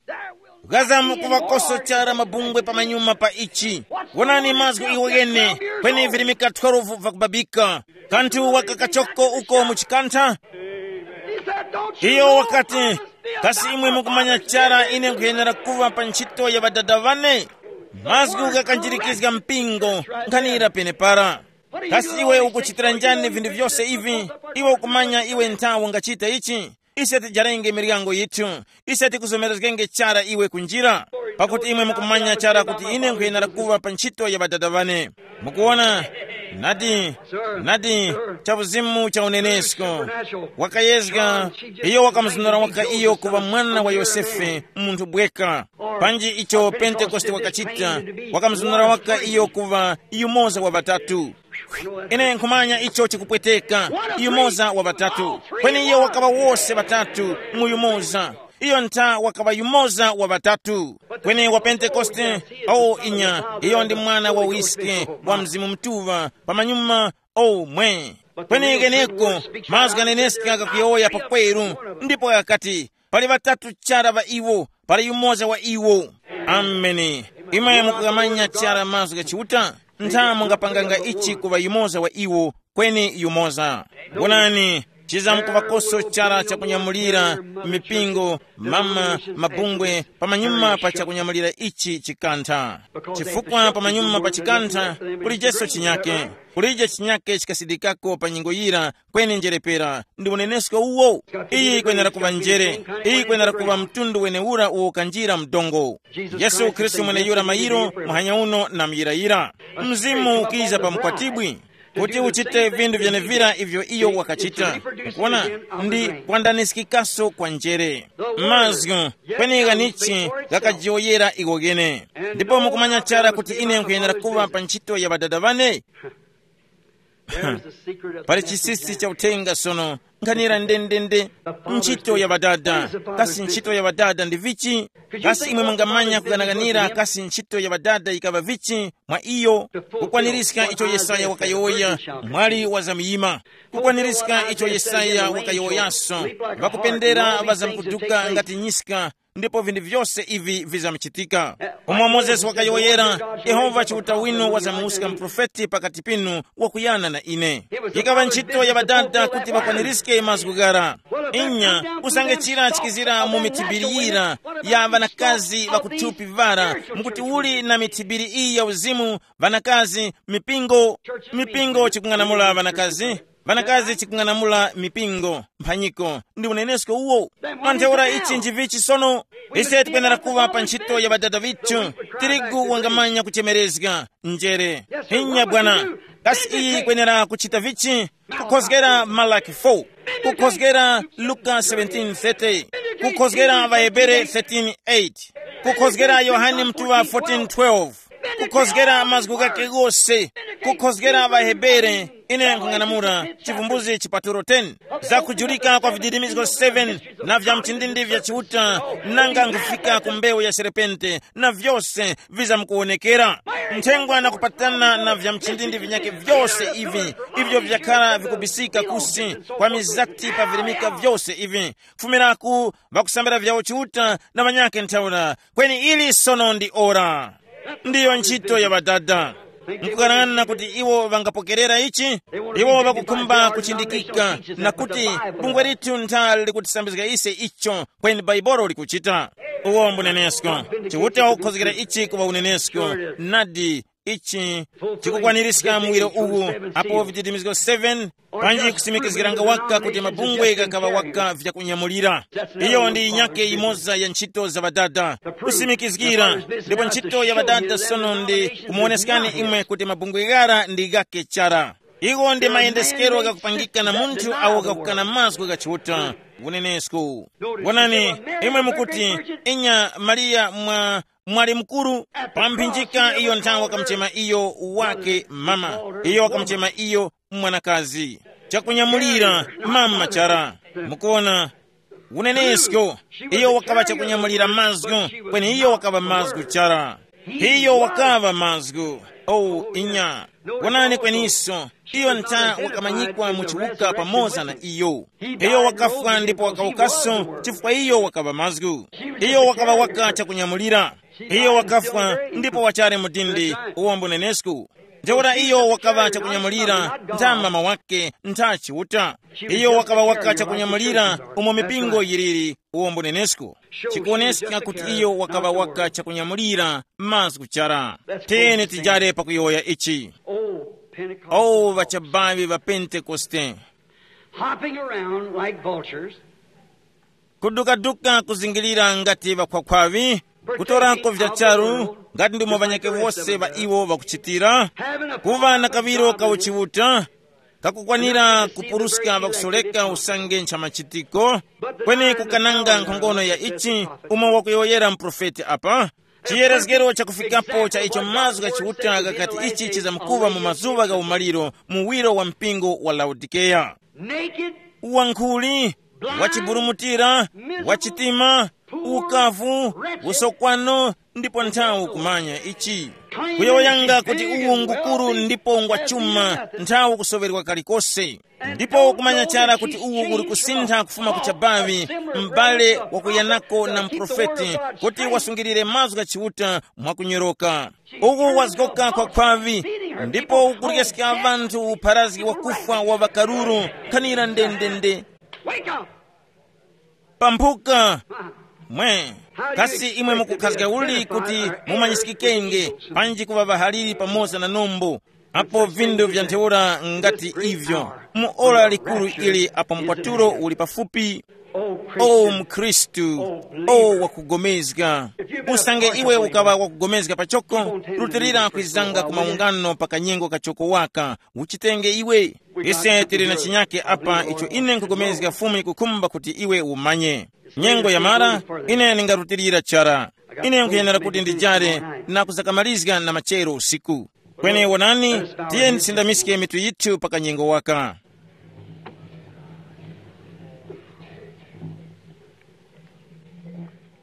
ghazamu kuŵakoso chara mabungwe pamanyuma pa ichi. Wonani mazgu iwo ghene, kweni virimika twelve vakubabika. Kanthu wakakachoko uko mu chikantha. Iyo wakati, kasi imwe mukumanya chara ine nkhuyenera kuŵa pa ntchito ya ŵadada ŵane? Mazgu ghakanjirikizga mpingo, nkhanira penepara. Kasi iwe ukuchitira njani vinthu vyose ivi? Iwe ukumanya iwe nthawe ungachita ichi? Ise tijarenge miryango yithu. Ise tikuzomerezgenge chara iwe kunjira, pakuti imwe mukumanya chara kuti ine nkhuyenera kuŵa pa ntchito ya ŵadada ŵane. Mukuwona? Nadi, nadi, cha uzimu cha unenesko. Wakayezga, iyo wakamuzunura waka iyo kuŵa mwana wa Yosefe, munthu bweka. Panji icho Pentekoste wakachita, wakamuzunura waka iyo kuŵa yumoza wa ŵatatu. Ine nkhumanya icho chikupweteka. Yumoza wa ŵatatu. Kweni iyo wakaŵa wose ŵatatu mu yumoza. Iyo ntha wakaŵa yumoza wa ŵatatu. Kweni wa Pentekoste, o inya, iyo ndi mwana wa wiske wa Mzimu Mutuŵa pamanyuma. O mwe. Kweni keneko, mazgu ghaneneska ghakuyowoya pakweru, ndipo ghakati, pali ŵatatu chara ŵa iwo, pali yumoza wa iwo. Ameni. Imwe mukughamanya chara mazgu gha Chiuta? Ntha mungapanganga ichi kuŵa yumoza wa iwo, kweni yumoza. Wonani, chizamkuŵakoso chara chakunyamulira mipingo, mama, mabungwe, pamanyuma pa chakunyamulira ichi chikantha. Chifukwa pamanyuma pa chikantha, kulijeso chinyake. Kulije chinyake chikasidikako pa nyengo yira, kweni njerepera ndi unenesko uwo. Iyi kwenera kuŵa njere. Iyi kwenera kuŵa mtundu wenewura uwo ukanjira mdongo. Yesu Khristu mweneyura mayiro, muhanya uno na muyirayira. Mzimu ukiza pa mkwatibwi kuti uchite vindu vyenevira ivyo iyo wakachita. Kuona, ndi kwandaniskikaso kwa njere. Mazgu, kweni ghanichi ghakajiyoyera iwo ghene. Ndipo mukumanya chara kuti ine nkhuyenera kuŵa pa ntchito ya ŵadada ŵane. Pali chisisi cha uthenga sono, nkhanira ndendende. Ntchito ya ŵadada. Kasi ntchito ya ŵadada ndi vichi? Kasi imwe mungamanya kuganaganira kasi ntchito ya ŵadada yikaŵa vichi mwa iyo? Kukwanirizga icho Yesaya wakayowoya, mwali wa zamuyima. Kukwanirizga icho Yesaya wakayowoyaso, ŵakupendera ŵazamkuduka ngati nyiska, ndipo vinthu vyose ivi vizamuchitika. Umo Mozesi wakayowoyera, Yehova Chiuta winu wazamuwuska muprofeti pakati pinu wakuyana na ine. Yikaŵa ntchito ya ŵadada kuti ŵakwanirizge mazgu ghara. Inya, usange chira chikizira mu mithibiri yira ya ŵanakazi ŵakuthupi ŵara, mukuti uli na mithibiri iyi ya uzimu, ŵanakazi, mipingo, mipingo chikung'anamula ŵanakazi, ŵanakazi chikung'anamula mipingo, mphanyiko, ndi unenesko uwo. Mwa ntheura ichi njivichi sono? Ise tikwenera kuŵa pa ntchito ya ŵadada vithu. Tirigu wangamanya kuchemerezga njere. Inya bwana. Kasi iyi ikwenera kuchita vichi? Kukhozgera Malaki four, kukhozgera Luka seventeen thirty, kukhozgera ŵaHebere thirteen eight, kukhozgera Yohane Mtuŵa fourteen twelve, kukhozgera mazgu ghake ghose, kukhozgera ŵaHebere. Ine nkhung'anamula Chivumbuzi chipatulo ten, za kujulika kwa vididimizgo seven, na vya mchindindi vya Chiuta, nanga nkhufika ku mbewu ya serpente, na vyose vizamkuwonekera. Nthengwa na kupatana na vya mchindindi vinyakhe vyose ivi, ivyo vyakhala vikubisika kusi kwa mizati pavirimika vyose ivi, kufumiraku ŵakusambira vyawo Chiuta na ŵanyakhe ntheura. Kweni ili sono ndi ora. Ndiyo ntchito ya ŵadada. Nkukanana kuti iwo ŵangapokerera ichi, iwo ŵakukhumba kuchindikika na kuti bungwe lithu nthali likutisambizga ise icho kweni Baibolo likuchita. Uwo mbunenesko. Chiuta wakukhozgera ichi kuŵa unenesko. Nadi, ichi chikukwanirizga muwiro uwu, apo viditimizgo seven, panji kusimikizgiranga waka kuti mabungwe ghakaŵa waka vyakunyamulira. Iyo ndi yinyake yimoza ya ntchito za ŵadada, kusimikizgira. Ndipo ntchito ya ŵadada sono ndi kumuwoneskani imwe kuti mabungwe ghara ndi ghake chara. Iwo ndi mayendeskero ghakupangika na munthu awo ghakukana mazgu gha Chiuta. Unenesko. Wonani, imwe mukuti, inya Mariya mwa mwali mukuru, pa mphinjika iyo nthawi wakamuchema iyo wake mama, iyo wakamuchema iyo mwanakazi. Chakunyamulira, mama chara. Mukuona, unenesko, iyo wakaŵa chakunyamulira mazgu, kweni iyo wakaŵa mazgu chara. Iyo wakaŵa mazgu. Oh inya. Wonani kweniso, iyo ntha wakamanyikwa mu chiwuka pamoza na iyo. Iyo wakafwa ndipo wakawukaso chifukwa iyo wakaŵa mazgu. Iyo wakaŵa waka chakunyamulira. Iyo wakafwa ndipo wachali mudindi. Uwombo nenesku. Ntheura iyo wakaŵa chakunyamulira ntha mama wake ntha Chiuta. Iyo wakaŵa waka chakunyamulira umo mipingo yiliri. Uwombo nenesku. Chikuwoneska kuti iyo wakaŵa waka chakunyamulira mazgu chara. Tiyeni tijare pakuyowoya ichi. Oh, Pentecost. Oh, ŵachabaŵi ŵa Pentekoste. Hopping around like vultures. Kudukaduka kuzingilira ngati ŵakhwakhwaŵi, kutorako vya charu ngati ndimo ŵanyake wose ŵa iwo ŵakuchitira. Kuŵa na kaŵiro ka uchiuta kakukwanira kupuruska ŵakusoreka usange ncha machitiko. Kweni kukananga nkhongono ya ichi umo wakuyowoyera muprofeti apa, Chiyerezgero chakufikapo cha icho mazgu gha Chiuta ghakati ichi chizamkuŵa mu mazuŵa gha umaliro, muwiro wa mpingo wa Laodikeya. Naked, wankhuli, wachiburumutira, wachitima, ukavu, usokwano, ndipo nthawi kumanya ichi. Kuyowoyanga kuti uwu ngukuru ndipo ngwa chuma, nthawi kusoŵerwa kalikose. Ndipo kumanya chara kuti uwu uli kusintha kufuma ku chabavi, m'bale wakuyanako na mprofeti, kuti wasungilire mazgu gha Chiuta mwakunyoroka. Uku wazgoka kwa khwavi, ndipo ukuryeska ŵanthu upharazgi wakufwa wa ŵakaruru. Khanira ndendende. Wake up! Pamphuka. Mwe, kasi imwe mukukhazga uli kuti mumanyisikikenge, panji kuŵa ŵahaliri pamoza na nombo? Apo vindu vya ntheura ngati ivyo, mu ora likuru ili apo mkwatulo uli pafupi. O mkhristu, o wakugomezga, usange iwe ukaŵa wakugomezga pachoko, rutilira kwizanga ku maungano pa kanyengo kachoko waka. Uchitenge iwe. Ise tili na chinyake apa icho ine nkugomezga Fumu yikukhumba kuti iwe umanye. Nyengo yamara, ine ndingarutilira chara. Ine nkhuyenera kuti ndijare na kuzakamalizga na machero usiku. Kweni wonani, tiye tisindamiske mitu yithu pa kanyengo waka.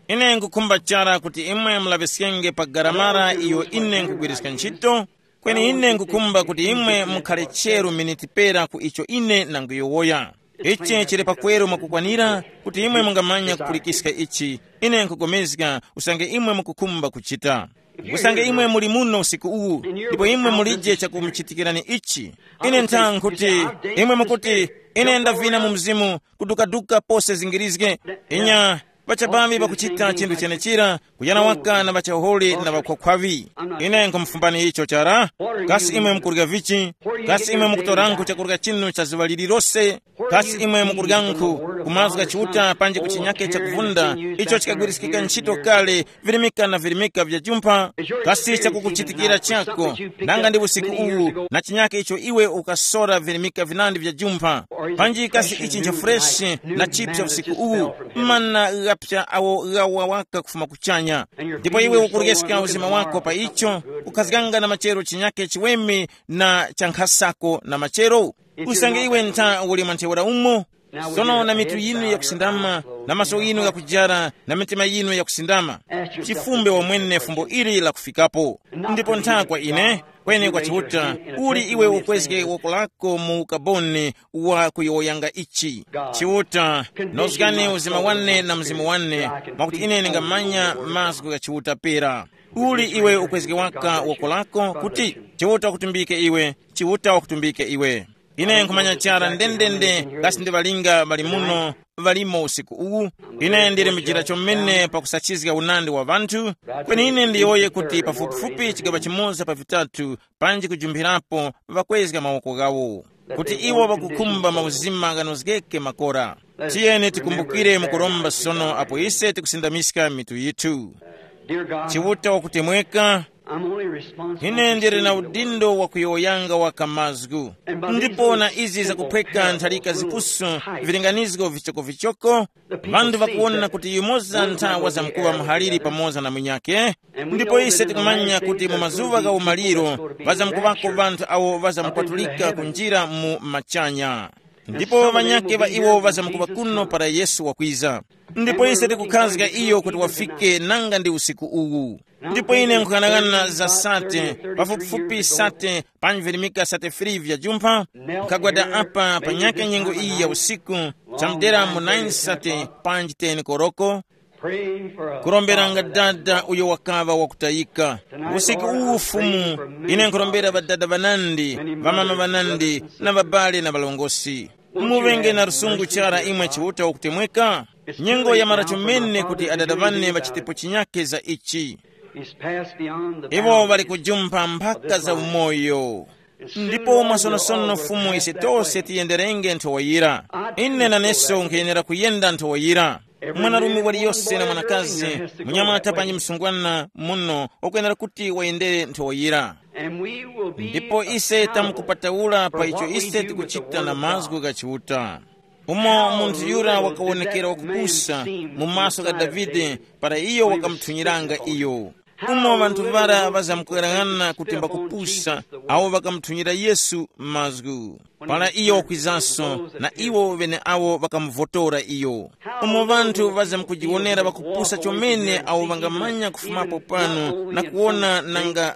Ine nkukhumba chara kuti imwe mulaŵiskenge pa garamara iyo ine nkugwiriska ntchito. Kweni ine nkukhumba kuti imwe mukhale cheru miniti pera ku icho ine nanguyowoya. Ichi chili pakweru mwakukwanira kuti imwe mungamanya kupulikiska ichi. Ine nkupulikana usange imwe mukukhumba kuchita. Usange imwe muli muno usiku uwu, ndipo imwe mulije chakumuchitikirani ichi. Ine nthankhuti, imwe mukuti, ine ndavina mu mzimu, kudukaduka pose zingirizge. Inya, pachapavi pakuchita chinthu chenechira, kuyana waka na ŵachaholi na ŵakhwakhwaŵi. Ine nkhumufumbani icho chara. Kasi imwe mukurya vichi? Kasi imwe mukutoranku chakurya chinu cha zuŵa lililose? Kasi imwe mukuryanku kumazga Chiuta panji kuchinyake chakuvunda, icho chikagwiriskika ntchito kale, virimika na virimika vya jumpha? Kasi chakukuchitikira chako, nanga ndi usiku uwu na chinyake icho iwe ukasora virimika vinandi vya jumpha? Panji kasi ichi ncha freshi na chipsa usiku uwu, mana ghapsa awo ghawa waka kufuma kuchanya? Ndipo iwe ukuryeska uzima wako pa icho, ukhazganga na machero chinyake chiweme na chankhasako na machero? Usange iwe ntha uli mwa ntheura umo. Sono na mitu yinu yakusindama, na maso yinu yakujara, na mitima yinu yakusindama, chifumbe wamwene fumbo ili lakufikapo. Ndipo ntha kwa ine, kweni kwa Chiuta, uli iwe ukwezge woko lako mu ukaboni wa kuyowoyanga ichi. Chiuta, nozgani uzima wane na mzimu wane, mwakuti ine ningamanya mazgu gha Chiuta pera. Uli iwe ukwezge waka woko lako kuti Chiuta wakutumbike iwe, Chiuta wakutumbike iwe. Ine nkhumanya chara ndendende kasi ndi ŵalinga ŵali muno, ŵalimo usiku uwu. Ine ndili mujira chomene pakusachizga unandi wa ŵanthu. Kweni ine ndiyowoye kuti pafupifupi chigaŵa chimoza pa vitatu panji kujumphirapo ŵakwezga mawoko ghawo, kuti iwo ŵakukhumba mauzima ghanozgeke makora. Tiyeni tikumbukire mukuromba sono apo ise tikusindamiska mitu yithu. Chiuta wakutemweka, ine ndili na udindo wa kuyowoyanga waka mazgu. Ndipo na izi zakuphweka ntharika zipuso, vilinganizgo vichokovichoko, ŵanthu ŵakuwona kuti yumoza ntha wazamkuŵa muhaliri pamoza na munyakhe. Ndipo ise tikumanya kuti mu mazuŵa gha umaliro ŵazamkuŵako ŵanthu awo ŵazamkwatulika kunjira mu machanya. Ndipo ŵanyakhe ŵa iwo ŵazamkuŵa kuno para Yesu wakwiza. Ndipo ise tikukhazga iyo kuti wafike nanga ndi usiku uwu. Ndipo ine nkhughanaghana za sate, pafupifupi sate panji virimika sate free vya jumpha, nkhagwada apa pa nyaka nyengo iyi ya usiku, chamdera mu nine sate panji ten koroko, kuromberanga dada uyo wakaŵa wakutayika. Usiku uwu Fumu, ine nkhurombera ŵadada ŵanandi, ŵamama ŵanandi, na ŵabale na ŵalongosi. Muŵenge na lusungu chara imwe Chiuta wakutemweka. Nyengo yamara chomene kuti adada ŵane ŵachitepo chinyake za ichi. Iwo ŵali kujumpha mphaka za umoyo. Ndipo mwasonosono Fumu ise tose tiyenderenge nthowa yira. Ine naneso nkhuyenera kuyenda nthowa yira. Mwanarume waliyose na mwanakazi, munyamata panji msungwana muno wakwenera kuti wayendere nthowa yira. Ndipo ise tamkupatawula pa icho ise tikuchita na mazgu gha Chiuta. Umo munthu yura wakawonekera wakupusa mu maso gha Davide para iyo wakamuthunyiranga iyo. Umo ŵanthu ŵara ŵazamkwerang'ana kuti mbakupusa, awo ŵakamuthunyira Yesu mazgu. Para iyo wakwizanso, na iwo ŵeneawo ŵakamuvotora iyo. Umo ŵanthu ŵazamkujiwonera ŵakupusa chomene awo ŵangamanya kufumapo pano na kuwona nanga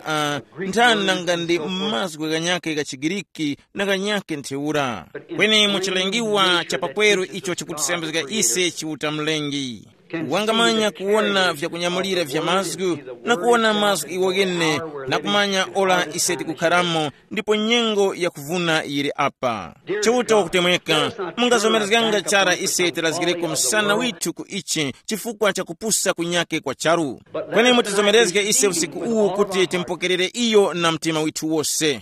uh, nthani nanga ndi mazgu ghanyakhe gha chiGiriki na ghanyakhe ntheura. Kweni mu chilengiwa cha pakweru icho chikutisambizga ise Chiuta Mlengi, wangamanya kuwona vyakunyamulira vya mazgu na kuwona mazgu iwo ghene, na kumanya ora ise tikukharamo ndipo nyengo yakuvuna yili apa. Chiuta wakutemweka, mungazomerezganga chara ise tilazgireko msana withu ku ichi chifukwa cha kupusa kunyake kwa charu. Kweni mutizomerezge ise usiku uwu kuti timpokerere iyo na mtima withu wose.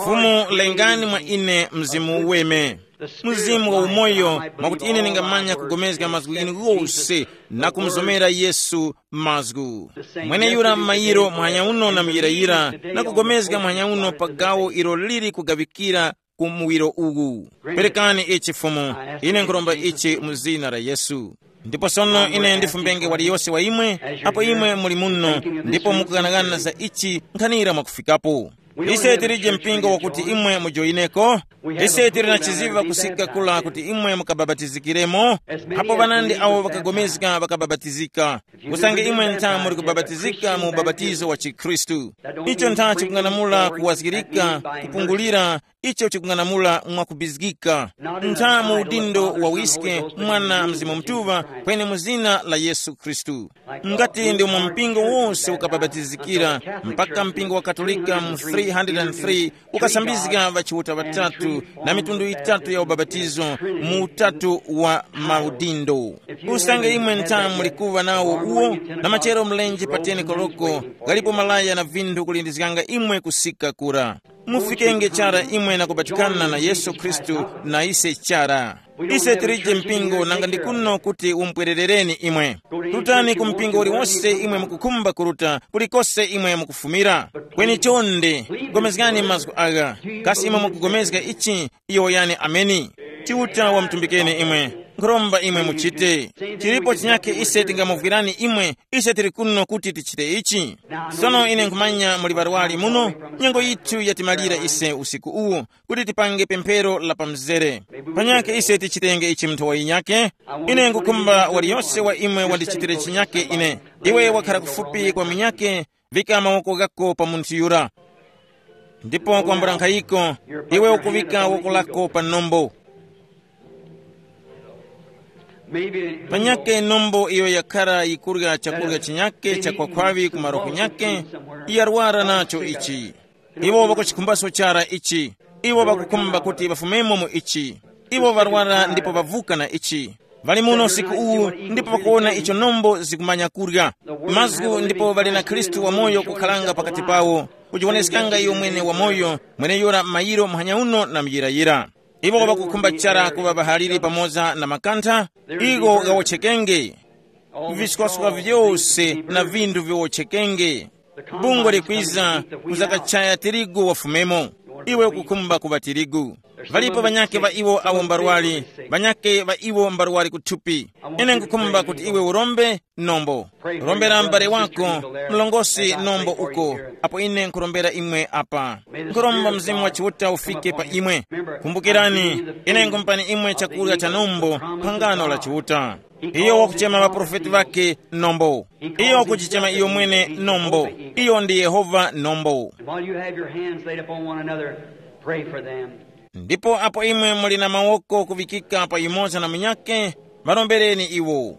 Fumu, lengani mwa ine Mzimu Uweme, Mzimu wa umoyo, mwakuti ine ningamanya kugomezga mazgu ghinu ghose na kumuzomera Yesu mazgu. Mwene yura m'mayiro muhanya uno na muyirayira, na kugomezga muhanya uno pa gawo ilo lili kugaŵikira ku muwiro uwu. Perekani ichi Fumu, ine nkhuromba ichi mu zina la Yesu. Ndipo sono ine ndifumbenge waliyose wa imwe, apo imwe muli muno, ndipo mukughanaghana za ichi nkhanira mwakufikapo. Ise tilije mpingo wakuti imwe mujoyineko. Ise tili na chiziva kusika kula kuti imwe mukababatizikiremo. Apo ŵanandi awo ŵakagomezga ŵakababatizika. Usange imwe ntha muli kubabatizika mu ubabatizo wa chikhristu, icho ntha chikung'anamula kuwazgirika, kupungulira, icho chikung'anamula mwakubizgika, ntha mu udindo wa wiske, Mwana, Mzimu Mutuŵa, kweni mu zina la Yesu Khristu. Ngati ndi mu mpingo wose ukababatizikira, mpaka mpingo wa Katolika mu three hundred and three ukasambizga ŵachiuta ŵatatu na mitundu yitatu ya ubapatizo mu utatu wa maudindo. Usange imwe ntha muli kuŵa nawo uwo, na machero mlenje pa teni koloko, ghalipo malaya na vinthu kulindizganga imwe kusika kura. Mufikenge chara imwe na kubatikana na Yesu Khristu na ise chara. Ise tilije mpingo nanga ndi kuno kuti umpwererereni imwe. Rutani ku mpingo uliwonse imwe mukukhumba kuruta, kulikose imwe mukufumira. Kweni chonde, gomezgani mazgu agha. Kasi imwe mukugomezga ichi, iyo yani ameni. Chiuta wamutumbikeni imwe. Nkhuromba imwe muchite. Chilipo chinyakhe ise tingamuvwirani imwe, ise tili kuno kuti tichite ichi. Sono ine nkhumanya muli ŵarwari muno, nyengo yithu yatimalira ise usiku uwu, kuti tipange pemphero la pamzere. Panyakhe ise tichitenge ichi munthawi yinyakhe. Ine nkukhumba waliyose wa imwe wandichitire chinyakhe ine. Iwe wakhala kufupi kwa munyakhe, vika mawoko ghako pa munthu yura. Ndipo kwambula nkhayiko, iwe ukuŵika woko lako pa nombo. Panyakhe nombo iyo yakhara yikurya chakurya chinyakhe cha kwakhwaŵi ku maroho nyakhe, yarwara nacho ichi. Iwo ŵakuchikhumbaso chara ichi. Iwo ŵakukhumba kuti ŵafumemo mu ichi. Iwo ŵarwara ndipo ŵavuka na ichi. Ŵali muno usiku uwu, ndipo ŵakuwona icho nombo zikumanya kurya. Mazgu ndipo ŵali na Khristu wamoyo kukhalanga pakati pawo, kujiwoneskanga iyo mwene wamoyo, mweneyura mayiro muhanya uno na muyirayira. Iwo ŵakukhumba chara kuŵa ŵahaliri pamoza na makantha, igo ghawotchekenge. Viswaskwa vyose na vinthu viwotchekenge. Bungwe likwiza, kuzakachaya tirigu wafumemo. Iwe ukukhumba kuŵa tirigu. Ŵalipo ŵanyakhe ŵa iwo awo mbarwari, ŵanyakhe ŵa iwo mbarwari kuthupi. Ine nkukhumba kuti iwe urombe nombo. Rombera m'bale wako, mlongosi nombo uko, apo ine nkurombera imwe apa. Nkuromba Mzimu wa Chiuta ufike pa imwe. Kumbukirani, ine nkumpani imwe chakurya cha nombo, phangano la Chiuta. Iyo wakuchema ŵaprofeti ŵakhe nombo. Iyo wakujichema iyo mwene nombo. Iyo ndi Yehova nombo. And while you have your hands laid upon one another, pray for them. Ndipo apo imwe muli na mawoko kuŵikika pa yumoza na munyakhe, ŵarombereni iwo.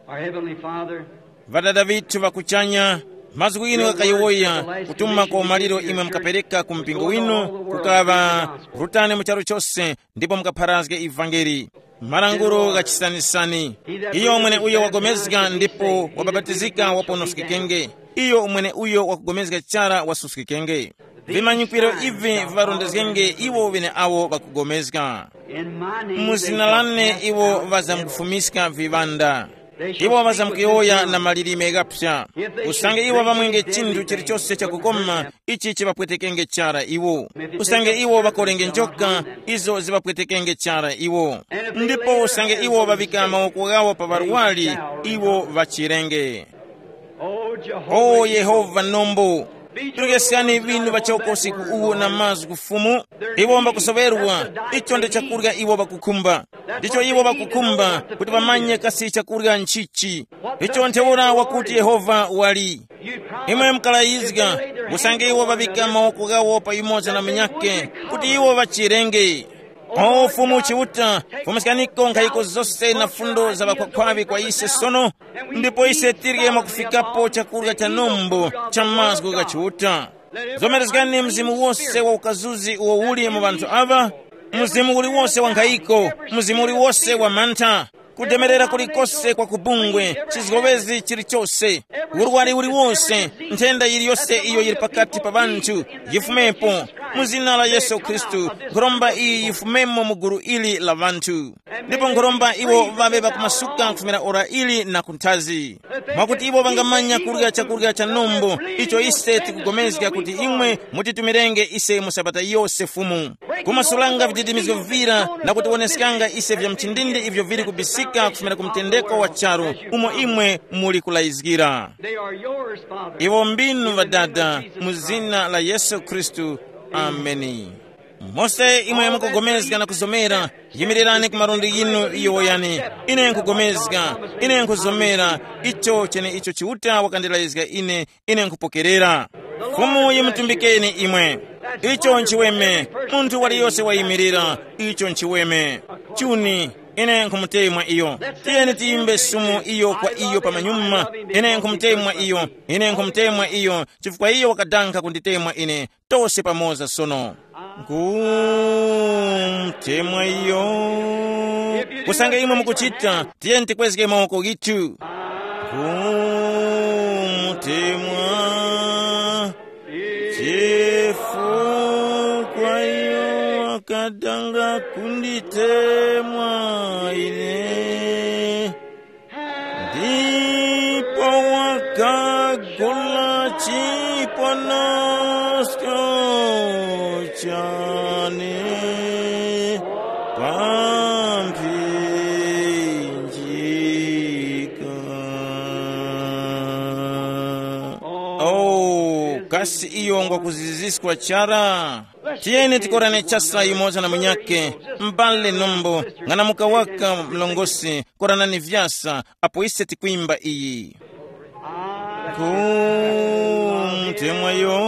Our Heavenly Father, Ŵadada ŵithu ŵa kuchanya, mazgu inu ghakayowoya kutuma kwa umaliro imwe mukapereka ku mpingo winu, kukaŵa, rutani mu charu chose ndipo mukapharazge ivangeli. Malangulo gha chisanisani. Iyo mwene uyo wagomezga ndipo wababatizika waponoskekenge. Iyo mwene uyo wakugomezga chara wasuskikenge. Vimanyikiro ivi viŵarondezgenge iwo ŵeneawo ŵakugomezga. Mu zina lane iwo ŵazamkufumiska viŵanda. Iwo ŵazamkuyowoya na malilime ghapsa. Usange iwo ŵamwenge chinthu chilichose chakukoma, ichi chiŵapwetekenge chara iwo. Usange iwo ŵakolenge njoka, izo ziŵapwetekenge chara iwo. Ndipo usange iwo ŵaŵika mawoko ghawo pa ŵarwari, iwo ŵachirenge. O Yehova nombo, turyeskani ŵinu ŵachoko usiku uwu na mazgu Fumu. Iwo mbakusoŵerwa, icho ndi chakurya iwo ŵakukhumba. Ndicho iwo ŵakukhumba, kuti ŵamanye kasi chakurya nchichi. Icho ntheura wakuti Yehova wali. Imwe mukalayizga, usange iwo ŵaŵika mawoko ghawo pa yumoza na munyakhe, kuti iwo ŵachirenge. O Fumu Chiuta, fumuskaniko nkhayiko zose na fundo za ŵakhwakhwaŵi kwa ise sono, ndipo ise tirye mwakufikapo chakurya cha nombo cha mazgu gha Chiuta. Zomerezgani mzimu wose wa ukazuzi uwo uli mu ŵanthu aŵa, mzimu uliwose wa nkhayiko, mzimu uliwose wa mantha, kudemerera kulikose kwa kubungwe, chizgowezi chilichose, urwari uliwose, nthenda yiliyose iyo yili pakati pa ŵanthu, yifumepo. Mu zina la Yesu Khristu, nkhoromba iyi yifumemo mu gulu ili la ŵanthu. Ndipo nkhoromba iwo ŵaŵe ŵakumasuka kufumira ora ili na kunthazi, mwakuti iwo ŵangamanya kurya chakurya cha nombo, icho ise tikugomezga kuti imwe mutitumirenge ise mu sabata yose Fumu, kumasulanga vididimizgo vivira na kutiwoneskanga ise vya mchindindi ivyo vili kubisika kufumira ku mtendeko wa charu umo imwe muli kulayizgira. They are yours, Father. Iwo mbinu ŵadada, mu zina la Yesu Khristu. Ameni. Mose imwe mukugomezga na kuzomera, yimirirani ku malundi yinu yowoyani. Ine nkugomezga, ine nkuzomera icho chene icho Chiuta wakandilayizga ine, ine nkhupokerera. Fumu yimutumbikeni imwe. Icho nchiweme. Munthu waliyose wayimirira, icho nchiweme. Chuni, ine nkhumutemwa iyo. Tiyeni tiyimbe sumu iyo kwa iyo pamanyuma. Ine nkhumutemwa iyo, ine nkhumutemwa iyo, chifukwa iyo wakadankha kunditemwa ine. Tose pamoza sono. Nkhumutemwa iyo. Kusanga imwe mukuchita, tiyeni tikwezge mawoko ghitu. Nkhumutemwa, chifukwa iyo wakadanga kunditemwa ine. Ndipo wakagula chiponosko chane pa mphinjika. Oh, kasi iyo ngwakuziziswa chara? Tiyeni tikorane chasa yumoza na munyakhe, m'bale nombo, ng'anamuka waka mlongosi, koranani vyasa, apo ise tikwimba iyi. Nkhumutemwa iyo,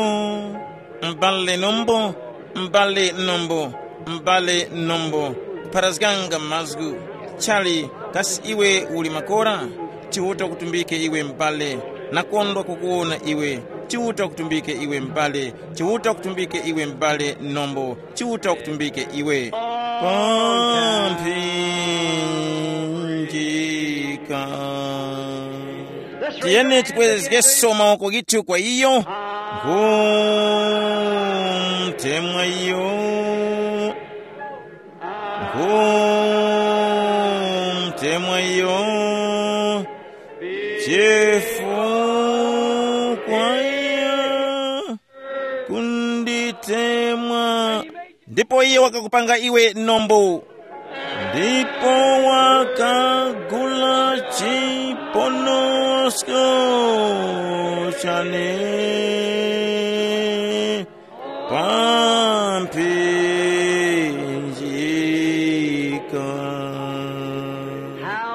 m'bale nombo, m'bale nombo, m'bale nombo, kupharazganga mazgu. Chali, kasi iwe uli makora? Chiuta kutumbike iwe m'bale. Nakondwa kukuwona iwe. Chiuta kutumbike iwe m'bale. Chiuta kutumbike iwe m'bale nombo. Chiuta kutumbike iwe. Pa mphinjika. Tiyeni tikwezgeso mawoko githu kwa iyo. Nkhumutemwa iyo. Nkhumutemwa iyo. Chifukwa iyo kunditemwa. Ndipo iye wakakupanga iwe nombo. Ndipo wakagula chiponosko chane pa mphinjika.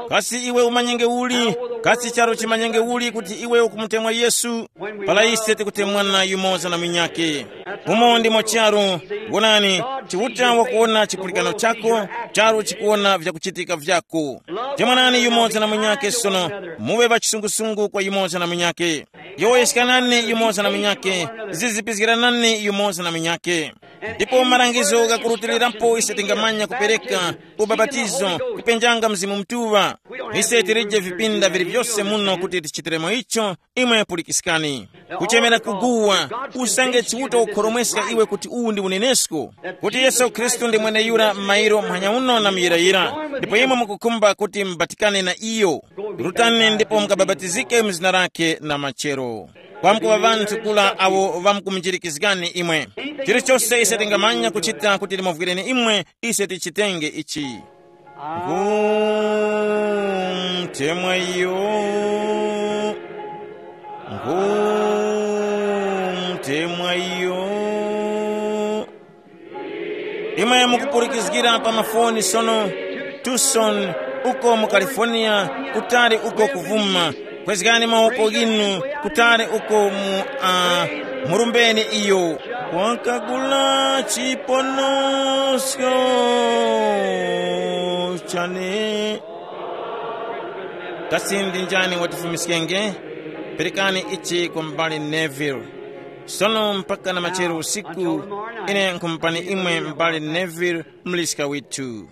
Kasi iwe umanyenge uli? Kasi charo chimanyenge uli kuti iwe ukumutemwa Yesu? Para ise tikutemwana yumoza na munyakhe. Umo ndimo charu. Wonani, Chiuta wakuwona chipulikano chako, charu chikuwona vyakuchitika vyako. Temwanani yumoza na munyakhe sono, muwe ŵachisungusungu kwa yumoza na munyakhe. Yowoyeskanani yumoza na munyakhe, zizipizgiranani yumoza na munyakhe. Ndipo malangizo ghakurutilirapo ise tingamanya kupereka ubapatizo, kupenjanga Mzimu Mutuŵa. Ise tilije vipinda vili vyose muno kuti tichitiremo icho. Imwe pulikiskani. Kuchemera kuguwa, usange Chiuta ukhoromweska iwe kuti uwu ndi unenesko, kuti Yesu Khristu ndi mweneyura m'mayiro muhanya uno na muyirayira, ndipo imwe mukukhumba kuti mubatikane na iyo. Rutani ndipo mukabapatizike mu zina lakhe na machero. Kwamkuŵa ŵanthu kula awo ŵamkumunjirikizgani imwe. Chilichose ise tingamanya kuchita kuti timuvwireni imwe, ise tichitenge ichi. Nkhumutemwa iyo. Nkhumtemwa iyo. Imwe mukupulikizgira pa mafoni sono, Tucson, uko mu California, kutali uko kuvuma. Kwezgani mawoko ghinu kutali uko mu uh, murumbeni iyo. Wakagula chiponosko chane. Kasi ndi njani watifumiskenge? Perekani ichi kwa m'bale Neville. Sono mpaka na machero usiku, ine nkhumupani imwe m'bale Neville, mliska withu.